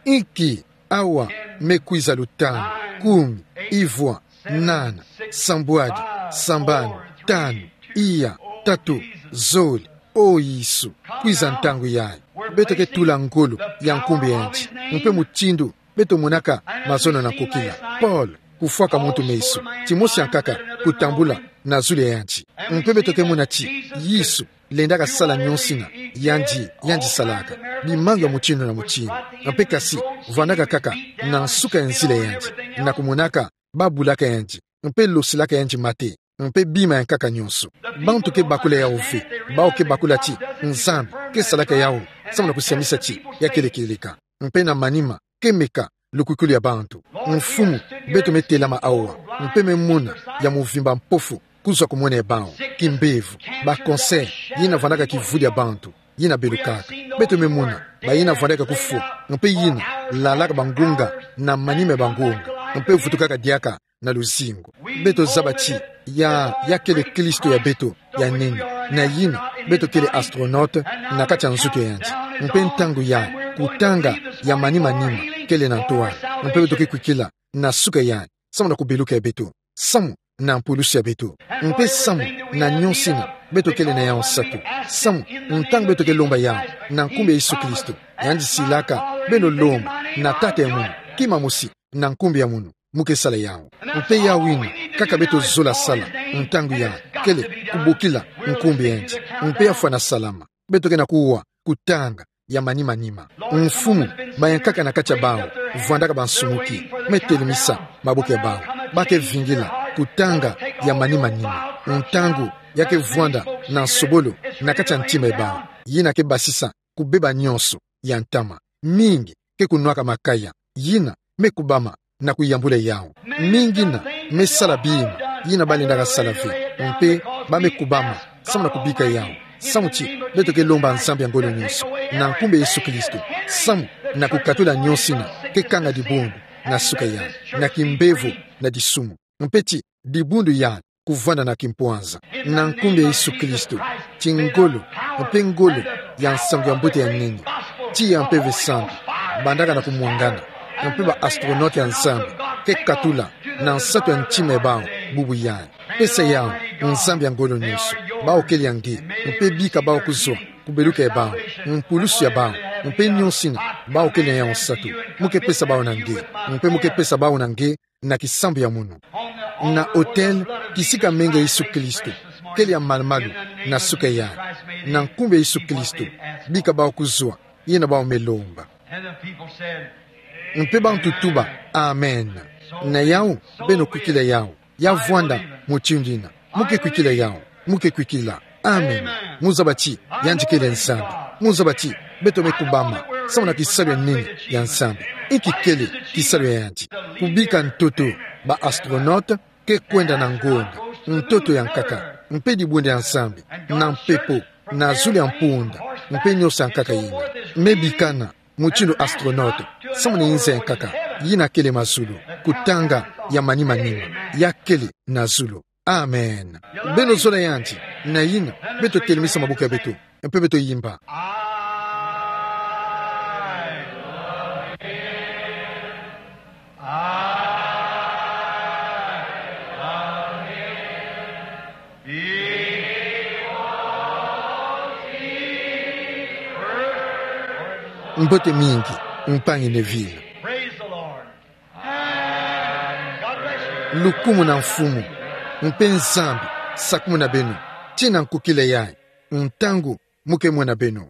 Inki, awa me kwiza lutanu, kumi, ivwa, nana, sambwadi, sambanu, tanu, iya, tatu, zole. O Yesu, kwiza ntangu yayi. Beto ke tula ngolo ya nkumbu ya yandi. Mpe mutindu beto monaka mazono na nkokila. Paul, kufwaka muntu meso. Timosi ya nkaka, kutambula na zulu ya yandi. Mpe beto ke mona ti Yesu lendaka sala nyonso yina yandi, yandi salaka. Bimangu ya mutindu na mutindu. Mpe kasi, vandaka kaka na nsuka ya nzila ya yandi, na kumonaka ba bulaka yandi, mpe losilaka yandi mate, mpe bima ya nkaka nyonso. Bantu ke bakula yawu ve. Bawu ke bakula ti Nzambi ke salaka yawu samu na kusiamisa ti ya kele kieleka. Mpe na manima, ke meka lukwikulu ya bantu. Mfumu, beto me telama awa, mpe me mona ya muvimba mpofu kuzwa ku mona ya bawu, kimbevo, ba cancer, yina vandaka kivudi ya bantu, yina belukaka. Beto me mona bayina vandaka kufwa, mpe yina lalaka bangunga na manima ya bangunga, mpe vutukaka diaka na luzingu. Beto zaba ti ya, ya kele Kristo ya beto ya nene, na yina beto kele astronaute na kati ya nzoto yandi. Mpe ntangu yandi, kutanga ya manima-nima kele na nto wani. Mpe beto ke kwikila na suka yandi, samu na kubeluka ya beto, samu na mpulusu ya beto, mpe samu na nyonso ina beto kele na yawu nsatu, samu ntangu beto ke lomba yawu na nkumbu ya Yesu Kristo, yandi silaka: Beno lomba na Tata ya mono kima mosi na nkumbu ya mono, mu ke sala yawu. Mpe yawu ina kaka beto zola sala ntangu yandi, kele kubokila nkumbu ya yandi, mpe ya fwana salama. Beto ke na kuwa kutanga ya manima-nima. Mfumu, bayankaka na kati ya bawu vwandaka bansumuki, me telemisa maboko ya bawu. Ba ke vingila kutanga ya manima-nima, ntangu ya ke vwanda na nsobolo na kati ya ntima ya bawu. Yina ke basisa kubeba nyonso ya ntama. Mingi ke kunwaka makaya, yina me kubama na kuyambula yawu. Mingi ina me sala bima yina ba lendaka sala ve, mpe ba me kubama samu na kubika yawu. Samu ti beto ke lomba Nzambi ya ngolo nyonso na nkumbu ya Yesu Kristo, samu na kukatula nyonso ina ke kanga dibundu na suka yandi, na kimbevo, na disumu, mpe ti dibundu yandi kuvwanda na kimpwanza. Na nkumbu ya Yesu Kristo, ti ngolo, mpe ngolo ya nsangu ya mbote ya nene, tiya mpe Mpeve Santu bandaka na kumwangana, mpe ba astronaute ya Nzambi ke katula na nsatu ya ntima ya bawu bubu yandi. Pesa yawu Nzambi ya ngolo nyonso, bawu kele ya nge, mpe bika bawu kuzwa kubeluka ya bawu, mpulusu ya bawu, mpe nyonso ina bawu kele na yawu nsatu. Mu ke pesa bawu na nge, mpe mu ke pesa bawu na nge na kisambu ya mono. Na autel, kisika menga ya Yesu Kristo kele ya malu-malu na suka yandi. Na nkumbu ya Yesu Kristo, bika bawu kuzwa, yina bawu me lomba. And the people said, Mpe bantu tuba: Amen. Na yawu, beno kwikila yawu. Ya vwanda mutindu ina. Mu ke kwikila yawu. Mu ke kwikila. Amen. Mu zaba ti yandi kele Nzambi. Mu zaba ti beto me kubama samu na kisalu ya nene ya Nzambi. Inki kele kisalu ya yandi? Kubika ntoto ba astronaute ke kwenda na ngonda, ntoto ya nkaka, mpe dibundu ya Nzambi, na mpepo, na zulu ya mpunda, mpe nyonso ya nkaka yina. Me bikana mutindu astronaute samu na inza ya nkaka yina kele mazulu, kutanga ya manima-nima ya kele na zulu. Amen. Beno zola yandi, na yina beto telemisa maboko ya beto, mpe beto yimba. Mbote mingi, mpangi Neville. Praise the Lord. Lukumu na Mfumu. Mpe Nzambi sakumuna beno tina nkukila yayi, ntangu mu ke mona beno.